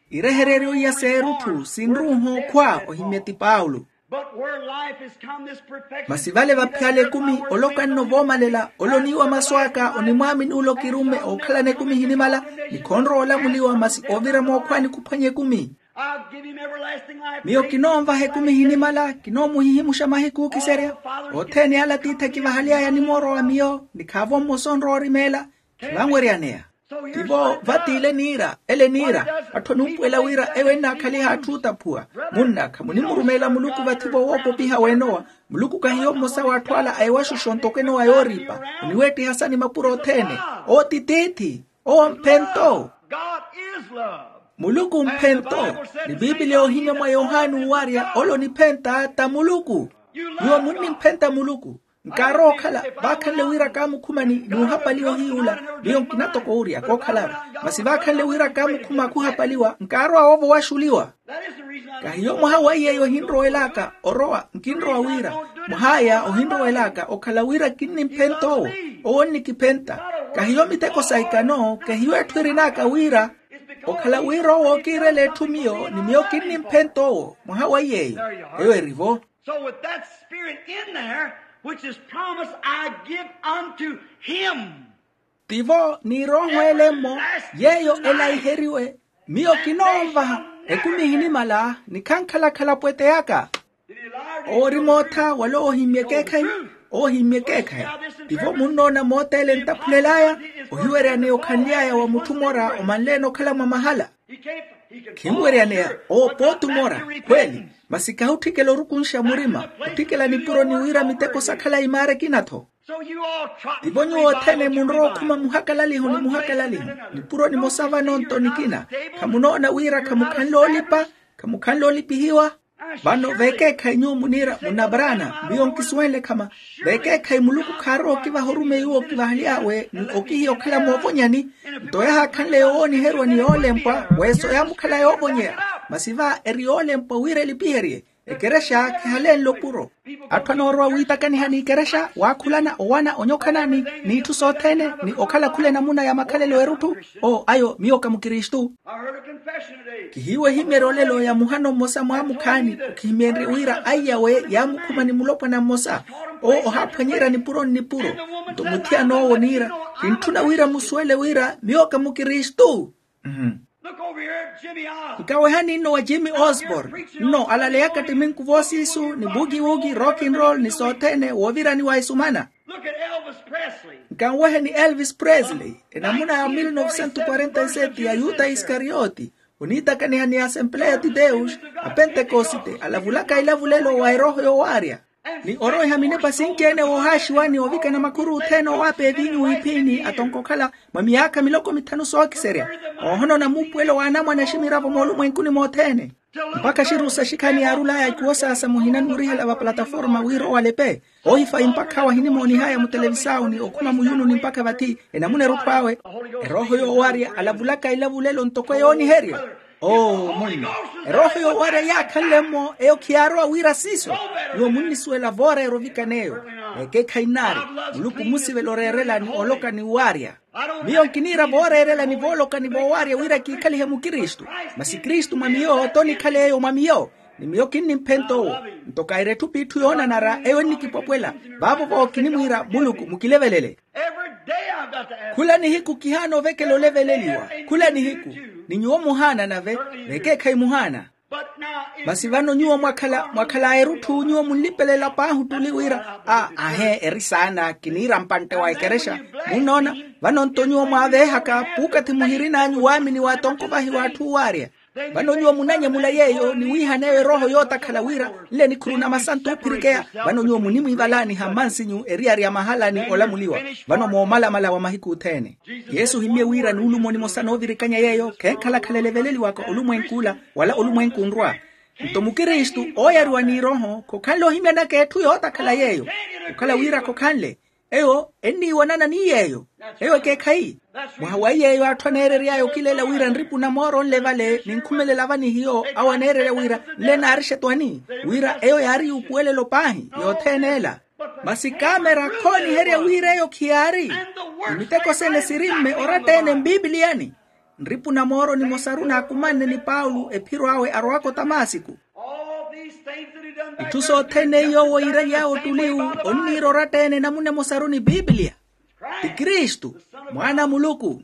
Irehereryo iya s'erutthu sinruuha okhwa ohimya ti paulo. Masi vale vaphiyala ekumi oloka nno voomalela ole oniiwa masu aka onimwaamini ole okirumme ookhalana ekumi ehinimala. Ni khonrowa olamuliwa masi oovira mookhwaani khuphwanya ekumi. Miyo kinoonvaha ekumi ehinimala kinoomuhihimuxa mahiku ookiserya. Othene ala tiithi akivahaly'aya ni mooro wa miyo ni khaavo mmosa onrowa orimeela. Khivanweryaneya. Tivo vati ile niira ele niira. Atthu anuupuwela wira eyo ennaakhaliha atthu ootaphuwa. Munna khamunimurumeela muluku vathi-vo woopopiha w'enowa. Muluku kahiyo mmosa w'atthu ala a ewaxuxo ntoko enowa yooriipa. Oniweettiha sa ni mapuro othene. Owo ti tiithi. Owo mphento. Muluku mphento. Ni piipiliya ohimya mwa yohani owarya ole oniphenta ta muluku. Nyuwo munnimphenta muluku. Nkaarowa okhala vaakhanle wira kaamukhumani n'uhapaliwa ohiy'ula. Miyo nkina toko owurya kookhalari. Masi vaakhanle wira kaamukhuma khuhapaliwa nkaarowa woovo waxuliwa. Kahiyo mwaha wa iy'eyo ohinrowel'aka orowa nkinrowa wira mwah'aya ohinrowel'aka okhala wira kinnimphenta owo. Owo onnikiphenta. Kahiyo miteko sa ikano kahiyo etthu erin'aka wira okhala wira owo ookiirela etthu miyo ni miyo kinnimphenta owo mwaha wa iy'eyo. Eyo eri-vo. So with that spirit in there, which is promised, I give unto him. Tivo ni erooho ele-mmo yeeyo elaiheriwe. Miyo kinoonvaha ekumi ehinimala ni khankhala-khala pwete yaka. Owo ori mootha wala owo ohimmye ekeekhayi. Owo ohimmye ekeekhayi. Tivo munnoona mootele ntaphulel'aya, ohiweryaneya okhanly'aya wa mutthu mora omanleene okhala mwa mahala. Khinweryaneya owo pooti omora khweeli. Masi kahi otthikela orukunxa murima, otthikela nipuro ni wira miteko sakhala imaara ekina-tho. Tivo nyuwo othene munrowa okhuma muhakalaliho ni muhakalaliho, nipuro nimosa vano nto nikina. Khamunoona wira khamukhanle olipa, khamukhanle olipihiwa. Vano veekeekhayi nyuwo muniira munabraana, miyo nkisuwenle khama. Veekeekhayi muluku khaarowa okivaha orumeyi uwo okivahaly'awe ni okihiya okhala moovonyani. Nto yahaakhanle yowooniheriwa ni yoolempwa, weso yaamukhala yoovonyeya. Masi va eri yoolempwa wira elipiherye. Ekerexa khihalenle opuro. Atthu anoorowa wiitakaniha n'ikerexa waakhulana owana onyokhanani, n'itthu sothene ni okhala khula enamuna ya makhalelo erutthu. Oo ayo miyo ka mukristu. Kihiiwe ehimyeryo olelo ya muhano mmosa mwaamukhaani, okhihimyenrye wira aiyawe yaamukhuma ni mulopwana mmosa. Owo ohaaphwanyerya nipuro nnipuro. Nto muthiyan'owo niira, kintthuna wira musuwele wira miyo ka mukristu. Nkawehani nno wa jimmy osborne, nno alaleyaka ttiminku voosiisu ni bugiwugi rock and roll ni sothene woovirani wa esumana. Nkanwehe ni elvis presley, enamuna ya mil novecentos quarenta e sete ya yuta iskariyoti, oniitakaniha ni asempleya ti deus, apentekosite alavulaka ilavulelo wa erooho yoowaarya. Ni oroweha minepa sinci-ene woohaaxiwani ovikana makhuru othene owaapeevinyu wiiphiini atonka okhala mwa miyaakha miloko mithanu sookiserya. Oohonona muupuwelo w'anamwane aximiravo moolumwenkuni mothene. Mpakha xirusa xikhani yaarul'aya ikuwo saasa muhina nuurihela va plataforma wira owalepe. Oohifayi mpakha awo ahinimoonih'aya mutelevisawu ni okhuma muyununi mpakha vathi enamuna erutthu awe. Erooho yoowarya alavulaka ilavulelo ntoko eyooniherya. Oo munno, erooho yoowarya yaakhanle-mmo eyo khiyaarowa wira siiso. Nyuwo munnisuwela vooreera ovikana eyo. Ekeekhayi nnaari. Muluku mmusivela oreerela ni oloka ni waarya. Miyo nkiniira vooreerela ni vooloka ni voowaarya wira kiikhalihe mukristu. Masi kristu mwa miyo t'onikhala eyo mwa miyo. Ni miyo kinnimphenta owo. Nto kaira etthu p'itthu yoonanara eyo ennikipwapwela. Vaavo-vo kinimwiira muluku mukilevelele. Khula nihiku kihaana ovekela oleveleliwa. Khula nihiku. Ni nyuwo muhaana nave. Vekeekhayi muhaana. Masi vano nyuwo mwakhala mwakhala erutthu nyuwo munlipelela paahi ottuli wira a ahe eri saana kiniira mpantte wa ekerexa. Munnoona? Vano nto nyuwo mwaaveehaka puukathi muhirin'anyu waamini wa atonko vahi w'atthu owaarya. Vano nyuwo munanyemula yeeyo ni wiihaneeyo erooho yootakhala wira nle nikhuru na masantu oophirikeya. Vano nyuwo munimwiivalaaniha mmansinyu eriyari ya mahala ni olamuliwa. Vano moomalamala wa mahiku othene. Yesu ohimmye wira nuulumo nimosa noovirikanya yeeyo khenkhala-khala eleveleliwaka olumwenk'ula wala olumwenku onrwa. Nto mukristu ooyariwa n'iroho khokhanle ohimyanaka etthu yootakhala yeeyo. Okhala wira khokhanle eyo enniiwanana ni yeeyo. Eyo ekeekhayi. Mwaha wa iy'eyo atthu aneerery'aya okileela wira nripu na mooro nle vale ninkhumelela vanihiyo awo aneererya wira nle naari xetwani. Wira eyo yaari yuupuwelelo paahi yothene ela. Masi kaamera khooniherya wira eyo khiyaari. Ni miteko sene sirimme oratta-ene mpipiliyani. Nripu na mooro nimosaru naakumanne ni paulo ephiro awe arowaka otamasiku. Itthu sothene yoowo iiraly'awe ottuliwu onniira oratta-ene namuna emosaru ni piipiliya. Ti kristu, mwaana a muluku.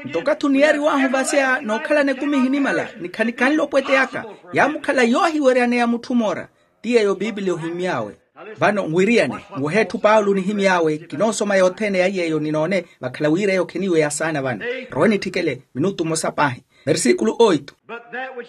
Nto okathi oniyariw'ahu vaseya n'okhalana ekumi ehinimala ni khanikhanle opweteyaka, yaamukhala yoohiweryaneya mutthu moora. Ti yeeyo piipiliya ohimmy'awe. Vano nwiriyane, nwehe etthu paulo onihimy'awe kinoosoma yothene ya yeeyo ninoone. Vakhala wira eyo kheniiweya saana vano. Rowe nitthikele minutu mmosa paahi. Versikulu oitu.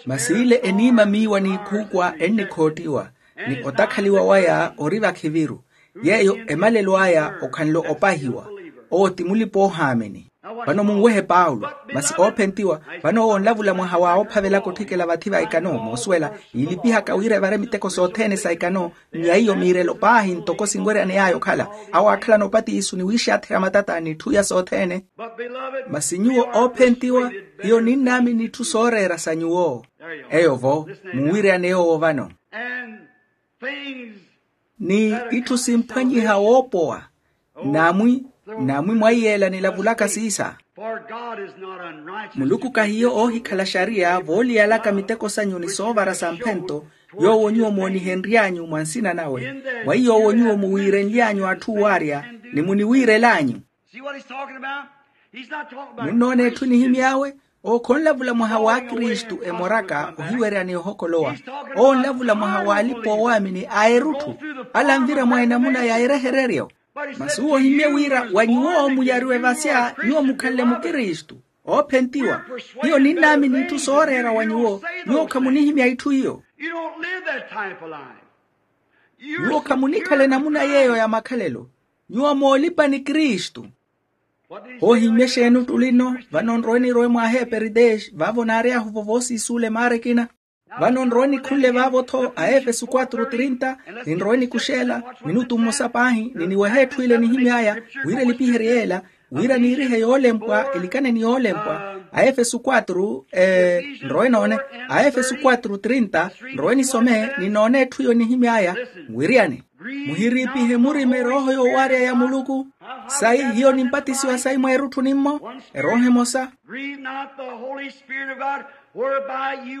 Masi ile eniima miiwa n'ikhuukwa ennikhoottiwa ni otakhaliwa waya ori vakhiviru. Yeeyo emalelo aya okhanle opahiwa. Owo ti mulipa-oohaamini. Vano munwehe paulo. Masi oophentiwa. Vano owo onlavula mwaha wa oophavelaka otthikela vathi va ekano moosuwela, yiilipihaka wira evare miteko sothene sa ekano. Nyaiyo miirelo paahi ntoko sinweryaney'aya okhala. Awo aakhalana opatiisu ni wiixaatheya matata n'itthu iya sothene. Masi nyuwo oophentiwa, hiyo ninnaamini itthu sooreera sa nyuwo. Eyo-vo, munwiryaneya owo vano. Ni itthu simphwanyiha woopowa. Namwi, namwi mwa iyeela nilavulaka siisa. Muluku kahiyo oohikhala xariya vooliyalaka miteko sanyu ni soovara sa mphento, yoowo nyuwo moonihenry'anyu mwa nsina nawe. Mwa iy'owo nyuwo muwiirenly'anyu atthu owaarya, ni muniwiirel'anyu. Munnoona etthu enihimy'awe. Owo khonlavula mwaha wa kristu emoraka ohiwerya ni ohokolowa. Owo onlavula mwaha w'alipa-oowaamini a erutthu. Ala anvira mwa enamuna ya erehereryo. Masi uwo ohimmye wira wa nyuwo muyariwe vasya nyuwo mukhanle mukristu. Oophentiwa. Hiyo ninnaamini itthu sooreera wa nyuwo. Nyuwo khamunihimya itthu iyo. Nyuwo khamunikhala enamuna yeeyo ya makhalelo. Nyuwo moolipa ni kristu. Hoohimmye exeeni ottuli nno? Vano nrowe nirowe mwa aheperitex vaavo naary'ahu vovoosiisuula emaara ekina. Vano nrowe nikhunle vaavo-tho a efesu quatro trinta. Ninrowe nikuxeela minutu mmosa paahi niniwehe etthu ile nihimy'aya wira elipiherye yeela, wira niirihe yoolempwa elikane ni yoolempwa. A efesu quatro nrowe noone. A efesu quatro trinta. Nrowe nisome ninoone etthu iyo nihimy'aya. Mwiriyani. Muhiriipihe murima erooho yoowaarya ya muluku. Sayi hiyo nimpatisiwa sayi mweerutthu nimmo. Erooho emosa.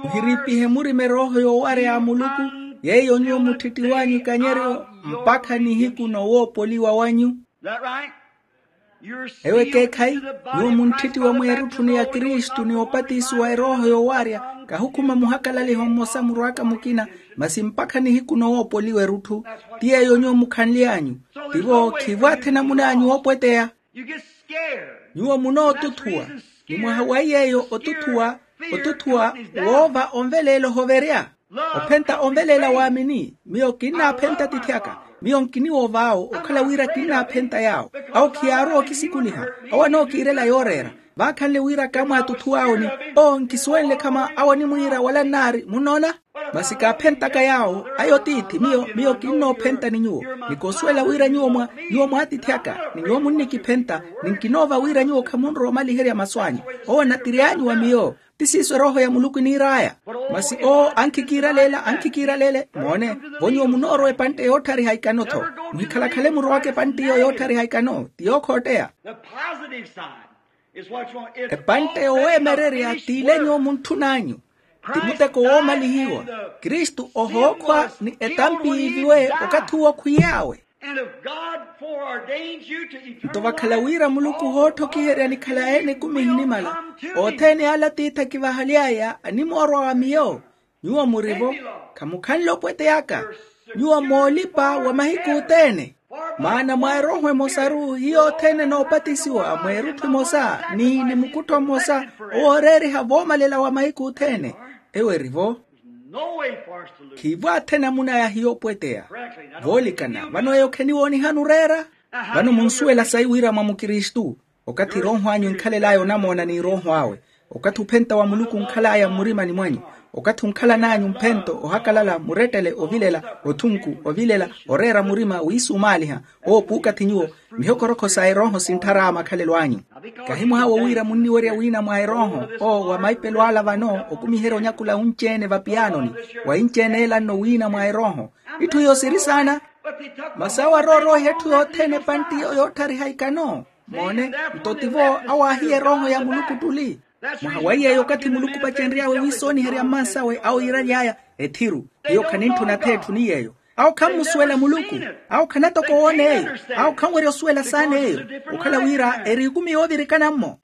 Muhiriipihe murima erooho yoowaarya ya muluku, yeiyo nyuwo mutthittiw'anyu ikanyeryo mpakha nihiku nowoopoliwa wanyu. Ewo ekeekhayi. Nyuwo munttittiwa mweerutthuni ya kristu ni opatisiwa erooho yoowaarya. Kahukhuma muhakalaliho mmosa murw'aka mukina, masi mpakha nihiku nowoopoliwa erutthu. Ti yeeyo nyuwo mukhanly'anyu. Tivo khivo athena mun'anyu oopweteya. Nyuwo munootutthuwa. Ni mwaha wa yeeyo otutthuwa, otutthuwa woova onveleela ohoverya. Ophenta onveleela waamini. Miyo kinnaaphenta atiithi aka. Miyo nkiniwoova awo okhala wira kinnaaphenta yaawo. Awo khiyaarowa okisikuliha. Awo anookiirela yooreera. Vaakhanle wira kaamwaatutthuw'awo ni, oo nkisuwenle khama awo animwiira wala nnaari munnoona. Masi kaaphentaka yaawo. Ayo tiithi miyo miyo kinnoophenta ni nyuwo. Ni koosuwela wira nyuwo mwa nyuwo mwa atiithi aka, ni nyuwo munnikiphenta. Ni nkinoova wira nyuwo khamunrowa omaliherya masu anyu. Owo natir'anyu wa miyo. Ti siiso erooho ya muluku eniir'aya. Masi owo ankhikiiraleela ankhikiiraleele moone. Vo nyuwo munoorowa epantte yootthariha ikano-tho. Muhikhalakhale murowaka epantte iyo yootthariha ikano ti yookhotteya. Epantte yoweemererya t'ile nyuwo muntthun'anyu. Ti muteko woomalihiwa. Kristu ohookhwa ni etampi yiiviwe okathi uwo khwiy'awe. Nto vakhala wira muluku hootthokiherya nikhala ene ekumi ehinimala, othene ala atiithi akivahaly'aya animoorwa wa miyo. Nyuwo muri-vo. Khamukhanle opweteyaka. Nyuwo moolipa wa mahiku othene. Maana mwa erooho emosaru hiyo othene enoopatisiwa mweerutthu emosa ni ni mukuttho mmosa, owooreeriha voomalela wa mahiku othene. Ewo eri-vo. Khiivo athena munaya hiyo opweteya. Voolikana vano eyo kheniwoonihani oreera. Vano munsuwela sayi wira mwa mukristu. Okathi erooho anyu enkhalel'aya onamoona ni erooho awe. Okathi ophenta wa muluku onkhal'aya mmurimani mwanyu. Okathi onkhalan'anyu mphento ohakalala murettele ovilela, othunku ovilela, oreera murima wiisumaaliha. Owo puukathi nyuwo. Mihokorokho sa erooho sintthar'aya makhalelo anyu. Kahi mwaha wo wira munniwerya wiina mwa erooho. Owo wa maipelo ala vano okumiherya onyakula unci-ene vapiyanoni. Wa inci-ene ela nno wiina mwa erooho. Itthu iyo siri saana. Masi awo aroorooiha etthu yothene epantti iyo yootthariha ikano. Moone. Nto tivo awo aahiya erooho ya muluku ottuli. Mwaha wa yeeyo okathi muluku opacenry'awe wiisooniherya mmansawe awo yiiraly'aya. Ethiru. Hiyo khanintthuna ath'etthu ni yeeyo. Awo khammusuwela muluku. Awo khanatoka owoona eyo. Awo khanwerya osuwela saana eyo. Okhala wira eri ekumi yoovirikana-mmo.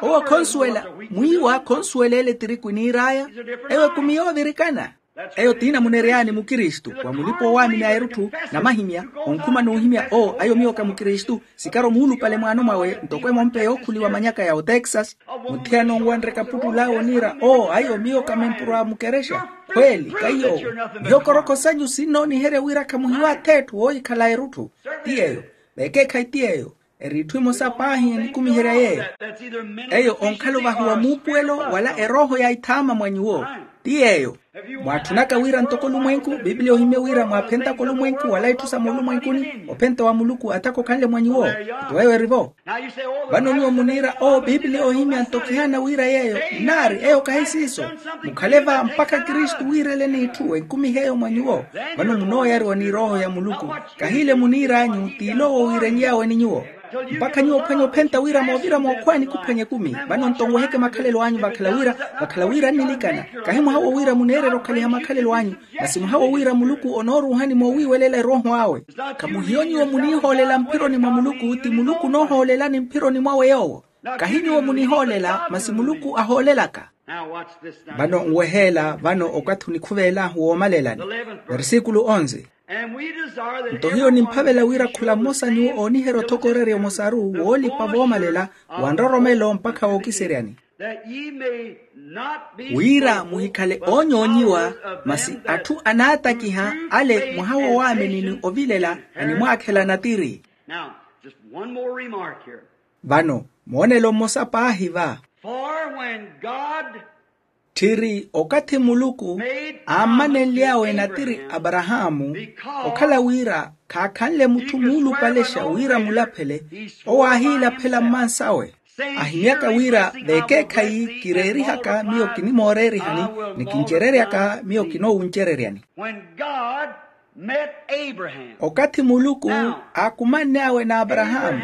Owo khonsuwela. Mwiiwa khonsuwela ele etiriku eniir'aya. Eyo ekumi yoovirikana. Eyo tiinamunery'ani mukristu wa mulipa-oowaamini a erutthu. Namahimya onkhuma n'uhimya oo ayo miyo ka mukristu. Sikari omuulupale mwaano mwawe ntoko emompe yookhuliwa manyaka ya otexas. Mutthiyana onwanre kaputtul'awe oniira oo ayo miyo ka mempuro a mukerexa. Khweeli ka iy'owo. Mihokorokho sanyu sinnooniherya wira khamuhiwa ath'etthu woohikhala erutthu. Ti yeeyo. Vekeekhayi ti yeeyo. Eri itthu emosa paahi enikumiherya yeeyo. Eyo onkhala ovahiwa muupuwelo wala erooho ya ithaama mwa nyuwo. Ti yeeyo. Mwaatthunaka wira ntoko olumwenku bibiliya ohimye wira mwaaphentaka olumwenku wala itthu sa moolumwenkuni ophenta wa muluku atakokhanle mwa nyuwo. Nto eyo eri-vo. Vano nyuwo muniira oo bibiliya ohimya nto khihaana wira yeeyo. Nnaari eyo kahi siiso. Mukhale va mpakha kristu wiirele n'itthu enkumihe eyo mwa nyuwo. Vano munooyariwa ni erooho ya muluku. Kahiile muniir'anyu t'ile owo wiirenly'awe ni nyuwo. Mpakha nyuwo ophwanye ophenta wira moovira mookhwaani khuphwanya ekumi. Vano nto nweheke makhalelo anyu vakhala wira vakhala wira annilikana. Kahi mwaha wo wira muneererya okhaliha makhalelo anyu. Masi mwaha wo wira muluku onooruuhani moowiiwelela erooho awe. Khamuhiyo nyuwo muniihoolela mphironi mwa muluku ti muluku onoohoolelani mphironi mwawe yoowo. Kahi nyuwo munihoolela masi muluku ahoolelaka. Vano nweheela vano okathi onikhuveel'ahu woomalelani. Versikulu onze. Nto hiyo nimphavela wira khula mmosa nyuwo ooniherya othokorerya omosaru woolipa voomalela, wa nroromelo mpakha wookiseryani, wira muhikhale oonyoonyiwa, masi atthu anaatakiha ale mwaha wowaamini ni ovilela, animwaakhela natiri. Vano moonelo mmosa paahi va. Tthiri okathi muluku aammanenly'awe natiri aparahaamu, okhala wira khaakhanle mutthu muulupalexa wira mulaphele, owo aahiilaphela mmansawe, ahimyaka wira veekeekhayi kireerihaka miyo kinimooreerihani, ni kincereryaka miyo kinoowuncereryani. Okathi muluku aakumanny'awe n'aparahaamu,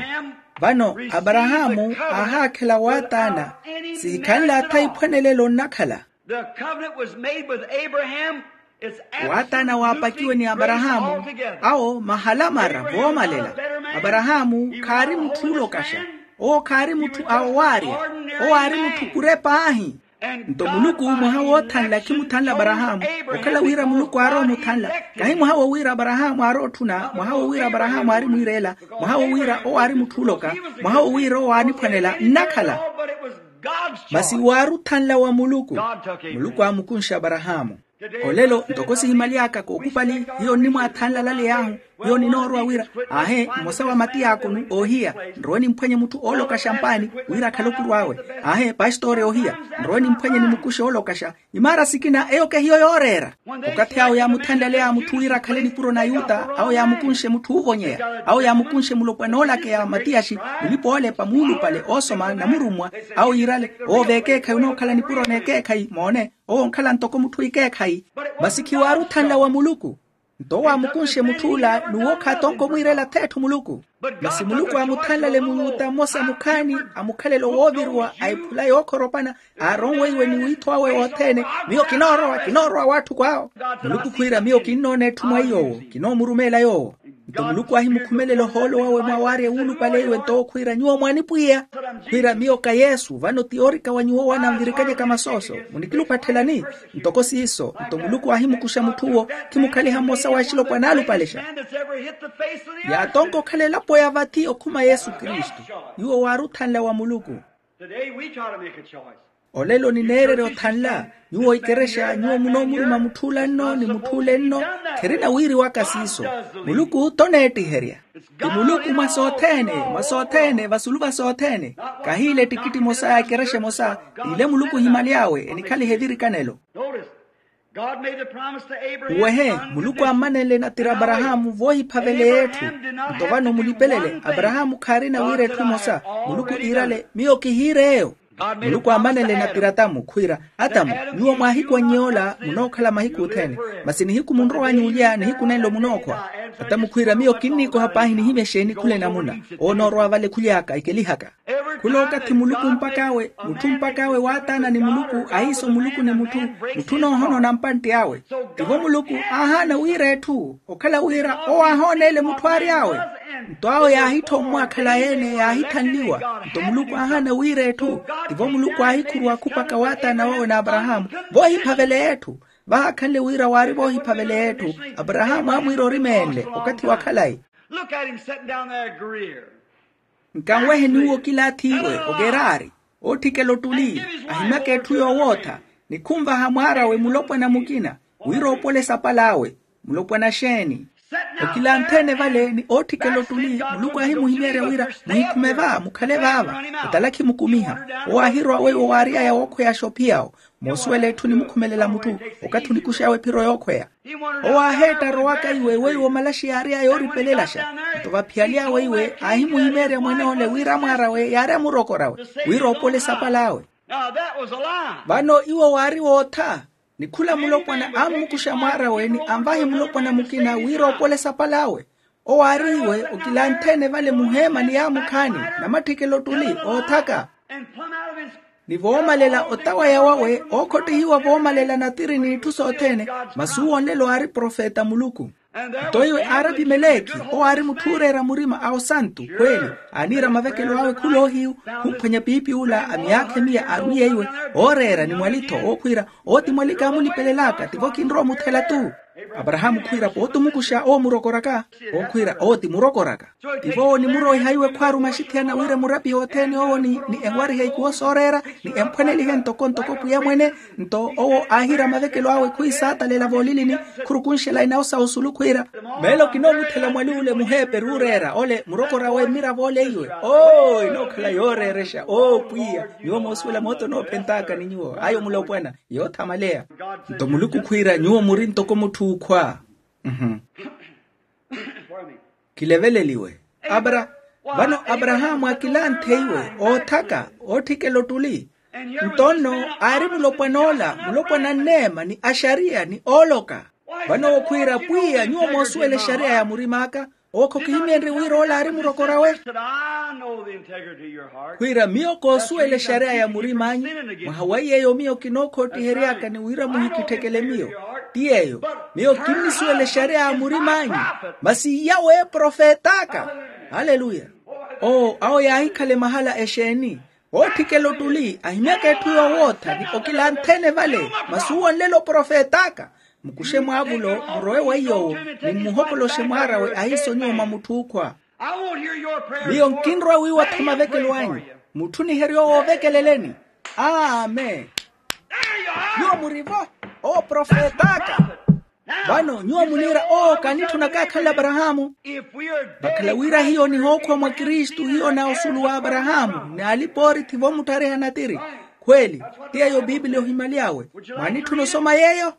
vano aparahaamu aahaakhela waataana, sihikhanle atha iphwanelelo nnakhala. Waataana waapakiwe ni aparahaamu, awo mahalamara voomalela. Aparahaamu khaari mutthu oolokaxa, owo khaari mutthu a owaarya, owo aari mutthu kure paahi. Nto muluku mwaha woothanla khimuthanla aparahaamu, okhala wira muluku aarowa omuthanla. Kahi mwaha wo wira aparahaamu aarowa otthuna, mwaha wo wira aparahaamu aari mwiireela, mwaha wo wira owo aari mutthu ooloka, mwaha wo wira owo aaniphwanela nnakhala. Masi waari othanla wa muluku. Muluku aamukunxa aparahaamu. Olelo ntoko sihimaly'aka kookupali, hiyo nnimwaathanla lale yaahu, hiyo ninoorowa wira, aahe mmosa wa matiyakoni oohiya, nrowe nimphwanye mutthu oolokaxa mpaani wira akhale okuru awe. Aahe pastori oohiya, nrowe nimphwanye nimukuxe oolokaxa. Imaara sikina eyo kehiyo yooreera. Okathi awo yaamuthanlaleya mutthu wira akhale nipuro na yuta, awo yaamukunxe mutthu oovonyeya, awo yaamukunxe mulopwana oolakeya matiyaxi, mulipa oolepa muulupale oosoma na murummwa, awo yiirale owo veekeekhayi onookhala nipuro n'ekeekhayi moone. Owo onkhala ntoko mutthu ikeekhayi. Masi khiwaari othanla wa muluku. Nto owo aamukunxe mutth'ula n'uwo khaatonka omwiirela ath'etthu muluku. Masi muluku aamuthanlale muyuta mmosa mukhaani, amukhalele owooviriwa a ephula yookhoropana, aaronweiwe ni wiitho awe wothene, miyo kinoorowa kinoorowa w'atthu kw'awo. Muluku khwiira miyo kinnoona etthu mwa iy'owo, kinoomurumeela yoowo. Nto muluku aahimukhumelela ohoolo wawe mwawaarya wuulupale iwe nto owo khwiira nyuwo mwaanipwiya. Khwiira miyo ka yesu vano ti yoorika wa nyuwo owo ananvirikanyaka masooso, munikilupattelani? Ntoko siiso nto muluku aahimukuxa mutth'uwo, khimukhaliha mmosa wa axilopwana aalupalexa. Yaatonka okhala elapo ya vathi okhuma yesu kristu. Nyuwo waari othanla wa muluku. Olelo nineererya othanla. Nyuwo ikerexa nyuwo munoomuruma mutth'ula nno ni mutth'ule nno. Kherina wiiriwaka siiso. Muluku toneettiherya. Ti muluku mwa sothene, mwa sothene vasulu va sothene. Kahiile ettikitti emosa ya ekerexa emosa. Ile muluku ohimaly'awe enikhalihe evirikanelo. Nwehe, muluku aammanenle natiri aparahaamu voohiphavela ey'etthu. Nto vano mulipelele aparahaamu khaarina wira etthu emosa. Muluku iirale miyo kihiire eyo. Muluku aammanenle natiri atamu khwiira, atamu, nyuwo mwaahikwannye ola munookhala mahiku othene. Masi nihiku munrow'anyu olya nihiku nenlo munookhwa. Atamu khwiira miyo kinniikoha paahi nihimya exeeni khula enamuna. Owo onoorowa vale khuly'aka ikelihaka. Khula okathi muluku mpak'awe, mutthu mpak'awe waataana ni muluku a iiso muluku ni mutthu. Mutthu onoohonoona mpantti awe. Tivo muluku aahaana wira etthu okhala wira owo aahooneele mutthu aary'awe. Nto awo yaahittha ommwaakhala yeene yaahithanliwa. Nto muluku aahaana wira etthu. Tivo muluku aahikhuruwa khupaka waataana wawe n'aparahaamu voohiphavela etthu. Vahaakhanle wira waari voohiphavela etthu. Aparahaamu aamwiira orimeenle okathi wa khalayi. Nkanwehe nyuwo kilaathiwe ogerari, ootthikela ottuli, ahimyaka etthu yoowootha, ni khunvaha mwaar'awe mulopwana mukina wira oopole esapal'awe. Mulopwana xeeni? Okilanthe-ene vale ni ootthikela ottuli muluku aahimuhimeerya wira muhikhume va mukhale vaava. Otalakhi mukumiha. Owo aahirowa weiwo waary'aya wookhweyaxa ophiya awo. Moosuwela etthu nimukhumelela mutthu okathi onikux'awe ephiro yookhweya. Owo aaheetta arowaka iwe weiwo malaxi yaary'aya yooripelelaxa. Nto vaphiyaly'awe iwe aahimuhimeerya mwen'ole wira mwaar'awe yaari amurokor'awe wira oopole esapal'awe. Vano iwo waari wootha. Ni khula mulopwana ammukuxa mwaar'awe ni anvahi mulopwana mukina wira oopole esapal'awe. Owo aari iwe okilanthe-ene vale muheemani yaamukhaani namatthikela ottuli oothaka. Ni voomalela otawaya wawe ookhottihiwa voomalela natiri n'itthu sothene. Masi uwo nlelo aari profeta a muluku. Nto iwe aari apimelekhi, owo aari mutthu ooreera murima a osantu khweli, aaniira mavekelo awe khuloohiyu, khumphwanya piipi ula a myaakha emiya aarwiyeiwe, ooreera ni mwalitho ookhwiira, owo ti mwalika amulipelelaka tivo kinrowa omuthela-tu. Aparahaamu khwiira pooti omukuxa owo murokoraka. Owo khwiira owo ti murokoraka. Tivo owo onimuroiha iwe khwaarumaxithiyana wira murapihe othene owo ni enwarihe ikuwo sooreera, ni emphwanelihe ntoko ntoko pwiya mwene. Nto owo aahiira mavekelo awe khwiisaatalela voolilini, khurukunxela inawo sa osulu khwiira, meelo kinoomuthela mwali ule muheeperi ooreera ole murokoraka we mmiravo ole iwe. Oo inookhala yooreerexa oo pwiya, nyuwo moosuwela moota onoophentaka ni nyuwo ayo mulopwana. Yoothamaleya. Nto muluku khwiira nyuwo muri ntoko mutthu ookhwa. Khileveleliwe. Abra vano aparahaamu akilanthe iwe oothaka, ootthikela ottuli. Nto nno aari mulopwana ola mulopwana anneema ni axariya ni ooloka. Vano owo khwiira pwiya nyuwo moosuwela exariya ya murim'aka. Owo khokihimyenrye wira ola aari murokora we. Khwiira miyo koosuwela exariya ya murim'anyu. Mwaha wa yeeyo miyo kinookhoottihery'aka ni wira muhikitthekele miyo. Ti yeeyo, miyo kinnisuwela exariya ya murim'anyu. Masi iya weeprofet'aka. Aleluya. Oo awo yaahikhale mahala exeeni? Ootthikela ottuli ahimyaka etthu yoowootha ni okilanthe-ene vale. Masi uwo nlelo profet'aka. Mukuxe mwaavulo murowe wa iy'owo, ni mmuhokoloxe mwaar'awe ahiiso nyuwo mwa mutthu ookhwa. Miyo nkinrowa wiiwa-tho mavekelo anyu. Mutthuniherye owo oovekeleleni. Amen. Nyuwo muri-vo. Owo profet'aka. Vano nyuwo muniira oo kaanitthuna kaakhanle aparahaamu. Vakhala wira hiyo onihookhwa mwa kristu hiyo na osulu wa aparahaamu ni alipa oorithi voomuttariha natiri. Khweli. Ti yeeyo piipiliya ohimyaly'awe. Mwaanitthuna osoma yeeyo?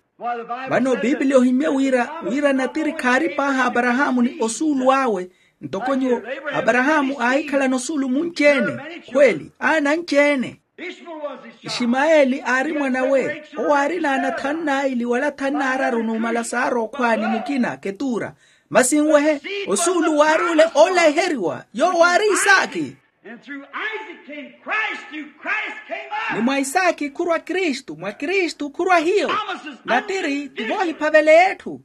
Vano piipiliya ohimya wira wira natiri khaari paahi a aparahaamu ni osuulu awe. Ntoko nyuwo, aparahaamu aahikhalana osuulu munci-ene. Khweli aana anci-ene. Ishimayeli aari mwan'awe. Owo aari n'ana thanu n'aili wala thanu n'araru numala saara okhwa ni mukina ketuura. Masi nwehe, osuulu waari ole oolaheriwa yoowo aari isaaki. Ni mwa isaaki khurwa kristu mwa kristu khurwa hiyo. Natiri ti voohiphavela etthu.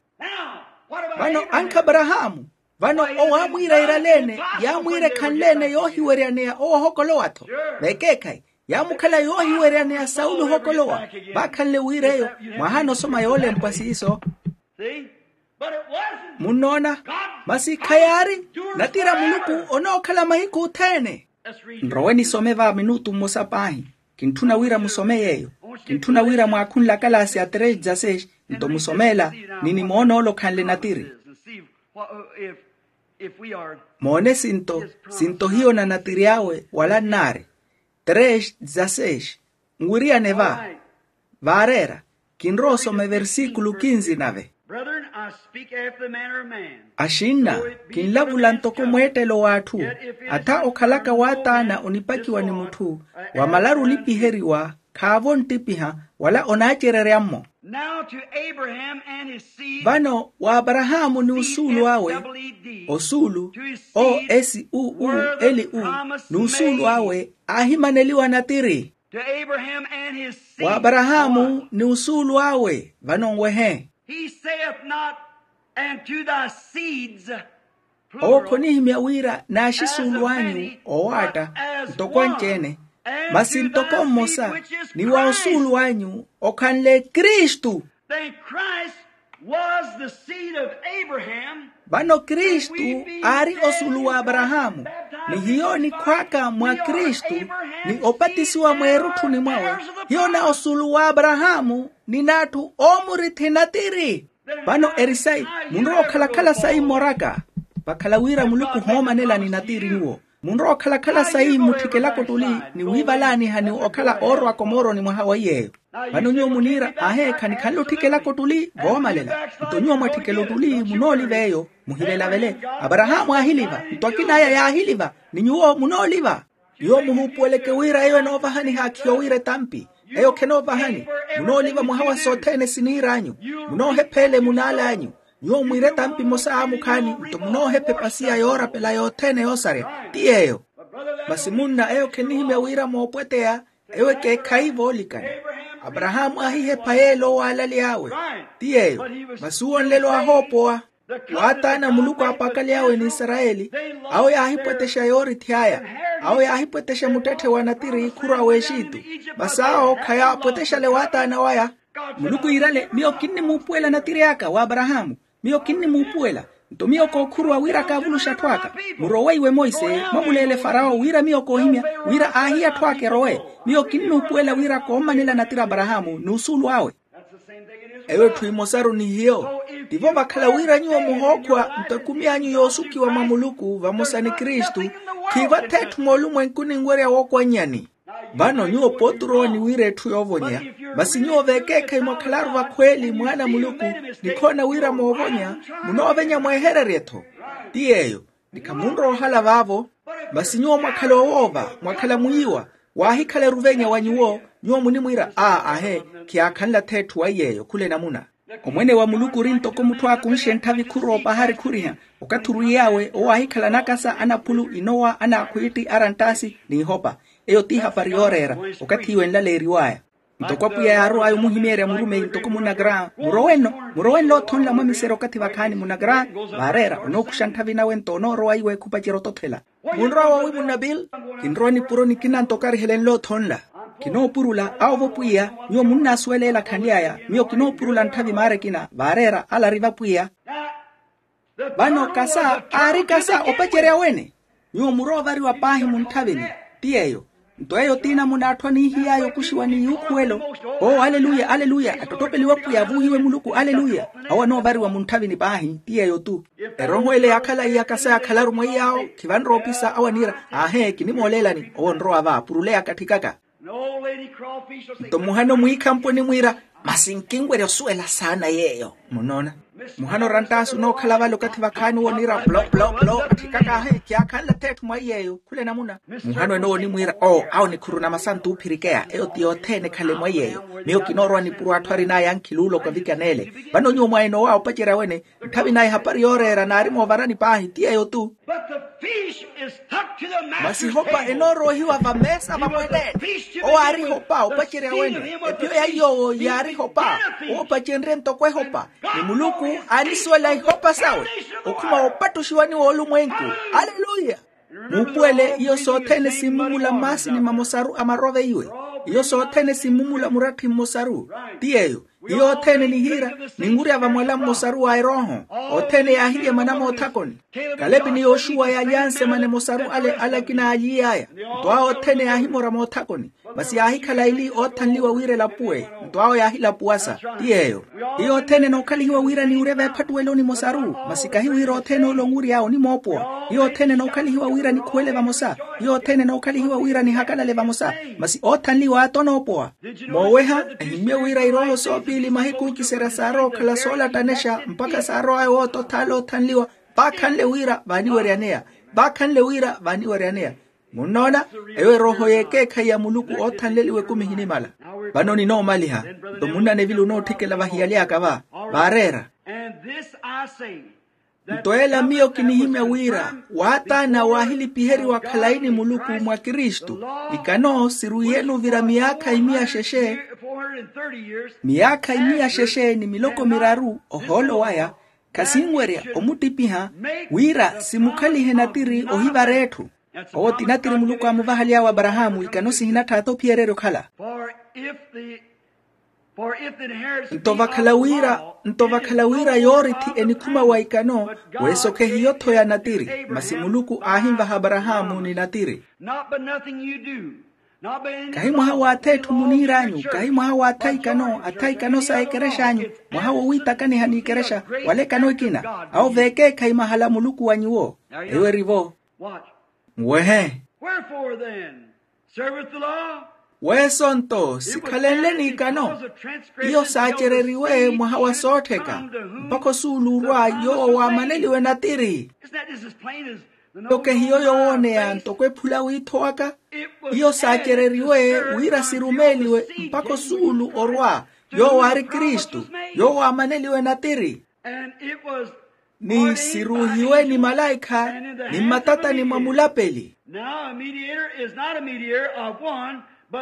Vano ankha aparahaamu. Vano owo aamwiira iirale-ene. Yaamwiira ekhanle-ene yoohiweryaneya owo ohokolowa-tho. Vekeekhayi yaamukhala yoohiweryaneya sauli ohokolowa. Vaakhanle wira eyo mwahaana osoma yoolempwa siiso. Munnoona? Masi khayaari. Natira muluku onookhala mahiku othene. Nrowe nisome va minutu mmosa paahi. Kintthuna wira musome yeeyo. Kintthuna wira mwaakhunle akalaasi a três dezasseis. Nto musome ela ni nimoona ole okhanle natiri. Moone sinto sinto hiyo na natiri awe wala nnaari. Três dezasseis. Nwiriyane va. Vaareera. Kinrowa osoma eversikulu kinzi nave. Axinna, kinlavula ntoko mweettelo w'atthu. Atha okhalaka waataana onipakiwa ni mutthu wamalaru olipiheriwa. Khaavo onttipiha wala onaacererya-mmo. Vano wa aparahaamu ni osuulu awe. Osuulu o s u u l u ni osuulu awe aahimaneliwa natiri. Wa aparahaamu ni osuulu awe vano nwehe. Owo khonihimya wira n'axisuulu anyu owaatta ntoko anci-ene. Masi ntoko mmosa ni wa osuulu anyu okhanle kristu. Vano kristu aari osuulu wa aparahaamu. Ni hiyo onikhw'aka mwa kristu ni opatisiwa mweerutthuni mwawe, hiyo na osuulu wa aparahaamu ni n'atthu oomurithi natiri. Vano eri sayi munrowa okhalakhala sayi mmoraka. Vakhala wira muluku ohoomanelani natiri nyuwo. Munrowa okhalakhala sayi mmutthikelaka ottuli ni wiivalaaniha ni okhala oorowaka omooroni mwaha wa iy'eyo. Vano nyuwo muniira ahe khanikhanle otthikelaka ottuli voomalela. Nto nyuwo mwatthikelaka ottuli munooliva eyo. Muhivelavele. Aparahaamu aahiliva nto akin'aya yaahiliva. Ni nyuwo munooliva. Nyuwo muhuupuweleke wira eyo enoovahani haakhiya owiira etampi. Eyo khenoovahani. Munooliva mwaha wa sothene siniir'anyu. Munoohepha ele mun'al'anyu. Nyuwo mwiire etampi emosa aamukhaani nto munoohepha epasiya yoorapela yothene yoosarya. Ti yeeyo. Masi munna eyo khenihimya wira moopweteya. Eyo ekeekhayi voolikana. Aparahaamu aahihepha yeela owaalaly'awe. Ti yeeyo. Masi uwo nlelo aahoopowa. Waataana muluku aapakaly'awe n'isarayeli, awo yaahipwetexa yoorithi aya. Awo yaahipwetexa muttetthe wa natiri khurwa w'exitu. Masi awo khayaapwetexale waataana waya. Muluku iirale, miyo kinnimuupuwela natiri aka w'aparahaamu. Miyo kinnimuupuwela. Nto miyo kookhuruwa wira kaavuluxe atthu aka. Murowe iwe monse, mwamuleele farawo wira miyo koohimya, wira aahiye atthu aka erowe. Miyo kinnuupuwela wira koommanela natiri aparahaamu n'usuulu awe. Eyo etthu emosaru ni hiyo. Tivo vakhala wira nyuwo muhookhwa nto ekumi anyu yoosukiwa mwa muluku vamosa ni kristu. Khiivatha etthu moolumwenkuni nwerya wookwannyani. Vano nyuwo pooti orowa ni wira etthu yoovonya. Masi nyuwo veekeekhayi mwakhalaru vakhweeli mwaana a muluku, nikhoona wira moovonya, munoovenya mwehererye-tho. Ti yeeyo. Ni khamunrowa ohala vaavo. Masi nyuwo mwakhala owoova, mwakhala mwiiwa. Waahikhala eruvenya wa nyuwo. Nyuwo munimwiira aa ahe, khiyaakhanle-tho etthu wa iy'eyo khula enamuna. Omwene wa muluku ori ntoko mutthu aakunxe ntthavi khuroopa aharikuriha. Okathi orwiy'awe owo aahikhala anakasa anaphulu inowa anaakhwiitti aranttaasi, n'ihopa. Eyo t'ihapari yooreera. Okathi iwe enlaleeriw'aya. Ntoko apwiya yaarow'aya omuhimeerya murumeyi ntoko munakara murowe-nno. Murowe nlootho nla mwamisere okathi vakhaani munakara. Vaareera onookuxa ntthavi nawe nto onoorowa iwe khupacerya otothela. Munrowa woowimunna bill. Kinrowa nipuro nikina nto okarihele nlootho nla. Kinoopurula awo vo pwiya. Nyuwo munnaasuwela ela khanly'aya. Miyo kinoopurula ntthavi maara ekina vaareera ala ari vapwiya. Vano kasa aari kasa opacerya wene. Nyuwo murowa ovariwa paahi muntthavini. Ti yeeyo. Nto eyo t'inamuna atthu aniihiy'aya okuxiwa ni yuukhuwelo. Oo aleluya aleluya attottopeliwe pwiya avuuhiwe muluku aleluya. Awo anoovariwa muntthavini paahi ti yeeyo-tu. Erooho ele yaakhala iya kasa yaakhalaru mweiy'awo. Khivanrowa opisa awo aniira aahe kinimooleelani owo onrowa va purule yaakatthikaka. Nto muhano mwiikhampo onimwiira masi nkinwerya osuwela saana yeeyo. Munoona? Muhano oranttaasi onookhala vale okathi vakhaani owo oniira plo plo plo atthikaka ahe khiyaakhanle-tho etthu mwa iy'eyo khula enamuna. Muhano enoowo onimwiira oo awo nikhuruna masantu oophirikeya eyo ti yothene ekhale mwa iy'eyo. Miyo kinoorowa nipuro atthu arin'aya ankhiluulo okavikana ele. Vano nyuwo mwainowa opacerya wene ntthavi naye ehapari yooreera naari moovarani paahi ti yeeyo-tu. Masi ehopa enoorowa ohiwa vameesa vamweleene. Owo aari ehopa opacerya wene. Ephiyo ya iy'owo yaari ehopa. Owo opacenrye ntoko ehopa. Ni muluku aanisuwela ihopa sawe okhuma woopattuxiwani woolumwenku. Aleluya. Muupuwele iyo sothene simmumula mmaasini mamosaru amarove iwe. Iyo sothene simmumula muratthi mmosaru. Ti yeeyo. Iyo othene nihiira ninwurya vamwala mmosaru wa erooho. Othene yaahilye mana moothakoni. Kalepi ni yoxuwa yaalyanse mane mosaru ale alakina aalyiy'aya. Nto awo othene yaahimora moothakoni. Masi yaahikhala eli oothanliwa wira elapuwe. Nto awo yaahilapuwasa. Ti yeeyo. Iyo othene enookhalihiwa wira niwurye veephattuweloni mosaru. Masi kahi wira othene ole onwury'awe onimoopowa. Iyo othene enookhalihiwa wira nikhuwele vamosa. Iyo othene enookhalihiwa wira nihakalale vamosa. Masi oothanliwa aata onoopowa. Mooweha ehimmye wira irooho soopiili mahiku okiserya saarowa okhala soolattanexa mpakha saarow'aya woota othaala oothanliwa. Vaakhanle wira vaaniweryaneya. Vaakhanle wira vaaniweryaneya. Munnoona? Eyo erooho y'ekeekhayi ya muluku oothanleliwa ekumi ehinimala. Vano ninoomaliha. Nto munna nevili onootthikela vahiyali aka va. Vaareera. Nto ela miyo kinihimya wira waataana waahilipiheriwa khalayi ni muluku mwa kristu. Ikano sirwiiyene ovira miyaakha imiya xexe. Miyaakha imiya xexe ni miloko miraru ohoolo waya. Khasinwerya omuttipiha wira simukhalihe natiri ohivara etthu. Owo ti natiri muluku aamuvahaly'awe aparahaamu ikano sihinattha aata ophiyererya okhala. Nto vakhala wira nto vakhala wira yoorithi enikhuma wa ikano. Weesokhe hiyo-tho ya natiri masi muluku aahinvaha aparahaamu ni natiri. Kahi mwaha w'ath'etthu muniir'anyu kahi mwaha w'athayikano athayikano sa ekerex'anyu. Mwaha wowiitakaniha n'ikerexa wala ekano ekina. Awo veekeekhayi mahala muluku wa nyuwo. Eyo eri-vo. Nwehe. Weesonto sikhalenle n'ikano. Iyo saacereriwe mwaha wa soottheka mpakha osuulu orwa yoowo waamaneliwe natiri. Ntoko ehiyo yowooneya ntoko ephula wiitho waka. Iyo saacereriwe wira sirumeeliwe mpakha osuulu orwa yoowo aari kristu yoowo aamaneliwe natiri. Ni siruuhiwe ni malaikha ni mmatatani mwa mulapeli.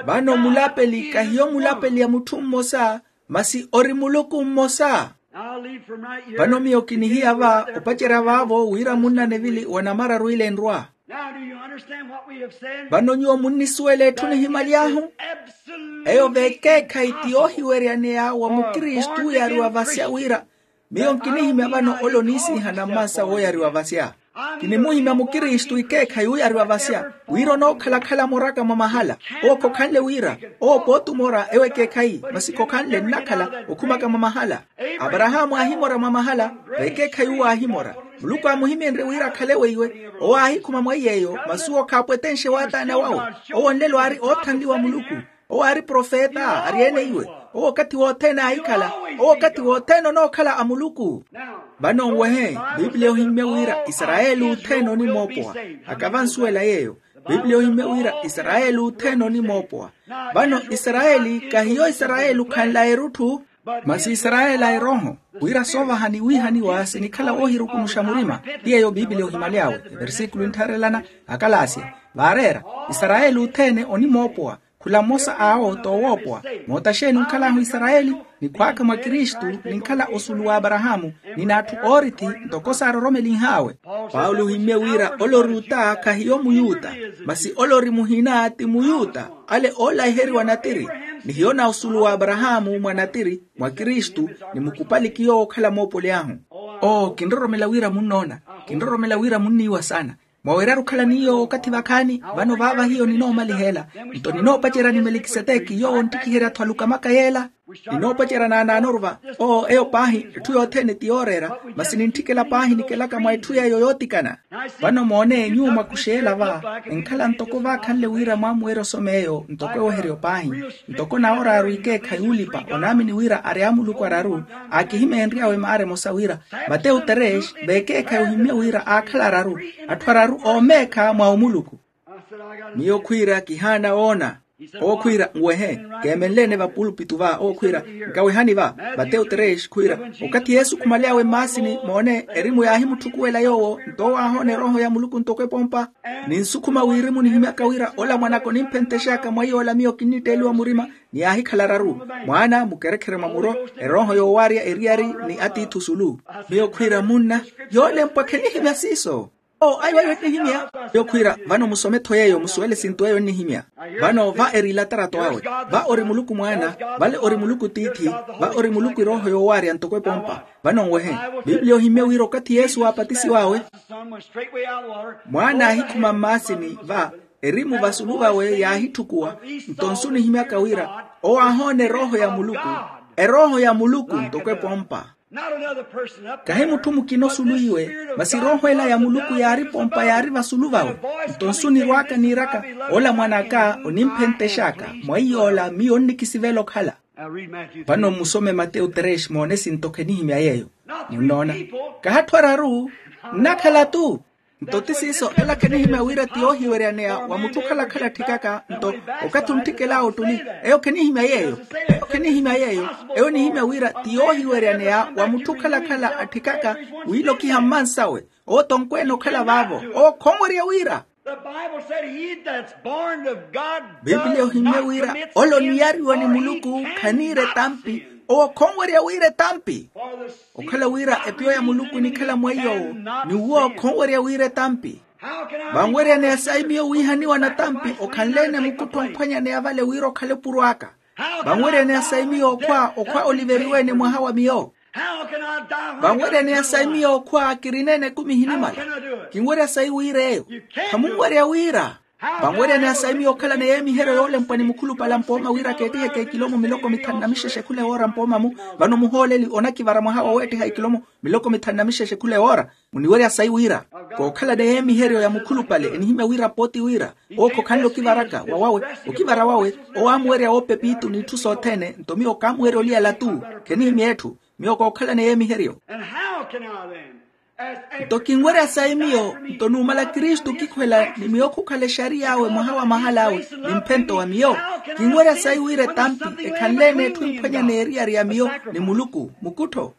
Vano mulapeli kahiyo mulapeli ya mutthu mmosa masi ori muluku mmosa. Vano miyo kinihiya va opacerya vaavo wira munna nevili wa namararu ile enrwa. Vano nyuwo munnisuwela etthu nihimaly'ahu. Eyo veekeekhayi ti yoohiweryaneya wa mukristu ooyariwa vasya wira miyo nkinihimya vano ole oniisiihana mmansa wooyariwa vasya. Kinimuhimya mukristu ikeekhayi ooyariwa vasya wira onookhala-khala moraka mwa mahala. Owo khokhanle wira owo pooti omora ewo ekeekhayi masi khokhanle nnakhala okhumaka mwa mahala. Aparahaamu aahimora mwa mahala. Veekeekhayi uwo aahimora muluku aamuhimenrye wira akhale weiwe. Owo aahikhuma mweiy'eyo masi owo khaapwetenxe waataana wawe. Owo nlelo aari oothanliwa muluku. Owo aari profeta ari-ene iwe. Owo okathi wothene aahikhala. Owo okathi wothene onookhala a muluku. Vano nwehe, pipiliya ohimmye wira isarayeli othene onimoopowa. Akavansuwela yeeyo. Pipiliya ohimmye wira isarayeli othene onimoopowa. Vano isarayeli kahiyo isarayeli okhanla erutthu. Masi isarayeli a erooho wira soovaha niwiihaniwa sinikhala woohirukunuxa murima. Ti yeeyo pipiliya ohimaly'awe. Eversikulo enttharelana akalaasya vaareera isarayeli othene onimoopowa. Khula mmosa awo t'owoopowa. Moota xeeni onkhal'ahu isarayeli? Nikhwaaka mwa kristu. Ninkhala osulu w'aparahaamu. Ninatthu oorithi ntoko saaroromelinh'awe. Paulo ohimmye wira ole ori uta khahiyo muyuta. Masi ole ori muhina ti muyuta. Ale oolaiheriwa natiri. Nihiyo na osulu w'aparahaamu mwa natiri mwa kristu. Nimukupali kiyo wookhala moopoli ahu. Oo kinroromela wira munnoona. Kinroromela wira munniiwa saana. Mwawerya-ru okhala ni yoowo okathi vakhaani. Vano vaava hiyo ninoomaliha ela. Nto ninoopacerya ni melikiseteki yoowo onttikiherya-tho alukamaka yeela. Ninoopacerya naanaanoruva. Oo eyo paahi etthu yothene ti yooreera. Masi nintthikela paahi nikelaka mwa etthu yeeyo yootikana. Vano moone nyuwo mwakuxeela va enkhala ntoko vaakhanle wira mwaamuwerya osoma eyo ntoko eweheryo paahi. Ntoko nawooraaru ikeekhayi uulipa onaamini wira ari amuluku araru. Aakihimeenry'awe maara emosa wira matewu terex veekeekhayi ohimmye wira aakhala araru. Atthu araru oomeekha mwa omuluku. Miyo khwiira kihaana woona. Owo khwiira nwehe. Keemenle-ene vapulupitu va owo khwiira nkawehani va. Matewu terex khwiira okathi yesu khumaly'awe mmaasini moone erimu yaahimutthukuwela yoowo nto owo aahoona erooho ya muluku ntoko epompa. Ninsukhuma wirimu nihimyaka wira ola mwanaka onimphentexaka mwa iy'ola miyo kinnitteeliwa murima. Ni yaahikhala araru mwaana mukerekhere mwa muro erooho yoowaarya eriyari ni atiithi osulu. Miyo khwiira munna yoolempwa khenihimya siiso. Oo ayo ayo ennihimya. Yokhwiira vano musome-tho yeeyo musuwele esintu eyo ennihimya. Vano va eri ilatarato awe. Va ori muluku mwaana. Vale ori muluku tiithi. Va ori muluku erooho yoowaarya ntoko epompa. Vano nwehe. Pipiliya ohimmye wira okathi yesu waapatisiw'awe mwaana aahikhuma mmaasini va erimu vasulu vawe yaahitthukuwa. Nto nsu nihimyaka wira owo aahoona erooho ya muluku. Erooho ya muluku ntoko epompa. Kahi mutthu mukina osulu iwe. Masi erooho ela ya muluku yaari pompa yaari vasulu vawe. Nto nsu nirw'aka niiraka ola mwan'aka onimphentex'aka mwa iy'ola miyo onnikisivela okhala. Vano mmusome matewu terex moone sinto khenihimya yeeyo. Munnoona? Kahatthu araru nnakhala-tu. Nto ti siiso ela khenihimya wira ti yoohiweryaneya wa mutthu okhala-khala atthikaka nto okathi ontthikela ottuli. Eyo khenihimya yeeyo. Eyo khenihimya yeeyo. Eyo enihimya wira ti yoohiweryaneya wa mutthu okhala-khala atthikaka wiilokiha mmansawe. Owo tonkweene okhala vaavo owo khonwerya wira. Pipiliya ohimmye wira ole oniyariwa ni muluku khaniira etampi. Owo khonwerya wira etampi. Okhala wira epiyo ya muluku enikhala mweiy'owo ni uwo khonwerya wira etampi. Vanweryaneya sayi miyo wiihaniwa natampi okhanle-ene mukuttho omphwanyaneya vale wira okhale opuro aka. Vanweryaneya sayi miyo okhwa okhwa oliveriwe-ene mwaha wa miyo. Vanweryaneya sayi miyo okhwa kirina-ene ekumi ehinimala. Kinwerya sayi wira eyo. Khamunwerya wira. Vanweryaneya sayi miyo okhalana yeemiheryo yoolempwa ni mukhulupale mpooma wira keettiheke ekilomo miloko mithanu na mixexe khula ewoora mpooma-mu. Vano muhooleli onakivara mwaha wa weettiha ekilomo miloko mithanu na mixexe khula ewoora. Muniwerya sayi wira kookhalana yeemiheryo ya mukhulupale enihimya wira pooti wira owo khokhanle okivaraka wa wawe okivara wawe. Owo aamuwerya woopepitu n'itthu sothene nto miyo kaamuwerya oliyala-tu. Khenihimya etthu. Miyo kookhalana yeemiheryo. Nto kinwerya sayi miyo nto numala kristu okikhwela ni miyo khukhala exariy'awe mwaha wa mahal'awe ni mphento wa miyo. Kinwerya sayi wira etampi ekhanle-ene etthu emphwanyaneya eriyari ya miyo ni muluku mukuttho.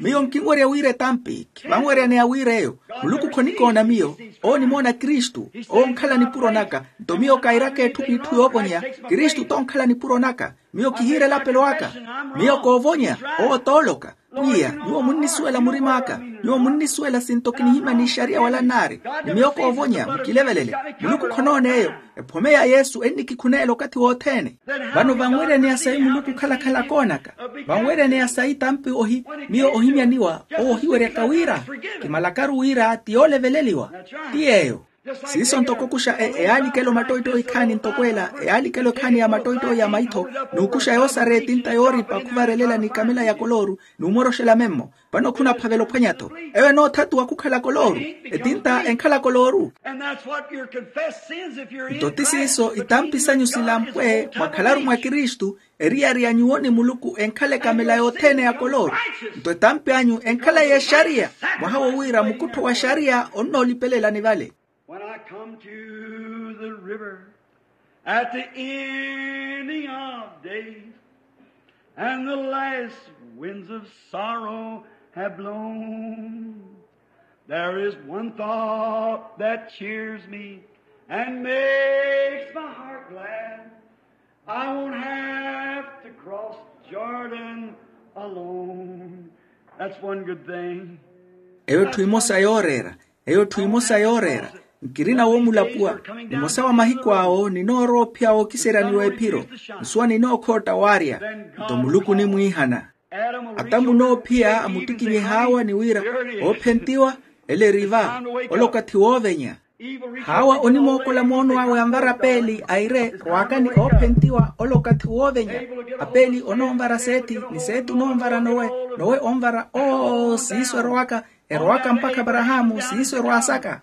Miyo nkinwerya wira etampi khivanweryaneya wira eyo. Muluku khonikoona miyo. Owo onimoona kristu. Owo onkhala nipuro naka. Nto miyo kairaka etthu p'itthu yoovonya. Kristu t'onkhala nipuro naka. Miyo kihiira elapelo aka. Miyo koovonya. Owo t'oloka. Pwiya, nyuwo munnisuwela murim'aka. Nyuwo munnisuwela sinto kinihimya n'ixariya wala nnaari, ni miyo koovonya mukilevelele. Muluku khonoona eyo. Ephome ya yesu ennikikhuneela okathi wothene. Vano vanweryaneya sayi muluku okhalakhala koonaka, vanweryaneya sayi tampi ohi, miyo ohimyaniwa owo ohiweryaka wira kimalakaru wira ti yooleveleliwa. Ti yeeyo. Siiso ntoko okuxa eyaalikelo mattoyittoyi khaani ntoko ela, eyaalikelo khaani ya mattoyittoyi ya maitho, n'ukuxa yoosara etinta yooripa khuvarelela ni kamela ya kolooru, n'umoroxela memmo. Vano khunaphavela ophwanya-tho. Eyo enoothatuwa khukhala kolooru. Etinta enkhala kolooru. Nto ti siiso itampi sanyu silampwe mwakhalaru mwa kristu, eriyari ya nyuwo ni muluku enkhala ekamela yothene ya kolooru. Nto etampi anyu enkhala y'exariya, mwaha wo wira mukuttho wa xariya onnoolipelelani vale. When I come to the river at the ending of days, and the last winds of sorrow have blown, there is one thought that cheers me and makes my heart glad. I won't have to cross Jordan alone. That's one good thing. Eyo etthu emosa yooreera. Eyo etthu emosa yooreera. Nkirina woomulapuwa. Nimosa wa mahiku awo ninoorowa ophiya wookiseryaniwa ephiro. Nsuwa ninookhootta waarya. Nto muluku onimwiihana. Adamu noophiya amuttikinye haawa ni wira, oophentiwa. Ele eri va. Ole okathi woovenya. Haawa onimookola moono awe anvara peeli aire, rwaakani oophentiwa ole okathi woovenya. Apeeli onoonvara seeti, ni seeti onoonvara nowe, nowe onvara oo siiso erowaka. Erowaka mpakha aparahaamu siiso erwaasaka.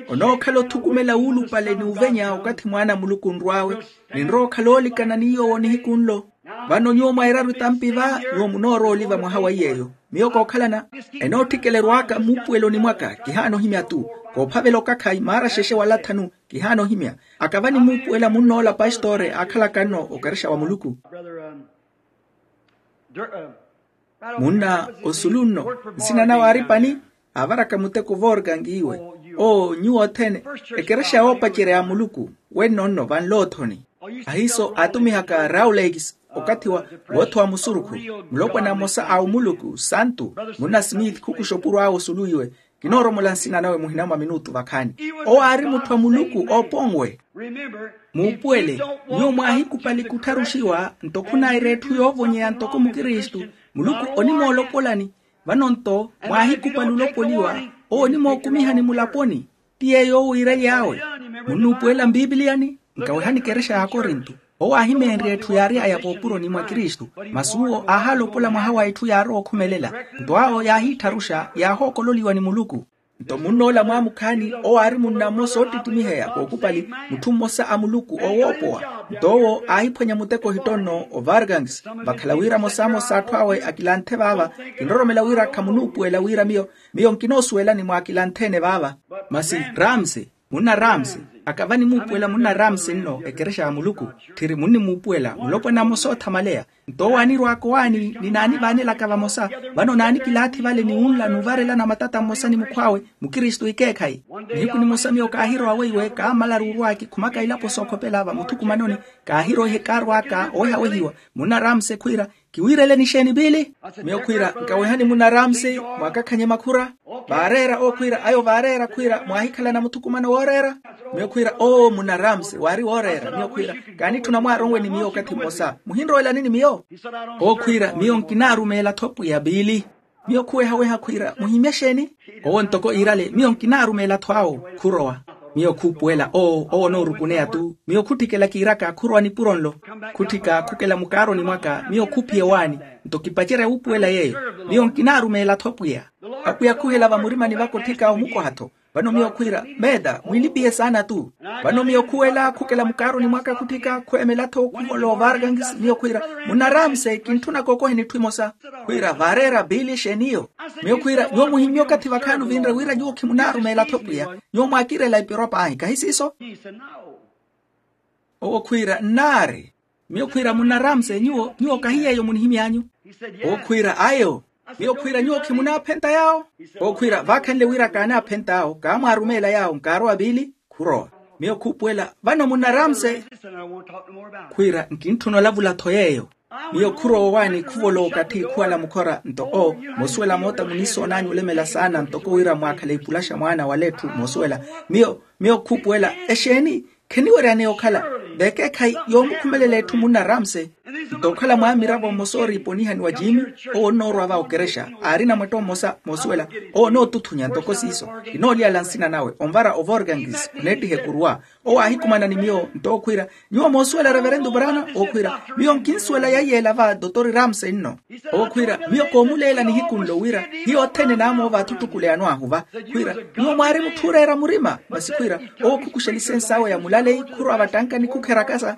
Onookhala othukumela wuulupale ni uvenya okathi mwaana a muluku onrw'awe. Ninrowa okhala oolikana ni yoowo nihiku nlo. Vano nyuwo mwairaru itampi va, nyuwo munoorowa oliva mwaha wa iy'eyo. Miyo kookhalana. Enootthikela erwaaka muupuweloni mwaka kihaana ohimya-tu. Koophavela okakhayi maara xexe wala thanu. Kihaana ohimya. Akava nimuupuwela munnoola pastore aakhalaka nno okarexa wa muluku. Munna osulu nno, nsina nawe aari pani. Aavaraka muteko vorgangi iwe. Oo nyuwo othene. Ekerexa yoopacerya ya muluku. Wenno nno vanloothoni. Ahiiso aatumihaka rawlakes okathi wa woothowa musurukhu. Mulopwana mmosa a omuluku santu, munna smith khukuxa opuro awe osulu iwe. Kinooromola nsina nawe muhina mwa minutu vakhaani. Owo aari mutthu a muluku ooponwe. Muupuwele. Nyuwo mwaahikupali kuttharuxiwa nto khunaira etthu yoovonyeya ntoko mukristu. Muluku onimoolopolani. Vano nto mwaahikupali olopoliwa. Owo onimookumihani mulaponi. Ti yeeyo owiiraly'awe. Munnuupuwela mpipiliyani. Nkawehani ekerexa ya akorinto. Owo aahimeenrya etthu yaary'aya voopuroni mwa kristu. Masi uwo aahalopola mwaha wa etthu yaarowa okhumelela. Nto awo yaahiittharuxa yaahookololiwa ni muluku. Nto munnoola mwaamukhaani owo aari munna mmosa oottittimiheya kookupali, mutthu mmosa a muluku oowoopowa. Nto owo aahiphwanya muteko ohittonno ovargangs. Vakhala wira amosamosa atthu awe akilanthe vaava. Kinroromela wira khamunuupuwela wira miyo, miyo nkinoosuwelani mwaakilanthe-ene vaava. Masi ramse, munna ramse, akava nimuupuwela munna ramse nno ekerexa ya muluku. Tthiri munnimuupuwela mulopwana mmosa oothamaleya. Nto owo anirwaka owaani ni naanivaanelaka vamosa. Vano naanikilaathi vale ni wunla n'uvarelana matata mmosa ni mukhw'awe. Mukristu ikeekhayi. Nihiku nimosa miyo kaahirowa weiwe kaammalaru orwa kikhumaka ilapo sookhopela vamuthukumanoni. Kaahiroihe kaarwaka owehawehiwa. Munna ramse khwiira, kiwiireleni exeeni piili? Miyo khwiira nkawehani munna ramse, mwaakakhanye makhura. Vaareera owo khwiira ayo vaareera khwiira mwaahikhalana muthukumano wooreera? Miyo khwiira oo munna ramse waari wooreera miyo khwiira, kaanitthuna mwaaronwe ni miyo okathi mmosa muhinrowelani ni miyo? Owo khwiira miyo nkinaarumeela-tho pwiya piili. Miyo khuwehaweha khwiira muhimya exeeni? Owo ntoko iirale miyo nkinaarumeela-tho awo. Khurowa. Miyo khuupuwela oo owo onoorukuneya-tu miyo khutthikela kiiraka khurowa nipuro nlo. Khutthika khukela mukaaroni mwaka miyo khuphiya owaani. Nto kipacerya wuupuwela yeeyo. Miyo nkinaarumeela-tho pwiya. Apwiya khuhela vamurimani vaka otthika omukoha-tho. Vano miyo khwiira, meeta mwiilipiye saana-tu. Vano miyo khuwela khukela mukaaroni mwaka khutthika khweemela-tho khuholowa ovargangisi miyo khwiira, munna ramse kintthunaka okoheni etthu emosa. Khwiira vaareera piili exeeni iyo? Miyo khwiira nyuwo muhimmye okathi vakhaani ovinre wira nyuwo khimunaarumeela-tho pwiya. Nyuwo mwaakiirela ipiro paahi kahi siiso? Owo khwiira nnaari. Miyo khwiira munna ramse nyuwo nyuwo kahi yeeyo munihimy'anyu? Owo khwiira ayo. Miyo khwiira nyuwo khimunaaphenta yaawo? Owo khwiira vaakhanle wira kaanaaphenta awo kaamwaarumeela yaawo nkaarowa piili. Khurowa. Miyo khuupuwela vano munna ramse. Khwiira nkintthuna olavula-tho yeeyo. Miyo khurowa owaani khuvolowa okathi khuwala mukhora nto oo, moosuwela moota muniisoon'anyu olemela saana ntoko wira mwaakhala ipulaxa mwaana wala etthu moosuwela. Miyo miyo khuupuwela exeeni? Kheniweryaneya okhala vekeekhayi yoomukhumelela etthu munna ramse. Nto okhala mwaamiravo mmosa ooriiponihaniwa jimi, owo onnoorwa va okerexa aarina mwetto mmosa moosuwela. Owo onootuthunya ntoko siiso, kinoolyala nsina nawe onvara ovorgangis oneettiha ekuruwa. Owo aahikumana ni miyo nto ookhwiira, nyuwo moosuwela reverentu brana? Ookhwiira miyo nkinsuwela yaiyeela va dotori ramse nno. Ookhwiira miyo koomuleela nihiku nlo wira hiyo othene naamoova athu ttukuleya anwaahuva. Khwiira nyuwo mwaari mutthu ooreera murima masi khwiira owo khukuxa lisensi awe ya mulaleyi khurwa vattankani khukherakasa.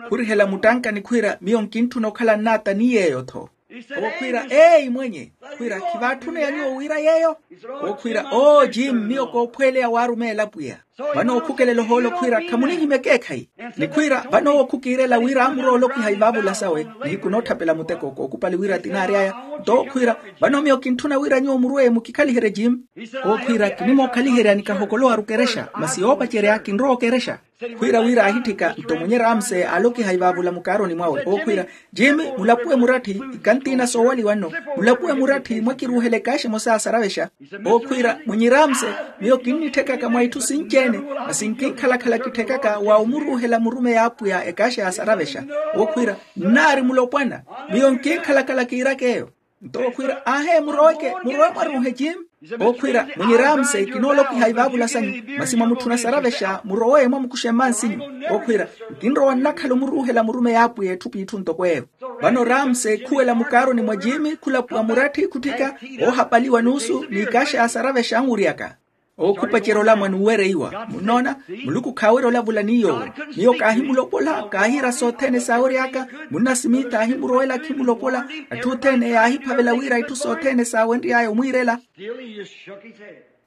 Khurihela muttankani khwiira miyo nkintthuna okhala nnaata ni yeeyo-tho. Owo khwiira eeyi mwenye. Khwiira khivaatthuna ya nyuwo wira yeeyo. Owo khwiira oo jim miyo koophweeleya waarumeela pwiya. Vano okhukelela ohoolo khwiira khamunihimya ekeekhayi. Ni khwiira vano owo khukiirela wira amuroolokiha ivaavula sawe nihiku nootthapela muteko kookupali wira tinaari aya. Nto owo khwiira vano miyo kintthuna wira nyuwo murweye mukikhaliherye jim. Owo khwiira kinimookhaliheryani kahokolowaru kerexa masi yoopacerya kinrowa okerexa. Khwiira wira aahitthika nto mwenye ramse aalokiha ivaavula mukaaroni mwawe owo khwiira, jimi mulapuwe muratthi. Ikantiina soowaliwa nno. Mulapuwe muratthi mwakiruuhela ekaaxa emosa yaasaravexa. Owo khwiira mwinyi ramse, miyo kinnitthekaka mwa itthu sinci-ene masi nkinkhalakhala kitthekaka wa omuruuhela murumeyi a apwiya ekaaxa yaasaravexa. Owo khwiira nnaari mulopwana. Miyo nkinkhalakhala kiiraka eyo. Nto owo khwiira aahe muroweke murowe mwaruuhe jim. Owo khwiira mwinyi ramse kinoolokiha ivaavula sanyu masi mwamutthuna saravexa murowe mwamukuxe mmansinyu. Owo khwiira nkinrowa nnakhala omuruuhela murumeyi a apwiya etthu p'itthu ntoko eyo. Vano ramse khuwela mukaaroni mwa jimi khulapuwa muratthi khutthika oohapaliwa nuusu n'ikaaxa yaasaravexa anwuryaka. Owo khupacerya olamwa n'uwereiwa munnoona. Muluku khaawerya olavula ni yoowo. Miyo kaahimulopola kaahiira sothene saawery'aka. Munna simithi aahimurowela akhimulopola. Atthu othene yaahiphavela wira itthu sothene saawenry'aya omwiirela.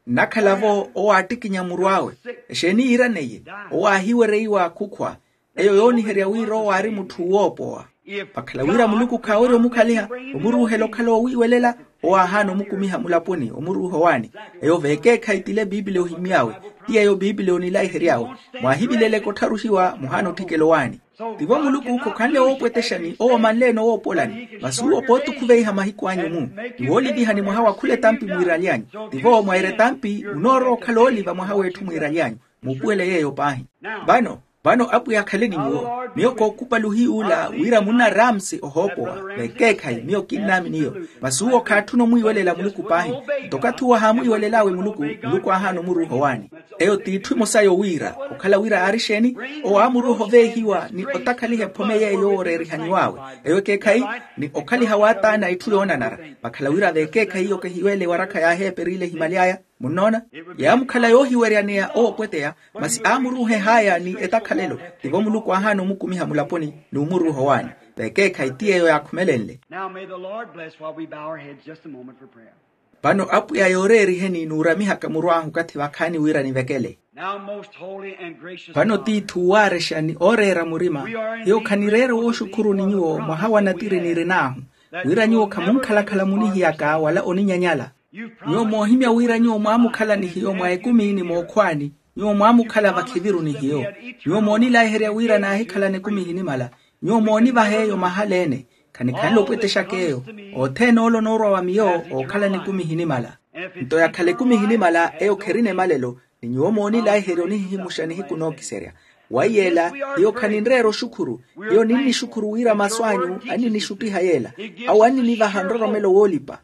Nnakhala-vo owo aattikinya muru awe. Exeeni yiiraneiye? Owo aahiwereiwa khukhwa. Eyo yooniherya wira owo aari mutthu woopowa. Vakhala wira muluku khaawerya omukhaliha omuruuhela okhala oowiiwelela, owo aahaana omukumiha mulaponi omuruuha owaani. Eyo vekeekhayi tile biipiliya ohimy'awe. Ti yeeyo biipiliya onilaihery'awe. Mwaahivileleke ottharuxiwa muhaana otthikela owaani. Tivo muluku khokhanle woopwetexani owo omanleene owoopolani masi uwo pootukhuveiha mahiku anyu-mu. Ni woolivihani mwaha wa khula etampi mwiiraly'anyu. Tivo mwaira etampi munoorowa okhala ooliva mwaha w'etthu mwiiraly'anyu. Muupuwele yeeyo paahi. Vano vano apwiya akhale ni nyuwo. Miyo kookupali ohiy'ula wira munna ramsi ohoopowa. Vekeekhayi miyo kinnaamini iyo. Masi uwo khaatthuna omwiiwelela muluku paahi. Nto okathi uwo ahaamwiiwelel'awe muluku muluku aahaana omuruuha owaani. Eyo t'itthu emosa yowiira okhala wira aari exeeni? Owo aamuruuha oveehiwa ni otakhaliha ephome yeeyo yooreerihaniw'awe. Eyo ekeekhayi ni okhaliha waataana itthu yoonanara. Vakhala wira vekeekhayi iyo kehiweele ewarakha yaaheeperile ehimali aya. Munnoona? Yaamukhala yoohiweryaneya owo opweteya. Masi aamuruuha ehaaya ni etakhalelo. Tivo muluku aahaana omukumiha mulaponi n'umuruuha owaani. Vekeekhayi ti yeeyo yaakhumelenle. Now may the Lord bless while we bow our heads just a moment for prayer. Vano apwiya yooreeriheni n'uramihaka muru ahu okathi vakhaani wira nivekele. Now most holy and gracious vano God, tiithi uwaarexa ni ooreera murima. Hiyo khanireera wooxukhuru ni nyuwo mwaha wa natiri nirin'ahu, wira nyuwo khamunkhalakhala munihiyaka wala oninyanyala. Nyuwo moohimya wira nyuwo mwaamukhala ni hiyo mwa ekumi ni mookhwaani. Nyuwo mwaamukhala vakhiviru ni hiyo. Nyuwo moonilaiherya wira naahikhalana ekumi ehinimala. Nyuwo moonivaha eyo mahala-ene. Khanikhanle opwetexaka eyo. Othene ole onoorwa wa miyo ookhalana ekumi ehinimala. Nto yakhala ekumi ehinimala eyo kherina emalelo. Ni nyuwo moonilaiherya onihihimuxa nihiku nookiserya. Waiyeela, hiyo khaninreera oxukhuru. Hiyo ninnixukhuru wira masu anyu anninixuttiha yeela. Awo anninivaha nroromelo woolipa.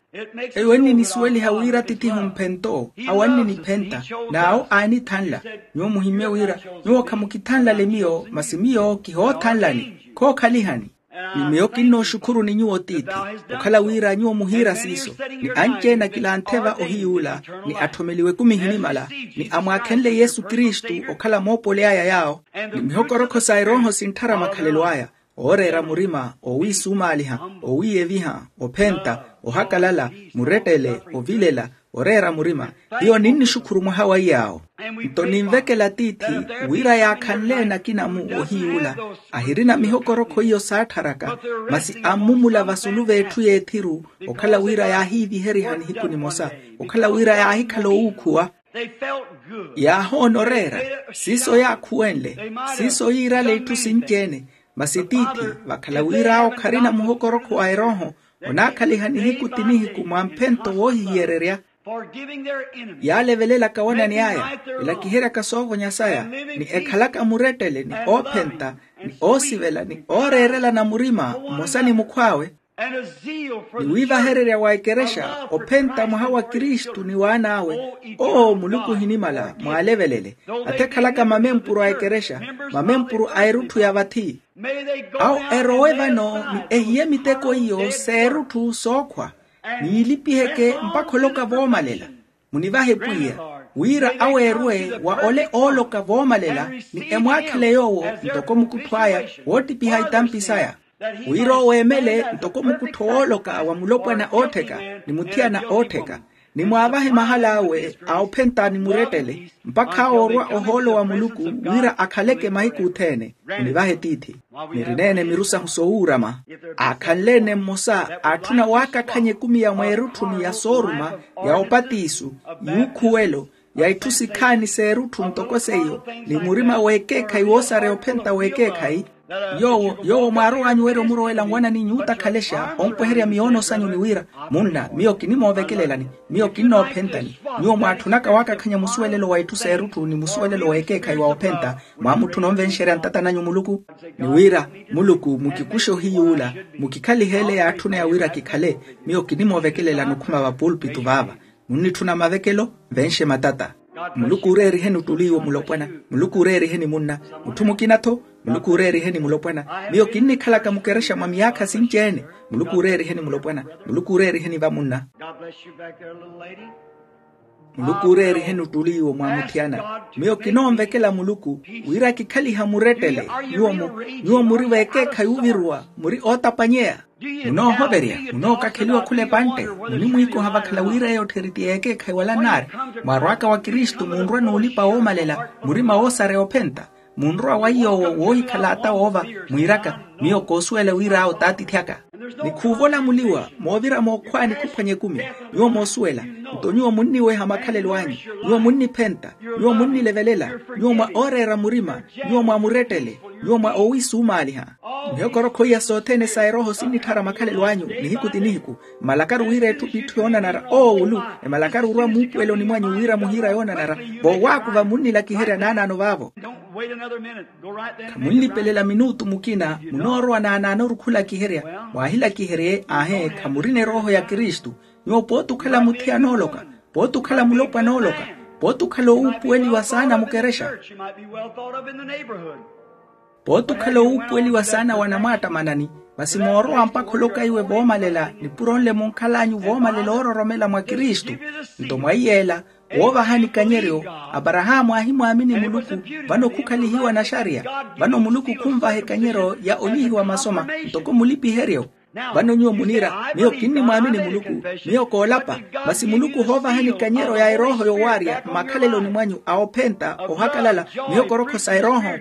Eyo ennini suweliha wira tithihu mphento. Awo anniniphenta. N'awo aanithanla. Nyuwo muhimmye wira nyuwo khamukithanlale miyo masi miyo kihoothanlani. Khookhalihani. Ni miyo kinnooxukhuru ni nyuwo tiithi, okhala wira nyuwo muhiira siiso. Ni anci-ene akilanthe va ohiyuula, ni atthomeliwe ekumi ehinimala, ni amwaakhenle yesu kristu okhala moopoly'aya yaawo. Ni mihokorokho sa erooho sintthara makhalelo aya, ooreera murima, owiisumaaliha, owiiyeviha, ophenta, ohakalala, murettele, ovilela, oreera murima. Hiyo ninnixukhuru mwaha wa iyaawo. Nto ninvekela tiithi wira yaakhanleene akina-mu ohiyuula, ahirina mihokorokho iyo saattharaka, masi ammumula vasulu v'etthu y'ethiru, okhala wira yaahiiviheriha nihiku nimosa, okhala wira yaahikhala owuukhuwa. Yaahoona oreera. Siiso yaakhuwenle. Siiso yiirale itthu sinci-ene. Masi tiithi, vakhala wir'awo kharina muhokorokho wa erooho, onaakhaliha nihiku ti nihiku mwa mphento woohihiyererya. Yaalevelelaka wanani aya, elakiheryaka soovonya saya, ni ekhalaka murettele ni oophenta, ni oosivela ni ooreerelana murima mmosa ni mukhw'awe, ni wiivahererya wa ekerexa ophenta mwaha wa kristu ni waan'awe. Oo muluku ohinimala mwaalevelele, athe ekhalaka mamempuru a ekerexa, mamempuru a erutthu ya vathi. Awo erowe vano ni ehiye miteko iyo s'erutthu sookhwa, ni yilipiheke mpakha oloka voomalela. Munivahe pwiya, wira aweerwe wa ole ooloka voomalela, ni emwaakhele yoowo ntoko mukuttho aya woottipiha itampi saya, wira owo eemele ntoko mukuttho wooloka wa mulopwana oottheka, ni muthiyana oottheka, ni mwaavahe mahal'awe a ophenta ni murettele, mpakha awo orwa ohoolo wa muluku, wira akhaleke mahiku othene. Munivahe tiithi, nirineene miru sahu sowuurama. Aakhanle-ene mmosa aatthuna waakakhanya ekumi ya mweerutthuni ya sooruma, ya opatiisu, yuukhuwelo, ya itthu sikhaani s'erutthu ntoko seiyo, ni murima w'ekeekhayi woosareya ophenta w'ekeekhayi. Yoowo yoowo mwaarow'anyu werya omurowela nwanani nyuutakhalexa ompweherya miyoono sanyu ni wira, munna miyo kinimoovekelelani, miyo kinnoophentani. Nyuwo mwaatthunaka waakakhanya musuwelelo wa itthu s'erutthu ni musuwelelo w'ekeekhayi wa ophenta, mwaamutthuna onvenxerya ntata nanyu muluku, ni wira, muluku mukikuxe ohiyuula, mukikhalihe ele yaatthuneya wira kikhale. Miyo kinimoovekelelani okhuma vapulpitu vaava. Munnitthuna mavekelo, nvenxe matata. Muluku ooreeriheni ottuli iwo mulopwana. Muluku ooreeriheni munna. Mutthu mukina-tho. Muluku ooreeriheni mulopwana. Miyo kinnikhalaka mukerexa mwa miyaakha sinci-ene. Muluku ooreeriheni mulopwana. Muluku ooreeriheni vamunna. Muluku ooreeriheni ottuli iwo mwamuthiyana. Miyo kinoonvekela muluku wira kikhaliha murettele. Nyuwo muri veekeekhayi oviruwa, muri ootapanyeya. Munoohoverya, munookakheliwa khula epantte, munimwiikoha vakhala wira eyo ottheri ti eekeekhayi wala nnaari. Mwaarw'aka wa kristu munrwa n'ulipa woomalela, murima woosareya ophenta. Munrowa wa iy'owo woohikhala ata woova, mwiiraka, miyo koosuwela wira awo t'atiithi aka. Ni khuuvolamuliwa moovira mookhwaani khuphwanya ekumi. Nyuwo moosuwela, nto nyuwo munniweha makhalelo anyu. Nyuwo munniphenta. Nyuwo munnilevelela. Nyuwo mwa ooreera murima. Nyuwo mwa murettele. Nyuwo mwa owiisumaaliha. Mihokorokho iya sothene sa erooho sinnitthara makhalelo anyu nihiku ti nihiku. Mmalakaru wira etthu p'itthu yoonanara oowulu. Emmalakaru orwa muupuweloni mwanyu wira muhiira yoonanara, voowaakuva munnilakiherya naanaano vaavo. Khamunlipelela minutu mukina, munoorowa naanaanoru khulakiherya. Mwaahilakiherye ahe khamurina erooho ya kristu. Nyuwo pooti okhala muthiyana ooloka, pooti okhala mulopwana ooloka, pooti okhala owuupuweliwa saana mukerexa, pooti okhala owuupuweliwa saana wa namwaattamanani. Masi moorowa mpakha oloka iwe voomalela nipuro nle munkhal'anyu voomalela oororomela mwa kristu. Nto mwa iyeela, woovahani ikanyeryo, aparahaamu aahimwaamini muluku. Vano khukhalihiwa naxariya. Vano muluku khunvaha ikanyeryo ya olihiwa masoma ntoko mulipiheryo. Vano nyuwo muniira, miyo kinnimwaamini muluku. Miyo koolapa. Masi muluku ohoovahani ikanyeryo ya erooho yowaarya mmakhaleloni mwanyu a ophenta ohakalala, miyo korokho sa erooho,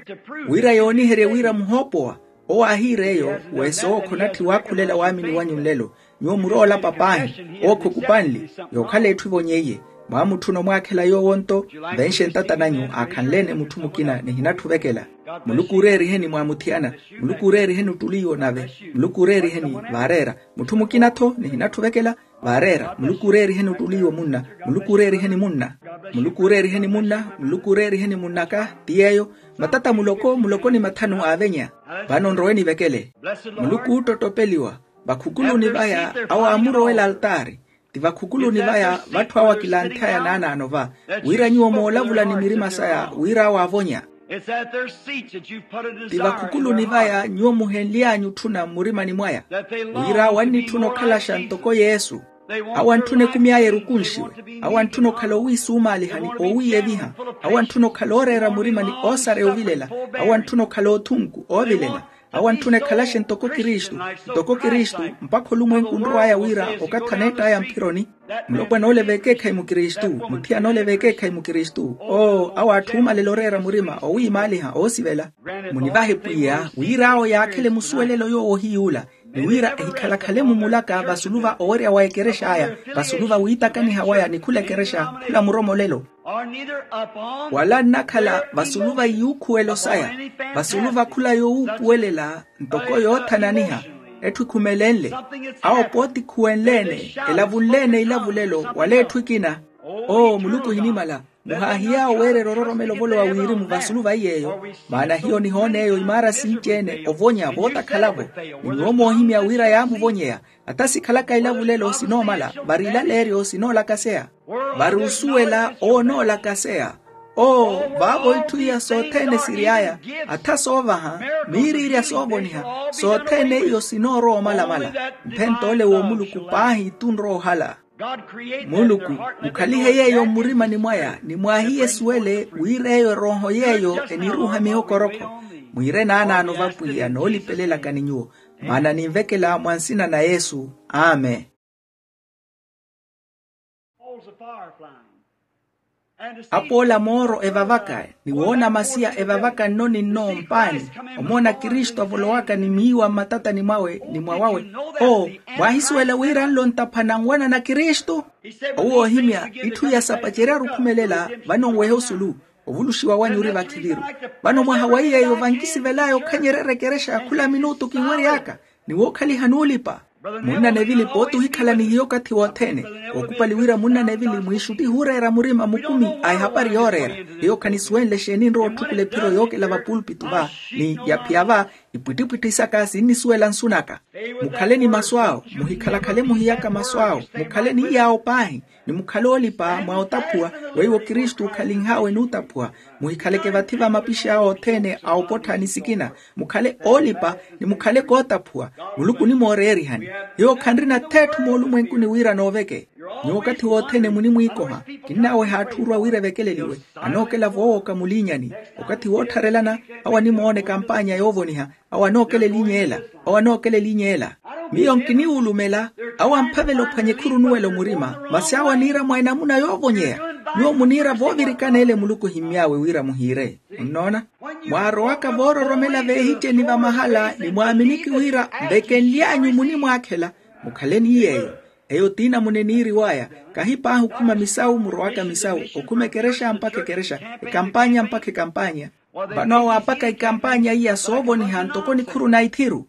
wira yooniherye wira muhoopowa. Owo aahiir'eyo, weesowo khonatthi waakhulela waamini wanyu nlelo. Nyuwo muroolapa paahi, owo khukupanli. Yookhala etthu evonyeiye. Mwaamutthuna omwaakhela yoowo nto, nvenxe ntata nanyu aakhanle-ene mutthu mukina nihinatthu ovekela. Muluku ooreeriheni mwaamuthiyana. Muluku ooreeriheni ottuli iwo nave. Muluku ooreeriheni. Vaareera. Mutthu mukina-tho nihinatthu ovekela. Vaareera. Muluku ooreeriheni ottuli iwo munna. Muluku ooreeriheni munna. Muluku ooreeriheni munna. Muluku ooreeriheni munn'aka. Ti yeeyo. Matata muloko muloko ni mathanu aavenya. Vano nrowe nivekele. Muluku oottottopeliwa. Vakhukuluni vaya awo aamurowela altaari. Ti vakhukuluni vaya vatthu awo akilanthaya naanaano va, wira nyuwo moolavula ni mirima saya wira awo aavonya. Ti vakhukuluni vaya nyuwo muhenly'anyu otthuna mmurimani mwaya, wira awo annitthuna okhalaxa ntoko yesu. Awo antthuna ekumi aya erukunxiwe. Awo antthuna okhala owiisumaaliha ni owiiyeviha. Awo antthuna okhala ooreera murima ni oosareya ovilela. Awo antthuna okhala othunku oovilela. Awo antthuna ekhalaxe ntoko kristu, ntoko kristu, mpakha olumwenku onrow'aya wira okathi aneett'aya mphironi. Mulopwana ole veekeekhayi mukristu. Muthiyana ole veekeekhayi mukristu. Oo awo atthu oomalela oreera murima owiimaaliha oosivela. Munivahe pwiya wira awo yaakhele musuwelelo yoowo ohiyuula, ni wira ehikhalakhale mumulaka vasulu va owerya wa ekerexa aya, vasulu va wiitakaniha waya ni khula ekerexa, khula muromolelo. Wala nnakhala vasulu va iyuukhuwelo saya, vasulu va khula yowuupuwelela ntoko yoothananiha, etthu ekhumelenle. Awo pooti khuwenle-ene, elavunle-ene ilavulelo wala etthu ekina. Oo muluku ohinimala, muhaahiy'awo weererya ororomela ovolowa wirimu vasulu va iy'eyo. Maana hiyo nihoona eyo imaara sinci-ene ovonya vootakhala-vo. Ni nyuwo moohimya wira yaamuvonyeya. Ata sikhalaka ilavulelo sinoomala, vari ilaleeryo sinoolakaseya. Vari osuwela onoolakaseya. Oo vaavo itthu iya sothene siry'aya, atha soovaha, miiriirya soovoniha, sothene iyo sinoorowa omalamala. Mphent'ole w'omuluku paahi tunroohala. Muluku, mukhalihe yeeyo mmurimani mwaya ni mwaahiye esuwele wira eyo erooho yeeyo eniruuha mihokorokho. Mwiire naanaano vapwiya noolipelelaka ni nyuwo. Maana ninvekela mwa nsina na yesu. Amen. Apoola mooro evavaka, ni woona masiya evavaka nno ni nno mpaani. Omoona kristu avolowaka ni miiwa mmatatani mwawe ni mwawawe. Oo, mwaahisuwela wira nlo ntapha nanwana na kristu? Owo oohimya itthu iya sapaceryaru okhumelela, vano nwehe osulu. Ovuluxiwa wanyu ori vakhiviru. Vano mwaha wa iy'eyo vankisivel'aya okhanyeryerya ekerexa ya khula minutu kinwery'aka, ni wookhaliha n'ulipa. Munnanevili pooti ohikhala ni hiyo okathi wothene. Ookupali wira munnanevili mwiixutti ihuureera murima mukumi a ehapari yooreera. Hiyo khanisuwenle exeeni enrowa otthukula ephiro yookela vapulpitu va, ni yaphiya va, ipwittipwitthi saka sinnisuwela nsu naka. Mukhale ni masu awo, muhikhalakhale muhiyaka masu awo, mukhale ni iy'awo paahi, ni mukhale oolipa mwa otaphuwa, weiwo kristu okhalinh'awe n'utaphuwa. Muhikhaleke vathi va mapishi awo othene a opottha ni sikina. Mukhale oolipa, ni mukhale kootaphuwa. Muluku onimooreerihani. Hiyo khanrina th'etthu moolumwenkuni wira nooveke. Nyuwo okathi wothene munimwiikoha. Kinnaaweha atthu orwa wira evekeleliwe. Anookela voowooka muliinyani. Okathi woottharelana, awo animoona ekampaanya yoovoniha. Awo anookela eliinya ela. Awo anookela eliinya ela. Miyo nkiniwulumela. Awo amphavela ophwanya ekhuru onuwela omurima. Masi awo aniira mwa enamuna yoovonyeya. Nyuwo muniira voovirikana ele muluku ohimmy'awe wira muhiire. Onnoona? Mwaarowaka voororomela veehiceni vamahala ni mwaaminiki wira, nvekenly'anyu munimwaakhela. Mukhale ni yeeyo. Eyo t'inamuna eniiriw'aya. Kahi paahi okhuma misawu murowaka misawu, okhuma ekerexa mpakha ekerexa, ekampaanya mpakha ekampaanya. Vano awo aapaka ekampaanya iya soovoniha ntoko nikhuru na ithiru.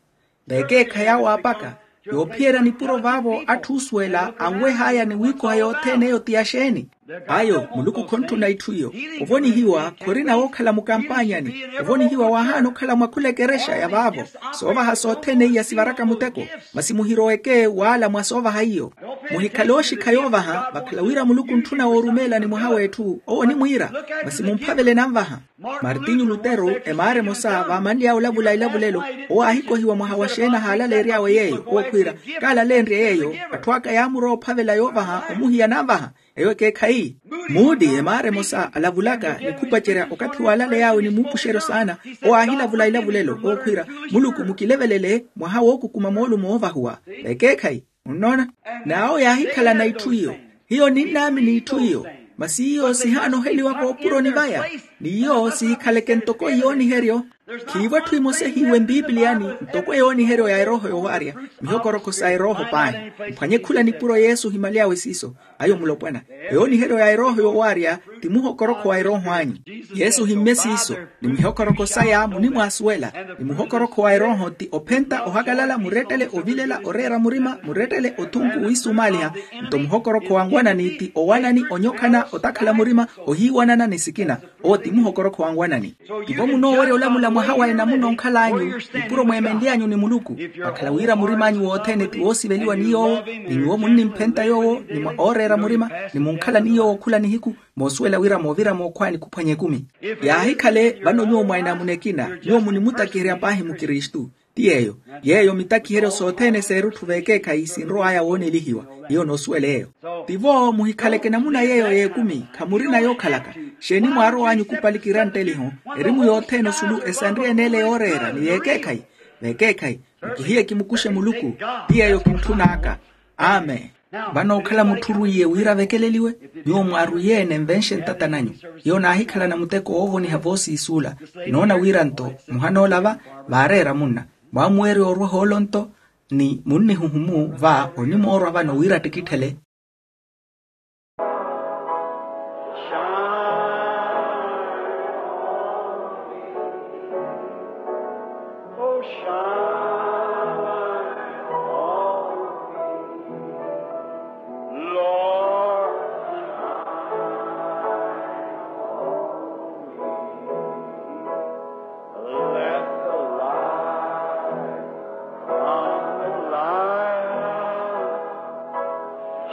Vekeekhayi awo aapaka, yoophiyerya nipuro vaavo atthu oosuwela anweh'aya ni wiikoha yothene eyo ti ya xeeni? Ayo muluku khonttuna itthu iyo. Ovonihiwa khorina wookhala mukampaanyani. Ovonihiwa waahaana okhala mwa khula ekerexa ya vaavo. Soovaha sothene iya sivaraka muteko. Masi muhiroweke waala mwa soovaha iyo. Muhikhale ooxikha yoovaha vakhala wira muluku ontthuna woorumeelani mwaha w'etthu owo onimwiira. Masi mumphavele nanvaha. Martinyu lutero emaara emosa vaamanly'awe olavula ilavulelo, owo aahikohiwa mwaha wa xeeni ahaalaleery'awe yeeyo owo khwiira, kaalaleenrye yeeyo. Atthu aka yaamurowa ophavela yoovaha omuhiya nanvaha. Eyo ekeekhayi. Muudi emaara emosa alavulaka ni khupacerya okathi waalaley'awe ni muupuxeryo saana. Owo aahilavula ilavulelo owo khwiira, muluku mukilevelele mwaha wookukuma moolumo oovahuwa. Vekeekhayi. Munnoona? N'awo yaahikhalana itthu iyo. Hiyo ninnaamini itthu iyo. Masi iyo sihaanoheliwa voopuroni vaya. Ni iyo sihikhaleke ntoko yooniheryo. Khiivo etthu emosa ehiiwe mpipiliyani ntoko yooniheryo ya erooho yowaarya. Mihokorokho sa erooho paahi. Mphwanye khula nipuro yesu ohimaly'awe siiso. Ayo mulopwana. Eyooniheryo ya erooho yowaarya ti muhokorokho wa erooho anyu. Yesu ohimmye siiso. Ni mihokorokho saya munimwaasuwela. Ni muhokorokho wa erooho ti ophenta ohakalala murettele ovilela oreera murima murettele othunku wiisumaaliha. Nto muhokorokho wa nwanani ti owanani onyokhana otakhala murima ohiiwanana ni sikina. Owo ti muhokorokho wa nwanani. Tivo munoowerya olamula mwaha wa enamuna onkhal'anyu nipuro mweemenly'anyu ni muluku. Vakhala wira murim'anyu wothene ti woosiveliwa ni yoowo. Ni nyuwo munnimphenta yoowo ni mwa ooreera murima. Ni munkhala ni yoowo khula nihiku. Moosuwela wira moovira mookhwani khuphwanya ekumi. Yaahikhale vano nyuwo mwa enamuna ekina nyuwo munimutakiherya paahi mukristu. Ti yeeyo. Yeeyo mitakiheryo sothene s'erutthu v'ekeekhayi sinrow'aya woonelihiwa. Hiyo noosuwela eyo. Tivo muhikhaleke namuna yeeyo y'ekumi khamurina yookhalaka. Xeeni mwaarow'anyu okupali kirantteliho? Erimu yothene osulu esanriyene ele yooreera ni y'ekeekhayi. V'ekeekhayi. Mukihiye kimukuxe muluku. Ti yeeyo kintthun'aka. Amen. Vano okhala mutthu orwiiye wira avekeleliwe. Nyuwo mwaarwiye-ene nvenxe ntata nanyu. Hiyo naahikhalana muteko woovoniha voosiisuula. Kinoona wira nto muhanoolava vaareera munna. Mwaamuweerya orwa ohoolo nto ni munnihuhumu va onimoorwa vano wira attikitthele.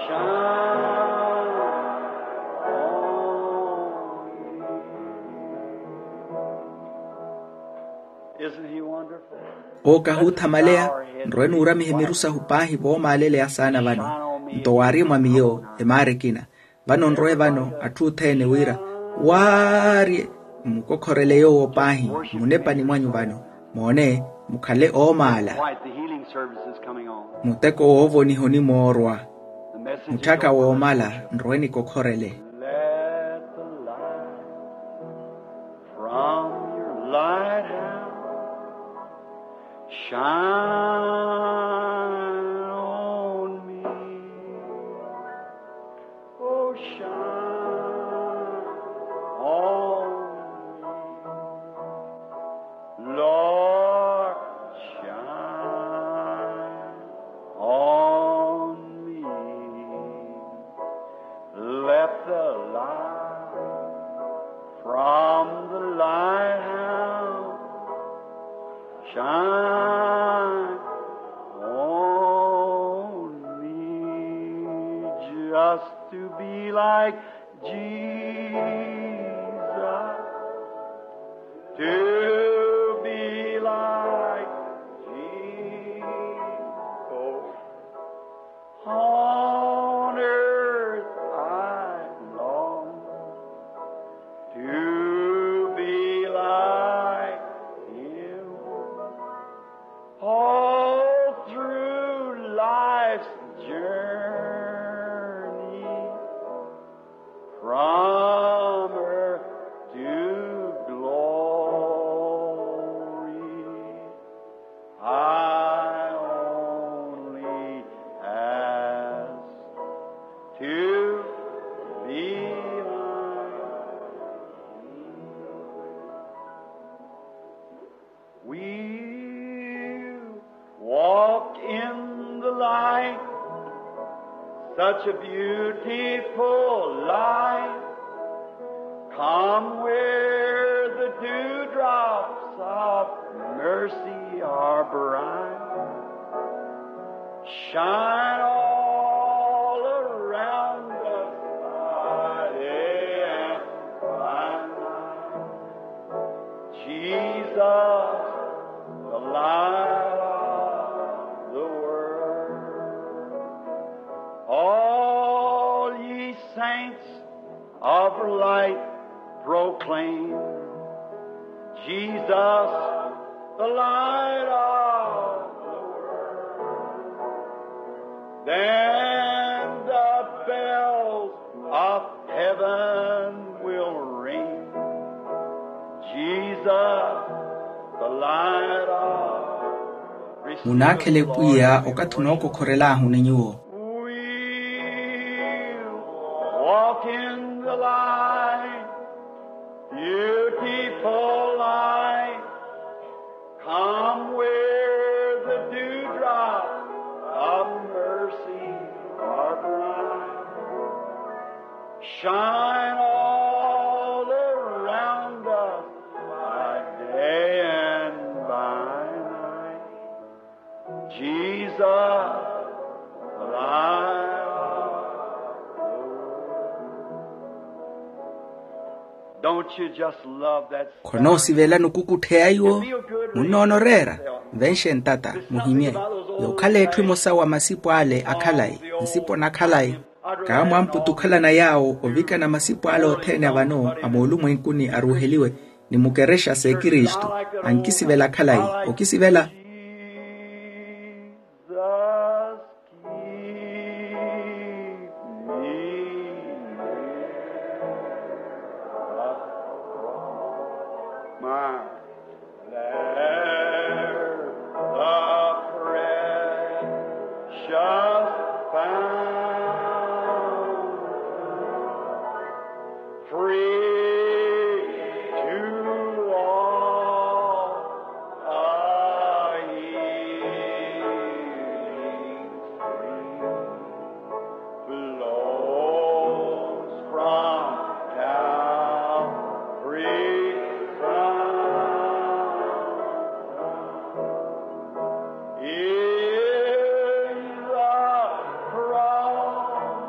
Shine on me. Owo kahuuthamaleya. Nrowe nuuramihe miru sahu paahi voomaaleleya saana vano. Nto waari mwa miyo emaara ekina. Vano nrowe vano atthu othene wira waarye, mmukokhorele yoowo paahi. Munepani mwanyu vano, moone, mukhale oomaala. Muteko woovoniha onimoorwa. Mutthaka woomala nrowe nikokhorele. Let the light from your lighthouse shine on me. Oh, shine on me. Lord, shine on me. Let the light from the lighthouse shine on me. Just to be like Jesus, to be like Jesus. On earth I long to be like him. All through life's journey, from earth to glory, I only ask to be like you. We'll walk in the light, such a beautiful light. Come where the dewdrops of mercy are bright. Shine all around us by day and by night. Jesus, the light of the world. All ye saints of light proclaim, Jesus, the light of the world. Then the bells of heaven will ring, Jesus, the light of Munaakhele pwiya okathi onookokhorelaahu ni nyuwo. We'll walk in the light, beautiful light. Come where the dewdrops of mercy are bright. Shine all around us by day and by night. Jesus, the light of the world. Don't you just love that? Khonoosivela nukukutthe ya iwo? Munnoona oreera? Nvenxe ntata, muhimye. Yookhala etthu emosa wa masipo ale akhalayi, nsipo nakhalayi. Kaamwamputa okhalana yaawo ovikana masipo ale othene a vano a moolumwenkuni aruuheliwe ni mukerexa s'ekristu. Ankisivela khalayi. Okisivela? There the precious fountain, free to all, a healing stream. Flows from Calvary's fountain. In the cross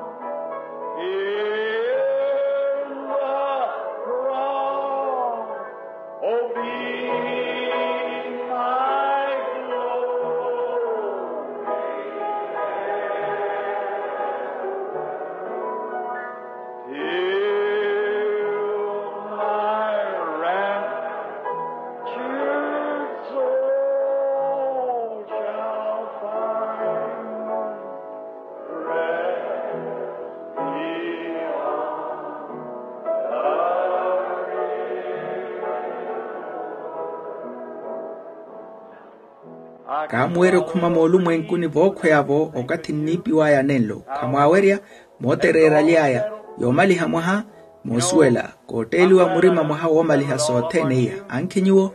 Kaamuwerya okhuma moolumwenkuni vookhweya-vo okathi nniipiw'aya nenlo. Khamwaawerya. Mootereeraly'aya yoomaliha mwaha. Moosuwela kootteeliwa murima mwaha woomaliha sothene iya ankhi nyuwo.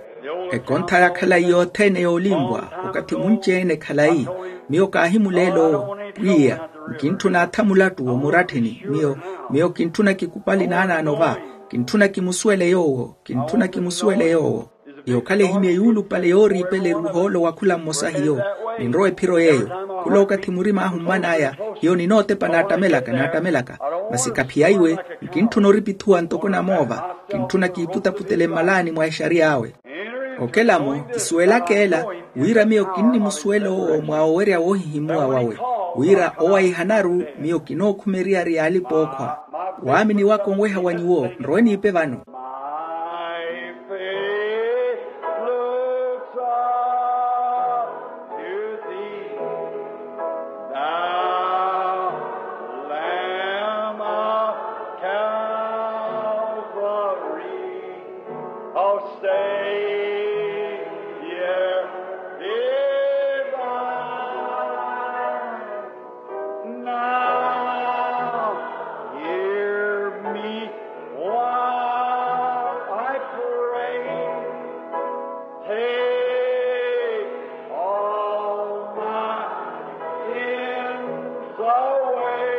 Ekontha ya khalayi yothene yoolinvwa okathi munci-ene khalayi. Miyo kaahimuleela owo pwiya, nkintthuna atha mulattu omuratthini miyo. Miyo kintthuna kikupali naanaano va. Kintthuna kimusuwele yoowo. Kintthuna kimusuwele yoowo. Yookhala ehimye yuulupale yooriipela eruuha ole wa khula mmosa hiyo. Ninrowa ephiro yeeyo. Khula okathi murim'ahu mman'aya. Hiyo ninootepa naattamelaka naattamelaka. Masi kaphiyaiwe. Nkintthuna oripithuwa ntoko namoova. Kintthuna kiiputaputele mmalaani mwa exariy'awe. Okela-mo kisuwelaka ela wira miyo kinnimusuwela owo mwa owerya woohihimuwa wawe, wira owaihanaru miyo kinookhumeriya ri yaalipa ookhwa. Waamini waka onweha wa nyuwo nrowe niipe vano. My faith looks up to thee, thou Lamb of Calvary. O Savior divine, now hear me while I pray. Take all my sins away,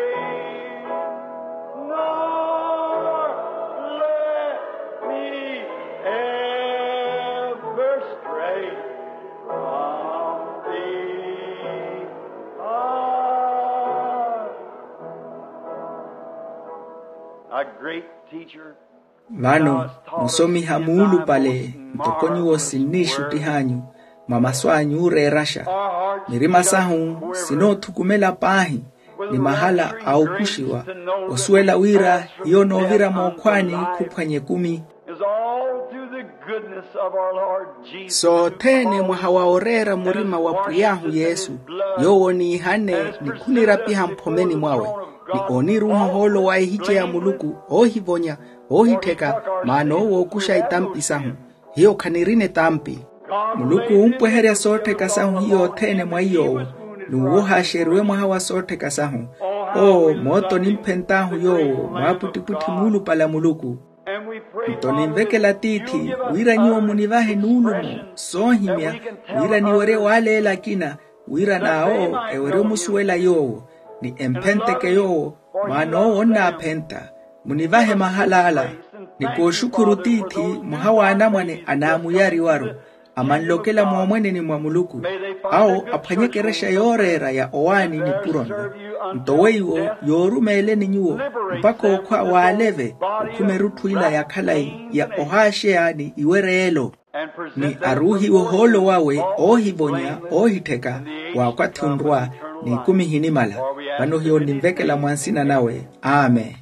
nor let me ever stray from thee. Ah. A great teacher. Vano musomiha muulupale ntoko nyuwo sinniixuttih'anyu mwa masu anyu ooreeraxa. Mirima sahu sinoothukumela paahi ni mahala a okuxiwa osuwela wira hiyo noovira mookhwaani khuphwanya ekumi. Is all through the goodness of our Lord Jesus. Sothene mwaha wa oreera murima wa pwiy'ahu yesu, yoowo niihane ni khunirapiha mphomeni mwawe, ni ooniruuha ohoolo wa ehice ya muluku oohivonya, oohittheka, maana owo ookuxa etampi sahu. Hiyo khanirina etampi. Muluku oompweherya soottheka sahu hiyo othene mwa iy'owo, n'uwo ohaaxeriwe mwaha wa soottheka sahu. Oo mooto nimphent'ahu yoowo mwaapwittipwitthi muulupale a muluku. Nto ninvekela tiithi wira nyuwo munivahe nuulumo soohimya, wira niwerye waaleela akina, wira n'awo ewerye omusuwela yoowo, ni emphenteke yoowo, maana owo onnaaphenta. Munivahe mahal'ala. Ni kooxukhuru tiithi, mwaha w'anamwane anaamuyariwaru, amanlokela moomweneni mwa muluku, awo aphwanye ekerexa yooreera ya owaani nipuro nlo. Nto weiwo yoorumeeleni nyuwo mpakha okhwa w'aleve, okhuma erutthu ila ya khalayi ya ohaaxeya ni iwereelo. Ni aruuhiwe ohoolo wawe oohivonya oohittheka, waakwathi onrwa n'ikumi ihinimala. Vano hiyo ninvekela mwa nsina nawe. Amen.